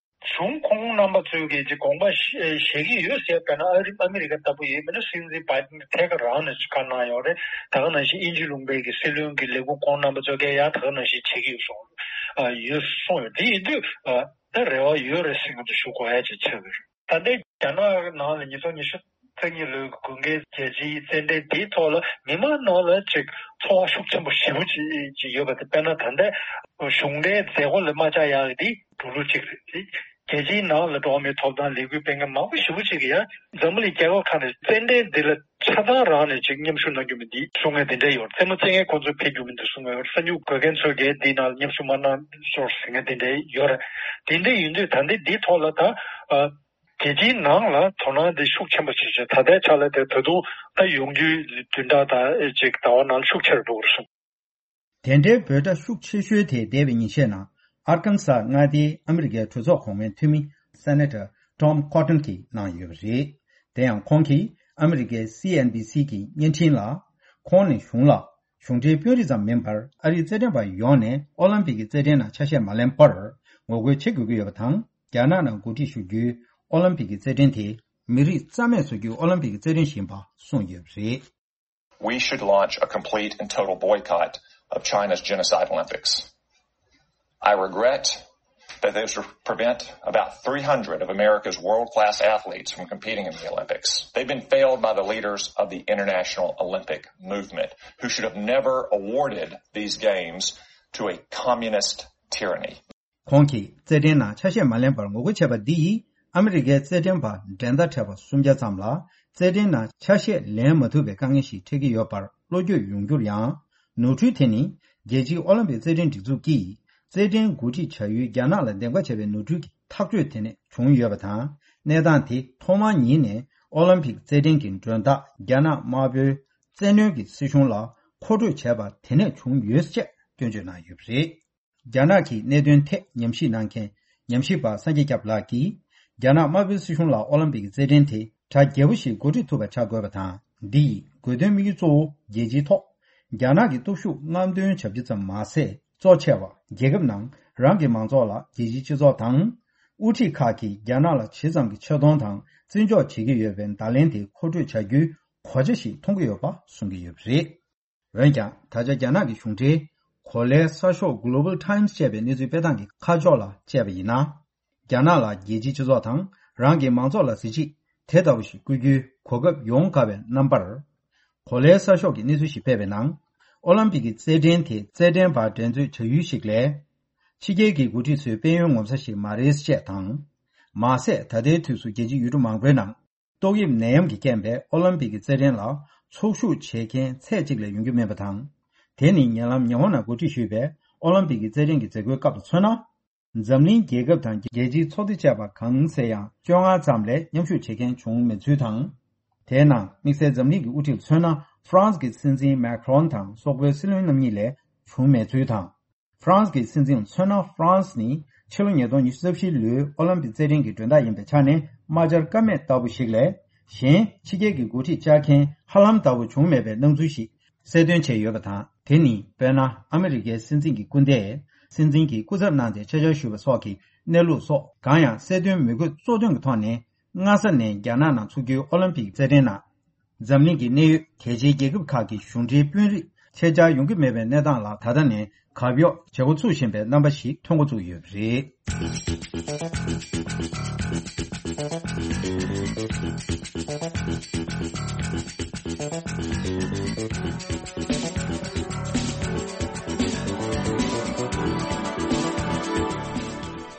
གཞུང་ཁོང་རྣམ་པ་ཚོས་ཀྱིས་ཀྱི་དགོངས་པ་བཞེས་ཀྱི་ཡོད་ཟེར། དཔེར་ན་ཨ་རི་ཨ་མི་རི་ཀ་ལྟ་བུ་ཡིན་མིན་ན། སྲིད་འཛིན་བྷའི་ཏིན་ཐད་ཀར་རང་ནས་བཀའ་གནང་ཡོད་རེད། ད་ག་ནང་བཞིན་དབྱིན་ཇི་ལུང་པའི་གི་སྲིད་བློན་གྱི་ལས་ཁུངས་ཁོང་རྣམ་པ་ཚོས་ཀྱིས་ཡང་ད་ག་ནང་བཞིན་བྱེད་ཀྱི་ཡོད་གསུངས། ཨ་ཡོད་གསུངས་ཡོད། དེ་ཡིན་དུས་ཨ་ད་རེ་བ་ཡོད་རེད་ཟེར་མཁན་དེ་ཞུ་དགོས་ཡ་ཅིག་ཆགས་ཀྱི་རེད། ད་ལྟའི་རྒྱ་ནག་ནང་ལ་ཉིས་སྟོང་ཉི་ཤུ་རྩ་གཉིས་ལོའི་དགུན་ཁའི་རྒྱལ་སྤྱིའི་རྩེད་འགྲན་དེའི་ཐོག་ལ་མི་མང་ནང་ལ་ཅིག་ཚོར་བ་ཤུགས་ཆེན་པོ་ཞེ་པོ་ཅིག་ཅིག་ཡོད་པ་དེ། དཔེར་ན་ད་ལྟའི་གཞུང་འབྲེལ་མཛད་སྒོ་ལ་མ་བཅར་ཡག་གི་དེ་འགྲོ་ལུགས་གཅིག་རེད། དེ་རྒྱལ་སྤྱིའི་ནང་ལ་འགྲོ་བ་མིའི་ཐོབ་ཐང་ལས་འགུལ་སྤེལ་མཁན་མང་པོ་ཞེ་པོ་ཅིག་གིས་ཡང་འཛམ་བུ་གླིང་རྒྱལ་ཁབ་ཁག་ནས་རྩེད་འགྲན་འདི་ལ་ཆ་ཚང་རང་ནས་ཅིག་མཉམ་ཞུགས་གནང་རྒྱུ་མིན་འདི་གསུང་མཁན་དེ་འདྲ་ཡོད་རེད། རྩེད་མོ་རྩེ་མཁན་ཁོང་ཚོས་ཕེབས་རྒྱུ་མིན་འདུག་གསུང་མཁན་ཡོད་རེད། གསར་འགྱུར་འགོད་མཁན་ཚོས་ཀྱིས་འདིའི་ནང་ལ་མཉམ་ཞུགས་མ་གནང་ཤོག་ཟེར་མཁན་དེ་འདྲ་ཡོད་རེད། དེ་འདྲ་ཡིན་དུས་ད་ལྟའི་འདིའི་ཐོག་ལ་ད་ཨ། རྒྱལ་སྤྱིའི་ནང་ལ་དོ་སྣང་དེ་ཤུགས་ཆེན་པོ་བྱེད་བྱེད། ད་ལྟའི་ཆ་ལ་དེ་ད་དུང་ད་ཡོང་རྒྱུའི་བདུན་ཕྲག་དང་ཨེ་ཅིག་ཟླ་བ་ནང་ཤུགས་ཆེ་རུ་འགྲོ་གི་རེད་གསུངས། དེ་འདྲའི་འབོད་སྒྲ་ཤུགས་ཆེ་ཤོས་དེ་འདས་པའི་ཉིན་ཤས་ནང་ཨར་ཀན་སཱ་མངའ་སྡེའི་ཨ་མི་རི་ཀའི་གྲོས་ཚོགས་གོང་མའི་འཐུས་མི་སེ་ནེ་ཊར་ཊོམ་ཀོ་ཊོན་གྱིས་གནང་ཡོད་པ་རེད། དེ་ཡང་ཁོང་གིས་ཨ་མི་རི་ཀའི་སི་ཨེན་བྷི་སི་གི་བརྙན་འཕྲིན་ལ། ཁོང་ནས་གཞུང་ལ་གཞུང་འབྲེལ་དཔོན་རིགས་ཙམ་མིན་པར་ཨ་རིའི་རྩེད་འགྲན་པ་ཡོངས་ནས་ཨོ་ལིམ་པིག་གི་རྩེད་འགྲན་ནང་ཆ་ཤས་མ་ལེན་པར་ངོ་རྒོལ་བྱེད་དགོས་ཀྱི་ཡོད་པ་དང་། རྒྱ་ནག་ནང་གོ་སྒྲིག་ཞུ་རྒྱུའི་ཨོ་ལིམ་པིག་གི་རྩེད་འགྲན་དེ་མི་རིགས་རྩ་མེད་བཟོ་རྒྱུའི་ཨོ་ལིམ་པིག་གི་རྩེད་འགྲན་ཞིག་ཡིན་པ་གསུངས་ཡོད་པ་རེད། We should launch a complete and total boycott of China's genocide Olympics. I regret That they should prevent about three hundred of America's world class athletes from competing in the Olympics. They've been failed by the leaders of the international Olympic movement, who should have never awarded these games to a communist tyranny. ཁོང་གིས་རྩེད་འགྲན་ནང་ཆ་ཤས་མ་ལེན་པར་ངོ་རྒོལ་བྱས་པ་འདི་ཡིས་ཨ་མི་རི་ཀའི་རྩེད་འགྲན་པ་འགྲན་ཟླ་འཕྲད་པ་སུམ་བརྒྱ་ཙམ་ལ་རྩེད་འགྲན་ནང་ཆ་ཤས་ལེན་མ་ཐུབ་པའི་དཀའ་ངལ་ཞིག་འཕྲད་ཀྱི་ཡོད་པར་བློ་འགྱོད་ཡོང་རྒྱུར་ཡང་། ནོར་འཁྲུལ་དེ་ནི་རྒྱལ་སྤྱིའི་ཨོ་ལིམ་པིག་རྩེད་འགྲན་སྒྲིག་འཛུགས་ཀྱིས་རྩེད་འགྲན་གོ་སྒྲིག་བྱ་ཡུལ་རྒྱ་ནག་ལ་འདེམས་ཀ་བྱས་པའི་ནོར་འཁྲུལ་གྱི་ཐག་གཅོད་དེ་ནས་བྱུང་ཡོད་པ་དང་། གནས་སྟངས་དེ་ཐོག་མར་ཉིད་ནས་ཨོ་ལིམ་པིག་རྩེད་འགྲན་གྱི་མགྲོན་བདག་རྒྱ་ནག་དམར་པོའི་བཙན་གནོན་གྱི་སྲིད་གཞུང་ལ་མཁོ་སྤྲོད་བྱས་པ་དེ་ནས་བྱུང་ཡོད་ཅེས་སྐྱོན་བརྗོད་གནང་ཡོད་པ་རེད། རྒྱ་ནག་གི་གནད་དོན་ཐད་ཉམས་ཞིབ་གནང་མཁན་ཉམས་ཞིབ་པ་སངས་རྒྱས་སྐྱབས་ལགས་ཀྱིས། རྒྱ་ནག་དམར་པོའི་སྲིད་གཞུང་ལ་ཨོ་ལིམ་པིག་རྩེད་འགྲན་དེ་གྲ་རྒྱས་པོ་ཞིག་འགོ་ཁྲིད་ཐུབ་པ་བྱ་དགོས་པ་དང་། འདི་ཡི་དགོས་དོན་དམིགས་ཡུལ་གཙོ་བོ་རྒྱལ་སྤྱིའི་ཐོག་རྒྱ་ནག་གི་སྟོབས་ཤུགས་རྔམ་སྟོན་བྱ་རྒྱུ་ཙམ་མ་ཟད། གཙོ་ཆེ་བ་རྒྱལ་ཁབ་ནང་རང་གི་མང་ཚོགས་ལ་རྒྱལ་སྤྱིའི་སྤྱི་ཚོགས་དང་། དབུ་ཁྲིད་ཁག་གིས་རྒྱ་ནག་ལ་ཇི་ཙམ་གྱི་ཆེ་མཐོང་དང་བརྩི་འཇོག་བྱེད་ཀྱི་ཡོད་པའི་བརྡ་ལན་དེ་མཁོ་སྤྲོད་བྱ་རྒྱུའི་གོ་ཆ་ཞིག་མཐོང་གི་ཡོད་པ་གསུང་གི་ཡོད་པ་རེད། འོན་ཀྱང་། ད་ཆ་རྒྱ་ནག་གི་གཞུང་འབྲེལ་གོ་ལའི་གསར་ཤོག་Global Times ཅེས་པའི་གནས་ཚུལ་སྤེལ་སྟངས་ཀྱི་ཁ་ཕྱོགས་ལ་དཔྱད་པ་ཡིན་ན། རྒྱ་ནག་ལ་རྒྱལ་སྤྱིའི་སྤྱི་ཚོགས་དང་རང་གི་མང་ཚོགས་ལ་གཟི་བརྗིད་དེ་ལྟ་བུ་ཞིག་བསྐུལ་རྒྱུའི་གོ་སྐབས་ཡོང་དཀའ་བའི་རྣམ་པར། གོ་ལའི་གསར་ཤོག་གིས་གནས་ཚུལ་ཞིག་སྤེལ་བའི་ནང་། ཨོ་ལིམ་པིག་གི་རྩེད་འགྲན་དེ་རྩེད་འགྲན་པ་འགྲན་རྩོད་བྱ་ཡུལ་ཞིག་ལས། ཕྱི་རྒྱལ་གྱི་འགོ་ཁྲིད་ཚོའི་དཔལ་ཡོན་ངོ་མཚར་ཞིག་མ་རེད་ཅེས་དང་། མ་ཟད། ད་ལྟའི་དུས་སུ་རྒྱལ་སྤྱིའི་ཡུལ་གྲུ་མང་པོའི་ནང་། ཏོག་དབྱིབས་ནད་ཡམས་ཀྱི་རྐྱེན་པས་ཨོ་ལིམ་པིག་གི་རྩེད་འགྲན་ལ་ཚོགས་ཞུགས་བྱེད་མཁན་ཚད་གཅིག་ལས་ཡོང་རྒྱུ་མེད་པ་དང་། དེ་ནི་ཉེ་ལམ་ཉི་ཧོང་ནང་གོ་སྒྲིག་ཞུས་པའི་ཨོ་ལིམ་པིག་གི་རྩེད་འགྲན་གྱི་མཛད་སྒོའི་སྐབས་སུ་མཚོན་ན། འཛམ་གླིང་རྒྱལ་ཁབ་དང་རྒྱལ་སྤྱིའི་ཚོགས་སྡེ་བཅས་པ་གང་ཟེར་ཡང་བཅོ་ལྔ་ཙམ་ལས་མཉམ་ཞུགས་བྱེད་མཁན་བྱུང་མེད་ཚུལ་དང་། དེའི་ནང་དམིགས་བསལ་འཛམ་གླིང་གི་དབུ་ཁྲིད་ལ་མཚོན་ན་ཧྥ་རན་སི་གི་སྲིད་འཛིན་མེ་ཁྲོན་དང་སོག་པོའི་སྲིད་བློན་རྣམ་གཉིས་ལས་བྱུང་མེད་ཚུལ་དང་། ཧྥ་རན་སི་གི་སྲིད་འཛིན་མཚོན་ན། ཧྥ་རན་སི་ནི་ཕྱི་ལོ་ཉིས་སྟོང་ཉི་ཤུ་རྩ་བཞི་ལོའི་ཨོ་ལིམ་པིག་རྩེད་འགྲན་གྱི་མགྲོན་བདག་ཡིན་པའི་ཆ་ནས་དམག་འཆར་ཀ་མེད་ལྟ་བུ་ཞིག་ལས། གཞན་ཕྱི་རྒྱལ་གྱི་འགོ་ཁྲིད་བཅར་མཁན་ཧ་ལམ་ལྟ་བུ་བྱུང་མེད་པའི་སྣང་ཚུལ་ཞིག་གསལ་སྟོན་བྱས་ཡོད་པ་དང་། དེ་ནི་དཔེར་ན་ཨ་མི་རི་ཀའི་སྲིད་འཛིན་གྱི་སྐུ་ཟླས་སྲིད་འཛིན་གྱི་སྐུ་ཚབ་གནང་སྟེ་ཆ་བཅར་ཞུས་པ་སོགས་ཀྱི་གནས་ལུགས་སོགས་གང་ཡང་གསལ་སྟོན་མི་དགོས་གཙོ་དོན་གྱི་ཐོག་ནས། སྔ་ས་ནས་རྒྱ་ནག་ནང་འཚོགས་རྒྱུའི་ཨོ་ལིམ་པིག་རྩེད་འགྲན་ནང་། འཛམ་གླིང་གི་གནད་ཡོད་གལ་ཆེའི་རྒྱལ་ཁབ་ཁག་གི་གཞུང་འབྲེལ་དཔོན་རིགས་ཆེད་བཅར་ཡོང་གི་མེད་པའི་གནས་སྟངས་ལ་ད་ལྟ་ནས་གབ་གཡོག་བྱེད་འགོ་ཚུགས་བཞིན་པའི་རྣམ་པ་ཞིག་ཐོན་འགོ་བཙུགས་ཡོད་པ་རེད།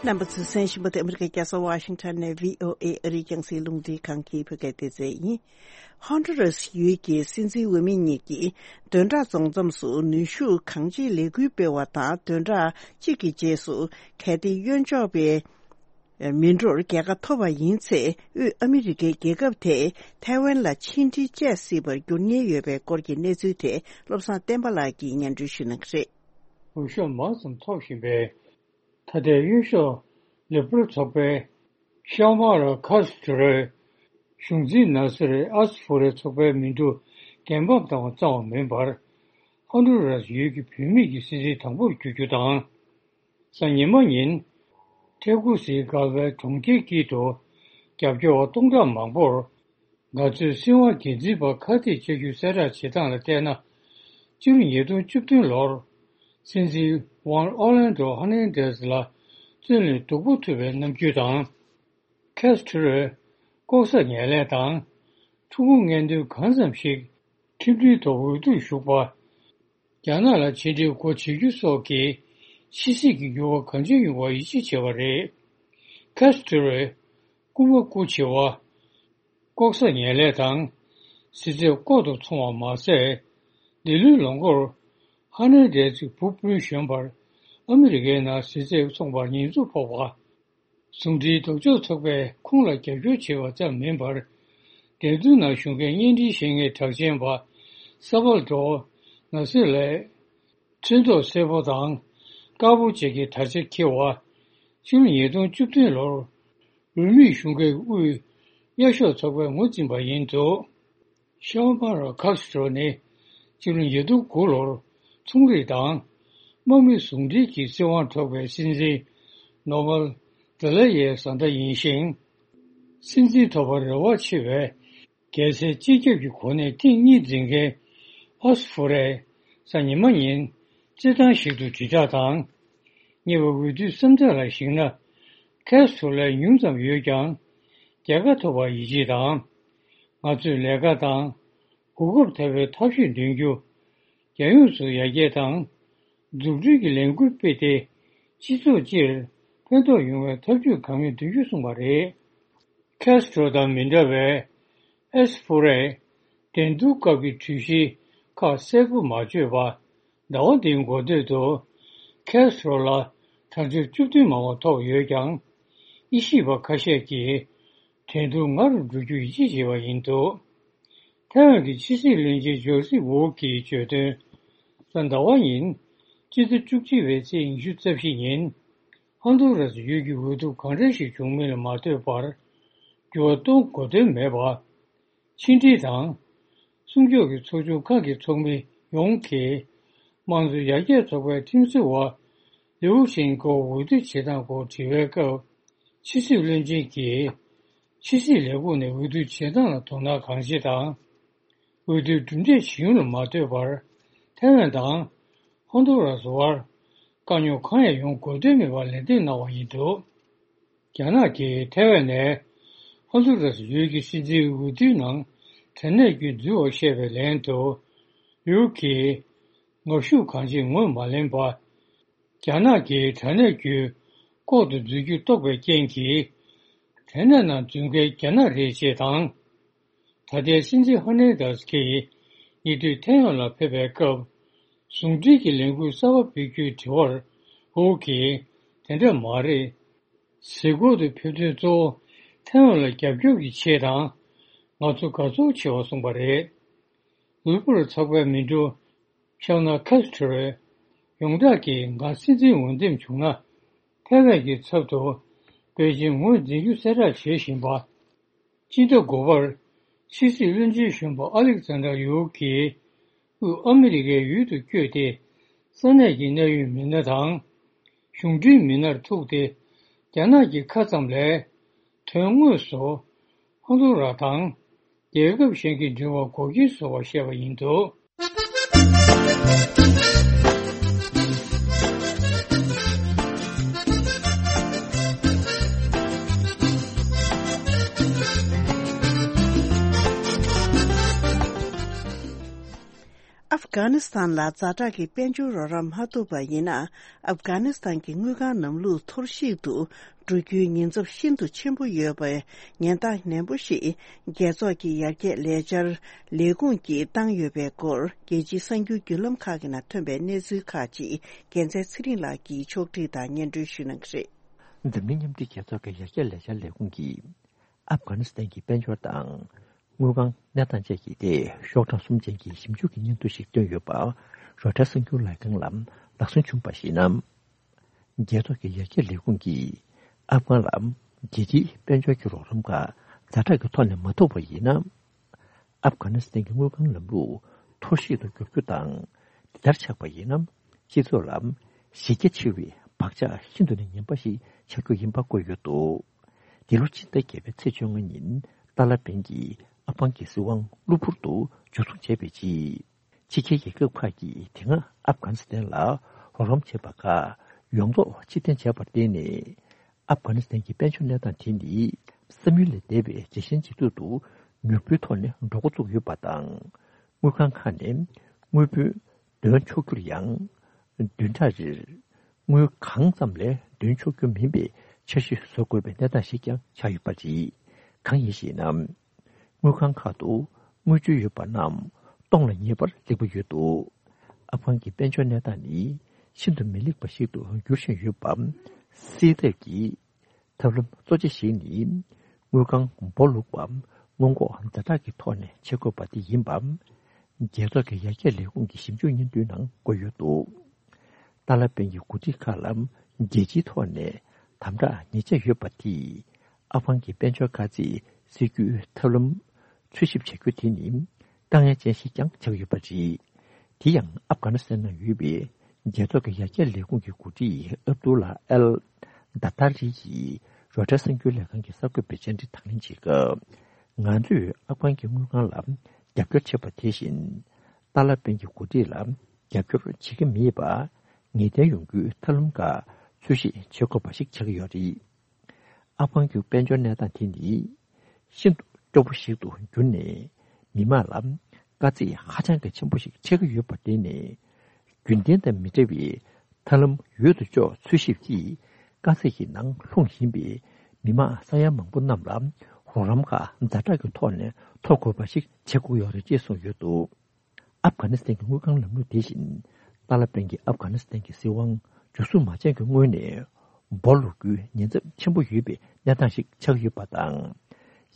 རྣམ་པ་ཚོས་གསན་བཞིན་པ་དེ་ཨ་མི་རི་ཀའི་རྒྱལ་ས་ཝ་ཤིང་ཊོན་ནས་བྷི་ཨོ་ཨེ་ཨ་རིའི་རྒྱང་སྲིང་རླུང་འཕྲིན་ཁང་གི་བོད་སྐད་སྡེ་ཚན་ཡིན། ཧོན་ཌུ་རཱས་ཡུལ་གྱི་སྲིད་འཛིན་འོས་མི་གཉིས་ཀྱིས་བདུན་ཕྲག་རྫོགས་མཚམས་སུ་ནུས་ཤུགས་གང་ཆེའི་ལས་འགུལ་སྤེལ་བ་དང་། བདུན་ཕྲག་གཅིག་གི་རྗེས་སུ་གལ་ཏེ་གཡོན་ཕྱོགས་པའི་མི་འགྲོར་རྒྱལ་ཁ་ཐོབ་པ་ཡིན་ཚེ། དབུས་ཨ་མི་རི་ཀའི་རྒྱལ་ཁབ་དེས་ཐའེ་ཝན་ལ་ཕྱི་འབྲེལ་བཅད་སྲིད་པར་འགྱུར་ཉེན་ཡོད་པའི་སྐོར་གྱི་གནས་ཚུལ་དེ་བློ་བཟང་བསྟན་པ་ལགས་ཀྱིས་སྙན་སྒྲོན་ཞུ་གནང་གི་རེད། འོས་ཤོག་མང་ཙམ་ཐོབ་བཞིན་པའི། ད་ལྟའི་གཡོན་ཕྱོགས་ལིབ་རལ་ཚོགས་པའི་ཤའོ་མ་ར་ཁཱ་སི་ཊོ་རོས་གཞུང་འཛིན་ནཱ་སེར་ཨ་སི་ཕུ་རའི་ཚོགས་པའི་མི་འགྲོ་འགན་འབབ་བཏང་བ་ཙམ་མིན་པར། ཧོན་ཌུ་རཱས་ཡུལ་གྱི་བུད་མེད་ཀྱི་སྲིད་འཛིན་དང་པོར་གྱུར་རྒྱུ་དང་། གཟའ་ཉི་མ་ཉིན། ཐེ་གུ་སིའི་སྒར་བའི་གྲོང་ཁྱེར་དཀྱིལ་དུ་རྒྱབ་སྐྱོར་བ་སྟོང་ཕྲག་མང་པོར། འགག་རྩོད་སྲིད་དབང་སྒེར་འཛིན་པ་ཁ་གཏད་བཅག་རྒྱུ་གསལ་བསྒྲགས་བྱེད་སྟངས་ལ་བལྟས་ན། སྤྱི་ལོ་ཉིས་སྟོང་བཅུ་བདུན་ལོར་སྲིད་འཛིན་ཝང་ཨོ་ལན་ཌོ་ཧར་ནན་ཌེ་སི་ལ་བཙོན་ལས་སྡུག་པོ་ཐུག་པའི་རྣམ་འགྱུར་དང་། ཁེ་སི་ཊི་རོས་ལྐོག་ཟ་ངན་ལྷད་དང་། ཕྲུ་གུ་ངན་དོན་གང་ཙམ་ཞིག་ཁྲིམས་མཐུན་ཐོག་འོས་བསྡུར་ཞུགས་པ། རྒྱ་ནག་ལ་ཕྱི་འབྲེལ་སྒོ་འབྱེད་རྒྱུ་སོགས་ཀྱིས་ཕྱི་སྲིད་ཀྱི་འགྱུར་བ་གང་ཆེ་ཡོང་བར་ཡིད་ཆེས་བྱས་པ་རེད། ཁེ་སི་ཊི་རོས་རྐུ་མ་རྐུ་བྱེད་པ། ལྐོག་ཟ་ངན་ལྷད་དང་། གཟི་རྩར་ལྐོག་ཏུ་འཚོང་བ་མ་ཟད། འདི་ལོའི་ལོ་མགོར་ཧར་ནན་ཌེ་སི་བུ་སྤུན་གཞོན་པར་ཨ་མི་རི་ཀའི་ནང་གཟི་རྩར་འཚོང་བར་ཉེས་འཛུགས་ཕོག་པ། ཟུང་འབྲེལ་ལྡོག་ཕྱོགས་ཚོགས་པས་ཁོང་ལ་རྒྱབ་སྐྱོར་བྱས་པ་ཙམ་མིན་པར། འགྲན་བསྡུར་ནང་ཞུགས་མཁན་བརྙན་འཕྲིན་ཤེས་མཁན་གྲགས་ཅན་པ་ས་པལ་ཌོ་ནཱ་སེ་ལས། ཚོན་མདོག་སེར་པོ་དང་དཀར་པོ་བཅས་ཀྱི་དར་ཆ་འཁྱེར་བ། ཕྱི་ལོ་ཉིས་སྟོང་བཅུ་བདུན་ལོར་རུས་མིག་གཞུང་སྒེར་དབུས་གཡའ་ཤོག་ཚོགས་པས་ངོས་འཛིན་པ་ཡིན་འདུག་ཤའོ་མ་ར་ཁཱ་སི་ཊོ་རོ་ནི་ཕྱི་ལོ་ཉིས་སྟོང་དགུ་ལོར་ཚོང་རིག་དང་དམག་མི་ཟུང་འབྲེལ་གྱི་སྲིད་དབང་འཕྲོག་པའི་སྲིད་འཛིན་ནོ་མལ་དེ་ལ་ཡའི་བཟའ་ཟླ་ཡིན་ཞིང་། སྲིད་འཛིན་ཐོབ་པར་རེ་བ་ཆེ་བའི་རྒྱལ་སའི་སྤྱི་ཁྱབ་ཀྱི་གོ་གནས་ཐེངས་གཉིས་འཛིན་མཁན་ཨ་སི་ཕུ་རས་གཟའ་ཉི་མ་ཉིན་རྩེད་ཐང་ཞིག་ཏུ་དྲིལ་བསྒྲགས་དང་ གཉིས་པ། འོས་བསྡུའི་བསམ་ཚུལ་ལ་གཞིགས་ན། ཁེ་སི་ཊོ་ལས་ཉུང་ཙམ་ཡོད་ཀྱང་། རྒྱལ་ཁ་ཐོབ་པར་ཡིད་ཆེས་དང་། ང་ཚོས་ལས་ཀ་དང་། གོ་སྐབས་ཐོབ་པའི་ཐབས་ཤེས་འདོན་རྒྱུ། རྒྱལ་ཡོངས་སུ་ཡར་རྒྱས་དང་། འཛུགས་སྐྲུན་གྱི་ལས་འགུལ་སྤེལ་ཏེ། སྤྱི་ཚོགས་སྤྱིར་ཕན་ཐོགས་ཡོང་བའི་ཐབས་ཇུས་གང་ཡོད་འདོན་རྒྱུ་གསུངས་པ་རེད། ཁེ་སི་ཊོ་དང་མི་འདྲ་བའི་ཨེ་སི་ཕུ་རས་འགྲན་བསྡུར་སྐབས་ཀྱི་གྲོས་གཞི་ཁག་གསལ་པོ་མ་བརྗོད་པར། ཟླ་བ་འདིའི་འགོ་སྟོད་དུ་ཁེ་སི་ཊོ་ལ་གྲངས་ཆུང་བཅུ་བདུན་མང་བ་ཐོབ་ཡོད་ཀྱང་། དབྱེ་ཞིབ་པ་ཁ་ཤས་ཀྱིས་འགྲན་བསྡུར་སྔ་རུ་འགྲོ་རྒྱུ་ཡིད་ཆེས་བྱས་པ་ཡིན་འདུག་ཐའེ་ཝན་གྱི་ཕྱི་སྲིད་བློན་ཆེན་ཇོ་སི་ཝུའུ་གིས་བརྗོད་དོན། གཟའ་ཟླ་བ་ཉིན། སྤྱི་ཟླ་བཅུ་གཅིག་པའི་ཚེས་ཉི་ཤུ་རྩ་བཞི་ཉིན། ཧོན་དུ་ར་སི་ཡུལ་གྱི་འོས་བསྡུ་གང་འདྲ་ཞིག་བྱུང་མིན་ལ་མ་ལྟོས་པར། འགྱུར་བ་གཏོང་དགོས་དོན་མེད་པ། ཕྱི་འབྲེལ་དང་། སྲུང་སྐྱོབ་ཀྱི་ཚོགས་ཆུང་ཁག་གི་ཚོགས་མི་ཡོངས་ཀྱིས། དམངས་གཙོ་ཡར་རྒྱས་ཚོགས་པའི་ཁྲིམས་བཟོ་བ་ལིའུ་ཤིན་ཀོ་འོས་བསྡུ་བྱེད་སྟངས་སྐོར་དྲི་བའི་སྐབས། ཕྱི་སྲིད་བློན་ཆེན་གྱིས། ཕྱི་སྲིད་ལས་ཁུངས་ནས་འོས་བསྡུ་བྱེད་སྟངས་ལ་དོ་སྣང་གང་ཆེ་དང་། འོས་བསྡུའི་གྲུབ་འབྲས་ཇི་ཡོང་ལ་མ་ལྟོས་པར། ཐའེ་ཝན་དང་ཧོན་དུ་ར་སི་བར་དཀའ་རྙོག་གང་ཡང་ཡོང་དགོས་དོན་མེད་པར་ལན་འདེབས་གནང་བ་ཡིན་འདུག་རྒྱ་ནག་གིས་ཐའེ་ཝན་ནས་ཧོན་དུ་ར་སི་ཡུལ་གྱི་སྲིད་འཛིན་འོས་བསྡུའི་ནང་དྲ་གནས་བརྒྱུད་འཛུལ་བར་བཤད་པའི་ལན་དུ། ལིའུ་གིས་ངར་ཤུགས་གང་ཆེ་ངོས་མ་ལེན་པར། རྒྱ་ནག་གིས་དྲ་གནས་བརྒྱུད་ལྐོག་ཏུ་འཛུལ་རྒྱུ་རྟོགས་པའི་རྐྱེན་གྱིས། དྲ་གནས་ནང་འཛུལ་མཁན་རྒྱ་ནག་རེད་ཅེས་དང་། ད་ལྟའི་སྲིད་འཛིན་ཧར་ནན་དཱས་ཀྱིས་ཉེ་དུས་ཐའེ་ཝན་ལ་ཕེབས་པའི་སྐབས། ཟུང་འབྲེལ་གྱི་ལས་འགུལ་གསར་པ་སྤེལ་རྒྱུའི་དྲི་བར། ཝུའུ་གིས། དེ་འདྲ་མ་རེད། གཟིགས་སྐོར་དུ་ཕེབས་དོན་གཙོ་བོ་ཐའེ་ཝན་ལ་རྒྱབ་སྐྱོར་གྱི་ཆེད་དང་། ང་ཚོ་དགའ་ཚོར་ཆེ་བ་གསུངས་པ་རེད། ལུས་པོར་ཚགས་པའི་མི་འགྲོ། ཤང་ན་ཁ་སི་ཁྲོའི་ཡོངས་གྲགས་ཀྱིས་ང་སྲིད་འཛིན་འོས་འདེམས་བྱུང་ན། ཐའེ་ཝན་གྱི་ཚབ་ཏུ་པེ་ཅིང་ངོས་འཛིན་རྒྱུ་གསལ་བསྒྲགས་བྱེད་བཞིན་པ། སྤྱི་ཟླ་དགུ་པར་ཕྱི་སྲིད་བློན་ཆེན་གཞོན་པ་ཨ་ལེག་ཛན་དྲ་ཡུའུ་གིས་དབུས་ཨ་མི་རི་ཀའི་ཡུལ་དུ་བསྐྱོད་དེ། ས་གནས་ཀྱི་གནད་ཡོད་མི་སྣ་དང་། གཞུང་འབྲེལ་མི་སྣར་ཐུག་སྟེ། རྒྱ་ནག་གི་ཁ་ཙམ་ལས། དོན་དངོས་སུ་ཧོན་དུ་ར་དང་རྒྱལ་ཁབ་གཞན་གྱི་འབྲེལ་བ་འགོག་རྐྱེན་བཟོ་བར་བཤད་པ་ཡིན་འདུག་ཨབ་གྷ་ནི་སི་ཐན་ལ་ཛ་དྲག་གི་དཔལ་འབྱོར་རོགས་རམ་མ་ཐུབ་པ་ཡིན་ན། ཨབ་གྷ་ནི་སི་ཐན་གྱི་དངུལ་ཁང་ལམ་ལུགས་འཐོར་ཞིག་ཏུ་འགྲོ་རྒྱུའི་ཉེན་ཚབས་ཤིན་ཏུ་ཆེན་པོ་ཡོད་པའི་ཉེན་བརྡ་ནན་པོ་ཞིག་རྒྱལ་ཚོགས་ཀྱི་ཡར་རྒྱས་ལས་འཆར་ལས་ཁུངས་ཀྱིས་བཏང་ཡོད་པའི་སྐོར། རྒྱལ་སྤྱིའི་གསར་འགྱུར་བརྒྱུད་ལམ་ཁག་གི་ནང་ཐོན་པའི་གནས་ཚུལ་ཁག་ཅིག་རྒྱལ་མཚན་ཚེ་རིང་ལགས་ཀྱིས་ཕྱོགས་སྒྲིག་དང་སྙན་སྒྲོན་ཞུ་གནང་གི་རེད། འཛམ་གླིང་མཉམ་འབྲེལ་རྒྱལ་ཚོགས་ཀྱི་ཡར་རྒྱས་ལས་འཆར་ལས་ཁུངས་ཀྱིས། ཨབ་གྷ་ནི་སི་ཐན་གྱི་དཔལ་འབྱོར་དང་། དངུལ་ཁང་གནས་སྟངས་བཅས་ཀྱི་ཐད་ཤོག་གྲངས་གསུམ་ཅན་གྱི་ཞིབ་འཇུག་གི་སྙན་ཐོ་ཞིག་བཏོན་ཡོད་པ། རོའི་ཊར་གསར་འགྱུར་ལས་ཁང་ལ་ལག་སོན་བྱུང་བར་གཞིགས་ན། རྒྱལ་ཚོགས་ཀྱི་ཡར་རྒྱས་ལས་ཁུངས་ཀྱིས་ཨབ་གྷན་ལ་རྒྱལ་སྤྱིའི་དཔལ་འབྱོར་གྱི་རོགས་རམ་ཁག་ཛ་དྲག་གི་ཐོག་ནས་མ་ཐུབ་པ་ཡིན་ན། ཨབ་གྷ་ནི་སི་ཐན་གྱི་དངུལ་ཁང་ལམ་ལུགས་འཐོར་ཞིག་ཏུ་འགྱུར་རྒྱུ་དང་། དེ་ལྟར་ཆགས་པ་ཡིན་ན། སྤྱི་ཚོགས་ལ་གཞི་རྒྱ་ཆེ་བའི་བག་ཆགས་ཤིན་ཏུ་ནས་ངན་པ་ཞིག་ཆགས་རྒྱུ་ཡིན་པ་བཀོད་ཡོད་འདུག་འདི་ལོ་ཕྱི་ཟླ་བརྒྱད་པའི་ཚེས་བཅོ་ལྔ་ཉིན་ཏཱ་ལ་པན་གྱིས་ཨབ་གྷན་གྱི་སྲིད་དབང་གློ་བུར་དུ་འཇུ་བཟུང་བྱས་པའི་རྗེས། ཕྱི་རྒྱལ་རྒྱལ་ཁབ་ཁག་གིས་དེ་སྔ་ཨབ་གྷ་ནི་སི་ཐན་ལ་རོགས་རམ་བྱས་པ་ཁག་ཡོངས་རྫོགས་ཕྱིར་འཐེན་བྱས་པར་བརྟེན་ནས། ཨབ་གྷ་ནི་སི་ཐན་གྱི་དཔལ་འབྱོར་གནས་སྟངས་དེ་ནི་བསམ་ཡུལ་ལས་འདས་པའི་ཇེ་ཞན་ཇེ་སྡུག་ཏུ་མྱུར་པོའི་ཐོག་ནས་འགྲོ་འགོ་བཙུགས་ཡོད་པ་དང་། དངུལ་ཁང་ཁག་ནས་དངུལ་བུན་འདོན་ཆོག་རྒྱུར་ཡང་། བདུན་ཕྲག་རེར་དངུལ་གང་ཙམ་ལས་འདོན་ཆོག་རྒྱུ་མིན་པའི་འཆར་གཞི་བཟོ་དགོས་པའི་གནས་སྟངས་ཤིག་ཀྱང་ཆགས་ཡོད་པ་རེད། གང་ཡིན་ཞེ་ན། དངུལ་ཁང་ཁག་ཏུ་དངུལ་བཅོལ་ཡོད་པ་རྣམས་སྟོང་ལ་ཉེ་བར་སླེབས་ཀྱི་ཡོད་འདུག་ཨབ་གྷན་གྱི་དཔལ་འབྱོར་གནས་སྟངས་ནི་ཤིན་ཏུ་མི་ལེགས་པ་ཞིག་ཏུ་འགྱུར་བཞིན་ཡོད་པ། སེལ་ཐབས་ཀྱི་ཐབས་ལམ་གཙོ་ཆེ་ཞིག་ནི། དངུལ་ཁང་སྦོ་ལུག་པ་སྔོན་འགོག་ཛ་དྲག་གི་ཐོག་ནས་བྱེད་དགོས་པ་དེ་ཡིན་པ། རྒྱལ་ཚོགས་ཀྱི་ཡར་རྒྱས་ལས་ཁུངས་ཀྱི་ཞིབ་འཇུག་སྙན་ཐོའི་ནང་བཀོད་ཡོད་འདུག་ཏཱ་ལ་པན་གྱི་འགོ་ཁྲིད་ཁག་ལ་རྒྱལ་སྤྱིའི་ཐོག་ནས་དམ་དྲག་ཉེ་ཆར་ཡོད་པ་དེས། ཨབ་གྷན་གྱི་དཔལ་འབྱོར་དཀའ་ཚེགས་སེལ་རྒྱུའི་ཐབས་ལམ་འཚོལ་ཞིབ་བྱ་རྒྱུ་དེ་ནི་དཀའ་ངལ་ཅན་ཞིག་ཀྱང་ཆགས་ཡོད་པ་རེད། དེ་ཡང་ཨབ་གྷ་ནི་སི་ཐན་ནང་ཡོད་པའི་རྒྱལ་ཚོགས་ཀྱི་ཡར་རྒྱས་ལས་ཁུངས་ཀྱི་འགོ་ཁྲིད་ཨབ་དུ་ལ་ཨལ་དཱ་ཏར་རི་ཡིས་རོའི་ཊར་གསར་འགྱུར་ལས་ཁང་གི་གསར་འགོད་པའི་བཅར་འདྲི་དང་ལེན་བྱེད་སྐབས། ང་ཚོས་ཨབ་གྷན་གྱི་དངུལ་ཁང་ལ་རྒྱབ་སྐྱོར་བྱེད་པ་དེ་བཞིན། ཏཱ་ལ་པན་གྱི་འགོ་ཁྲིད་ལ་རྒྱབ་སྐྱོར་བྱེད་ཀྱི་མེད་པ། ངེས་གཏན་ཡོང་རྒྱུའི་ཐབས་ལམ་ཁག་ འཚོལ་ཞིབ་བྱེད་དགོས་པ་ཞིག་ཆགས་ཀྱི་ཡོད་རེད། ཨབ་གྷན་གྱི་དཔལ་འབྱོར་གནས་སྟངས་དེ་ནི་ཤིན་ཏུ་སྐྱོ་པོ་ཞིག་ཏུ་གྱུར་ནས། མི་མང་ལ་དཀའ་ཚེགས་ཧ་ཅང་གི་ཆེན་པོ་ཞིག་ཆགས་ཀྱི་ཡོད་པར་བརྟེན་ནས། རྒྱུན་ལྡན་དང་མི་འདྲ་བའི་ཐབས་ལམ་འོས་ཐག་ཆོད་འཚོལ་ཞིབ་ཀྱིས་དཀའ་ཚེགས་ཀྱི་ནང་ལྷུང་བཞིན་པའི་མི་མང་ས་ཡ་མང་པོ་རྣམས་ལ་རོགས་རམ་ཁག་ཛ་དྲག་གི་ཐོག་ནས་ཐོབ་དགོས་པ་ཞིག་བྱེད་དགོས་ཡོད་རེད་ཅེས་གསུངས་ཡོད་འདུག་ཨབ་གྷ་ནི་སི་ཐན་གྱི་དངུལ་ཁང་ལམ་ལུགས་དེ་བཞིན། ཏཱ་ལ་པན་གྱིས་ཨབ་གྷ་ནི་སི་ཐན་གྱི་སྲིད་དབང་མཇུག་སྲུང་མ་བྱས་ཀྱི་སྔོན་ནས། སྦོ་ལོག་རྒྱུའི་ཉེན་ཚབས་ཆེན་པོ་ཡོད་པའི་གནས་སྟངས་ཤིག་ཆགས་ཡོད་པ་དང་།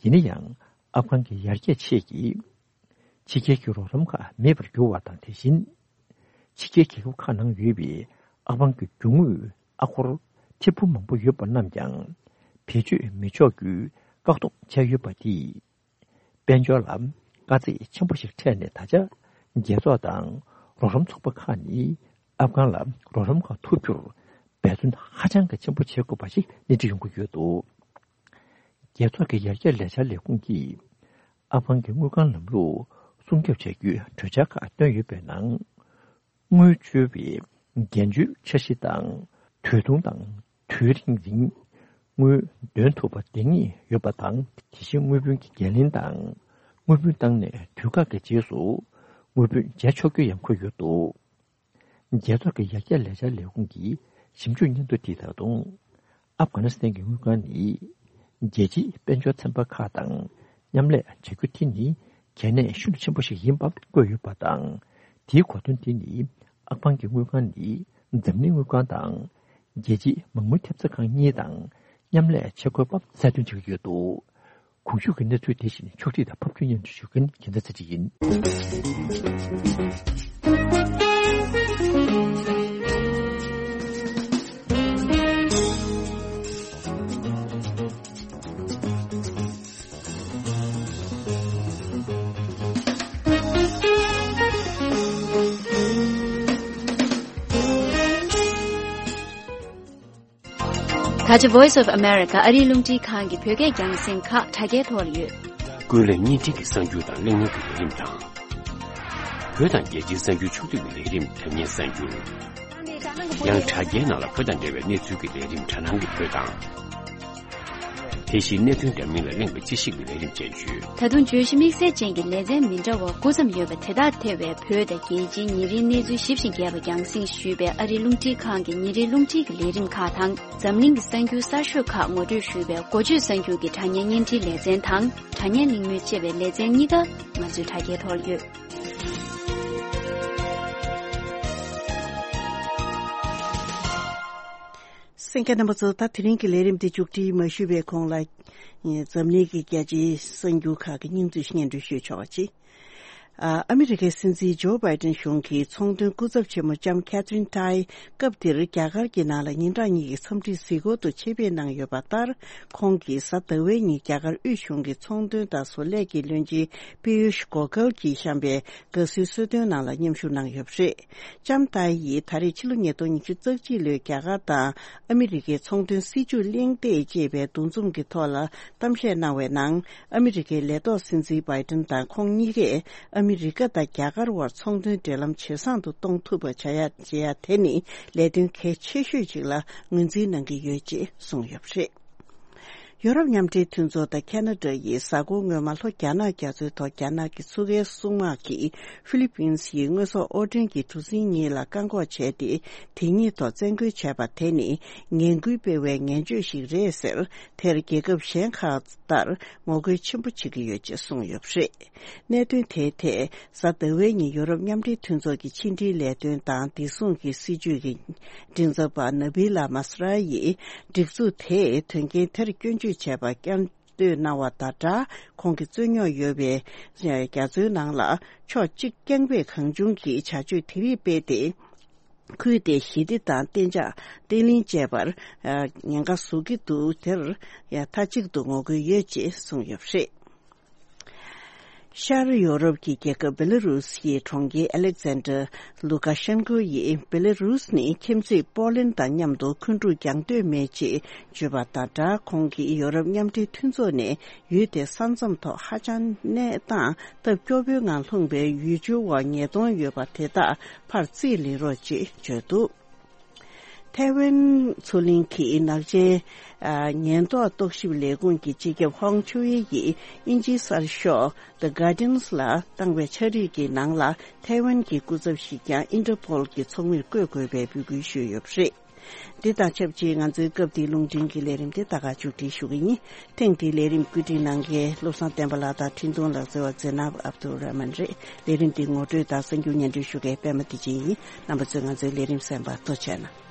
ཡིན་ན་ཡང་། ཨབ་གྷན་གྱི་ཡར་རྒྱས་ཆེད་ཀྱི་ཕྱི་རྒྱལ་གྱི་རོགས་རམ་ཁག་མེད་པར་གྱུར་བ་དང་། དེ་བཞིན། ཕྱི་རྒྱལ་རྒྱལ་ཁབ་ཁག་ནང་ཡོད་པའི་ཨབ་གྷན་གྱི་རྒྱུ་དངོས་ཨ་སྒོར་ཐེར་འབུམ་མང་པོ་ཡོད་པ་རྣམས་ཀྱང་བེད་སྤྱོད་མི་ཆོག་རྒྱུའི་བཀག་སྡོམ་བྱས་ཡོད་པ་དེས། དཔལ་འབྱོར་ལ་དཀའ་ཚེགས་ཆེན་པོ་ཞིག་འཕྲད་ནས། ད་ཆ་རྒྱལ་ཚོགས་དང་རོགས་རམ་ཚོགས་པ་ཁག་ནི་ཨབ་གྷན་ལ་རོགས་རམ་ཁག་ཐོབ་རྒྱུར་འབད་བརྩོན་ཧ་ཅང་གི་ཆེན་པོ་བྱེད་དགོས་པ་ཞིག་སྣེ་ཁྲིད་ཡོང་གི་ཡོད་འདུག་རྒྱལ་ཚོགས་ཀྱི་ཡར་རྒྱས་ལས་འཆར་ལས་ཁུངས་ཀྱིས་ཨབ་གྷན་གྱི་དངུལ་ཁང་ལམ་ལུགས་སྲུང་སྐྱོབ་བྱ་རྒྱུའི་གྲོས་འཆར་ཁག་བཏོན་ཡོད་པའི་ནང་། དངུལ་བཅོལ་བའི་འགན་བཅོལ་འཆར་གཞི་དང་། དུས་ཐུང་དང་དུས་རིང་རིང་དངུལ་འདོན་ཐུབ་པ་འདེང་ངེས་ཡོད་པ་དང་། དེ་བཞིན་དངུལ་བུན་གྱི་འགན་ལེན་དང་། དངུལ་བུན་བཏང་ནས་དུས་བཀག་གི་རྗེས་སུ་དངུལ་བུན་འཇལ་ཆོག་རྒྱུ་ཡང་འཁོད་ཡོད་འདུག་རྒྱལ་ཚོགས་ཀྱི་ཡར་རྒྱས་ལས་འཆར་ལས་ཁུངས་ཀྱི་ཞིབ་འཇུག་སྙན་ཐོ་དེས་ད་དུང་། ཨབ་གྷ་ནི་སི་ཐན་གྱི་དངུལ་ཁང་ནི་རྒྱལ་སྤྱིའི་དཔལ་འབྱོར་ཚན་པ་ཁག་དང་མཉམ་ལས་བྱ་རྒྱུ་དེ་ནི་གལ་གནད་ཤིན་ཏུ་ཆེན་པོ་ཞིག་ཡིན་པ་བཀོད་ཡོད་པ་དང་། དེའི་གོ་དོན་དེ་ནི་ཨབ་གྷན་གྱི་དངུལ་ཁང་ནི་འཛམ་གླིང་དངུལ་ཁང་དང་རྒྱལ་སྤྱིའི་མ་དངུལ་ཐེབས་རྩ་ཁང་གཉིས་དང་མཉམ་ལས་བྱེད་དགོས་པ་གསལ་སྟོན་བྱེད་ཀྱི་ཡོད་འདུག་གོང་ཞུས་ཀྱི་གནས་ཚུལ་དེ་བཞིན་ཕྱོགས་སྒྲིག་དང་ཕབ་སྒྱུར་སྙན་སྒྲོན་ཞུ་མཁན་རྒྱལ་མཚན་ཚེ་རིང་ཡིན། ད་ཆ་Voice of America ཨ་རིའི་རླུང་འཕྲིན་ཁང་གི་བོད་སྐད་རྒྱང་སྲིང་ཁག་དྲ་རྒྱའི་ཐོག་ལ་ཡོད། ཀུན་གླེང་བརྙན་འཕྲིན་གྱི་གསར་འགྱུར་དང་གླེང་མོལ་གྱི་ལས་རིམ་དང་། བོད་དང་རྒྱལ་སྤྱིའི་གསར་འགྱུར་ཕྱོགས་བསྡུས་ཀྱི་ལས་རིམ་དྲ་བརྙན་གསར་འགྱུར། ཡང་དྲ་རྒྱའི་ནང་ལ་བོད་དང་འབྲེལ་བའི་གནས་ཚུལ་གྱི་ལས་རིམ་དྲ་སྣང་གི་བོད་དང་། དེ་བཞིན་གནད་དོན་འདྲ་མིན་ལ་གླེང་བའི་དཔྱད་ཞིབ་ཀྱི་ལས་རིམ་བཅས་ཡོད། ད་དུང་བརྗོད་གཞི་དམིགས་བསལ་ཅན་གྱི་ལེ་ཚན་མི་འདྲ་བ་དགུ་ཙམ་ཡོད་པ་དེ་དག་ཐེ་བའི་བོད་དང་རྒྱལ་སྤྱིའི་ཉིན་རེའི་གནས་ཚུལ་ཞིབ་ཅིང་རྒྱས་པ་རྒྱང་སྲིང་ཞུས་པའི་ཨ་རིའི་རླུང་འཕྲིན་ཁང་གི་ཉིན་རེའི་རླུང་འཕྲིན་གྱི་ལས་རིམ་ཁག་དང་། འཛམ་གླིང་གི་གསར་འགྱུར་གསར་ཤོས་ཁག་ངོ་སྤྲོད་ཞུས་པའི་འགོ་བརྗོད་གསར་འགྱུར་གྱི་དྲ་བརྙན་བརྙན་འཕྲིན་ལེ་ཚན་དང་། དྲ་བརྙན་གླེང་མོལ་ཅེས་པའི་ལེ་ཚན་གཉིས་ཀ་ང་ཚོའི་དྲ་རྒྱའི་ཐོག་ཡོད། གསན་མཁན་རྣམ་པ་ཚོ། ད་དེ་རིང་གི་ལས་རིམ་འདི་མཇུག་སྒྲིལ་མ་ཞུས་པའི་གོང་ལ། འཛམ་གླིང་གི་རྒྱལ་སྤྱིའི་གསར་འགྱུར་ཁག་གི་སྙིང་བསྡུས་སྙན་སྒྲོན་ཞུས་ཆོག་པ་ཅིག་ཨ་ཨ་མི་རི་ཀའི་སྲིད་འཛིན་ཇོ་བྷའི་ཏིན་གཞུང་གི་ཚོང་དོན་སྐུ་ཚབ་ཆེན་མོ་ལྕམ་ཁེ་ཐི་རིན་ཏའི་སྐབས་འདིར་རྒྱ་གར་གྱི་ནང་ལ་ཉིན་གྲངས་གཉིས་ཀྱི་འཚམས་འདྲིའི་གཟིགས་སྐོར་དུ་ཆེད་ཕེབས་གནང་ཡོད་པ་ལྟར། ཁོང་གིས་གཟའ་ཟླ་བའི་ཉིན་རྒྱ་གར་དབུས་གཞུང་གི་ཚོང་དོན་དང་བཟོ་ལས་ཀྱི་བློན་ཆེན་པི་ཡུཤ་གོ་གལ་གྱིས་བཤམས་པའི་དགའ་བསུའི་གསོལ་སྟོན་ནང་ལ་མཉམ་ཞུགས་གནང་ཡོད་པ་རེད། ལྕམ་ཏའི་ཡིས་ད་རེས་ཕྱི་ལོ་ཉིས་སྟོང་ཉི་ཤུ་རྩ་གཅིག་ལོའི་རྒྱ་གར་དང་ཨ་མི་རི་ཀའི་ཚོང་དོན་སྲིད་ཇུས་གླེང་སྟེགས་ཅེས་པའི་འདུ་འཛོམས་ཀྱི་ཐོག་ལ་གཏམ་བཤད་གནང་བའི་ནང་། ཨ་མི་རི་ཀའི་ལས་ཐོག་སྲིད་འཛིན་བྷའི་ཏིན་དང་ཁོང་གཉིས་ཀས་ཨ་མི་རི་ཀ་དང་རྒྱ་གར་བར་ཚོང་དོན་འབྲེལ་ལམ་ཇེ་བཟང་དུ་གཏོང་ཐུབ་པ་བྱ་ཡ་བྱེད་ཡ་དེ་ནི་ལས་དོན་གལ་ཆེ་ཤོས་ཅིག་ལ་ངོས་འཛིན་གནང་གི་ཡོད་ཅེས་གསུངས་ཡོད་པ་རེད། ཡོ་རོབ་མཉམ་འབྲེལ་མཐུན་ཚོགས་དང་ཁ་ན་ཌ་ཡིས་གཟའ་འཁོར་སྔོན་མ་ལྷོ་རྒྱ་ནག་རྒྱ་མཚོའི་ཐོག་རྒྱ་ནག་གི་མཚོ་ཁའི་སྲུང་དམག་གིས་ཧྥི་ལི་པིན་སིའི་དངོས་ཟོག་དབོར་འདྲེན་གྱི་གྲུ་གཟིངས་གཉིས་ལ་བཀག་འགོག་བྱས་ཏེ། དེ་གཉིས་ཐོག་བཙན་རྒོལ་བྱས་པ་དེ་ནི་ངན་སྐུལ་སྤེལ་བའི་ངན་བྱུས་ཤིག་རེད་ཟེར། དེར་རྒྱལ་ཁབ་གཞན་ཁག་ལྟར་ངོ་རྒོལ་ཆེན་པོ་བྱེད་ཀྱི་ཡོད་ཅེས་གསུངས་ཡོད་པ་རེད། གནད་དོན་དེའི་ཐད་གཟའ་ཟླ་བའི་ཉིན་ཡོ་རོབ་མཉམ་འབྲེལ་མཐུན་ཚོགས་ཀྱི་ཕྱི་འབྲེལ་ལས་དོན་དང་བདེ་སྲུང་གི་སྲིད་ཇུས་ཀྱི་མགྲིན་ཚབ་པ་ན་བྷི་ལ་མ་སི་ར་ཡིས་སྒྲིག་འཛུགས་དེས་དོན་རྐྱེན་དེར་སྐྱོན་བརྗོད་བྱས་པར་བསྐྱར་ཟློས་གནང་བ་དང་སྦྲགས། ཁོང་གིས་རྩོད་རྙོག་ཡོད་པའི་རྒྱ་མཚོའི་ནང་ལ་ཕྱོགས་གཅིག་རྐྱང་པས་གང་བྱུང་གིས་བྱ་སྤྱོད་དེ་རིགས་སྤེལ་ཏེ། ཁུལ་དེའི་ཞི་བདེ་དང་གཏན་འཇགས་བརྟན་ལྷིང་བཅས་པར་ཉེན་ཁ་བཟོ་གི་འདུག་དེར་མཐའ་གཅིག་ཏུ་ངོ་རྒོལ་ཡོད་ཅེས་གསུངས་ཡོད་པ་རེད། ཤར་ཡོ་རོབ་ཀྱི་རྒྱལ་ཁབ་བེ་ལ་རུ་སིའི་གྲོང་ཁྱེར་ཨ་ལེག་ཛན་ཌར་ལུ་ཀ་ཤན་ཀོ་ཡིས་བེ་ལ་རུ་སི་ནི་ཁྱིམ་མཚེས་པོ་ལན་དང་མཉམ་དུ་འཁོན་འཁྲུག་རྒྱག་འདོད་མེད་ཅེས་བརྗོད་པ་དང་སྦྲགས། ཁོང་གིས་ཡོ་རོབ་མཉམ་འབྲེལ་མཐུན་ཚོགས་ནས་ཡུལ་དེའི་ས་མཚམས་ཐོག་ཧ་ཅང་གནས་སྟངས་སྟབས་སྐྱོ་པོའི་ངང་ལྷུང་བའི་ཡུལ་ཆུའི་འོག་ཉེས་རྡུང་ཡོད་པ་དེ་དག་ཕར་རྩིས་ལེན་རོགས་ཅེས་བརྗོད་འདུག་ཐའེ་ཝན་མཚོ་གླིང་གི་ནག་ཅན་ཨ་ཉེན་རྟོག་རྟོག་ཞིབ་ལས་ཁུངས་ཀྱི་སྤྱི་ཁྱབ་ཧོང་ཆུའེ་ཡིས་དབྱིན་ཇིའི་གསར་ཤོག་The Guardian ལ་བཏང་བའི་ཕྱག་བྲིས་ཀྱི་ནང་ལ། ཐའེ་ཝན་གྱི་སྐུ་ཚབ་ཞིག་ཀྱང་ཨིན་ཊར་པོལ་གྱི་ཚོགས་མིར་བསྐོ་དགོས་པའི་འབོད་སྐུལ་ཞུས་ཡོད་པ་རེད། འདི་དང་ཆབས་ཅིག་ང་ཚོའི་སྐབས་འདིའི་རླུང་འཕྲིན་གྱི་ལས་རིམ་དེ་ད་ག་མཇུག་སྒྲིལ་ཞུ་གི་ཡིན། ཐེངས་འདིའི་ལས་རིམ་བཀོད་སྒྲིག་གནང་མཁན་བློ་བཟང་བསྟན་པ་ལགས་དང་འཕྲིན་གཏོང་ལག་རྩལ་བ་ཛེ་ནབ་ཨབ་དུ་ར་མན་རེད། ལས་རིམ་འདི་ངོ་སྤྲོད་དང་གསར་འགྱུར་སྙན་སྒྲོན་ཞུ་མཁན་པད་མ་བདེ་ཆེན་ཡིན། རྣམ་པ་ཚོས་ང་ཚོའི་ལས་རིམ་གསན་པར་ཐུགས་རྗེ་གནང་།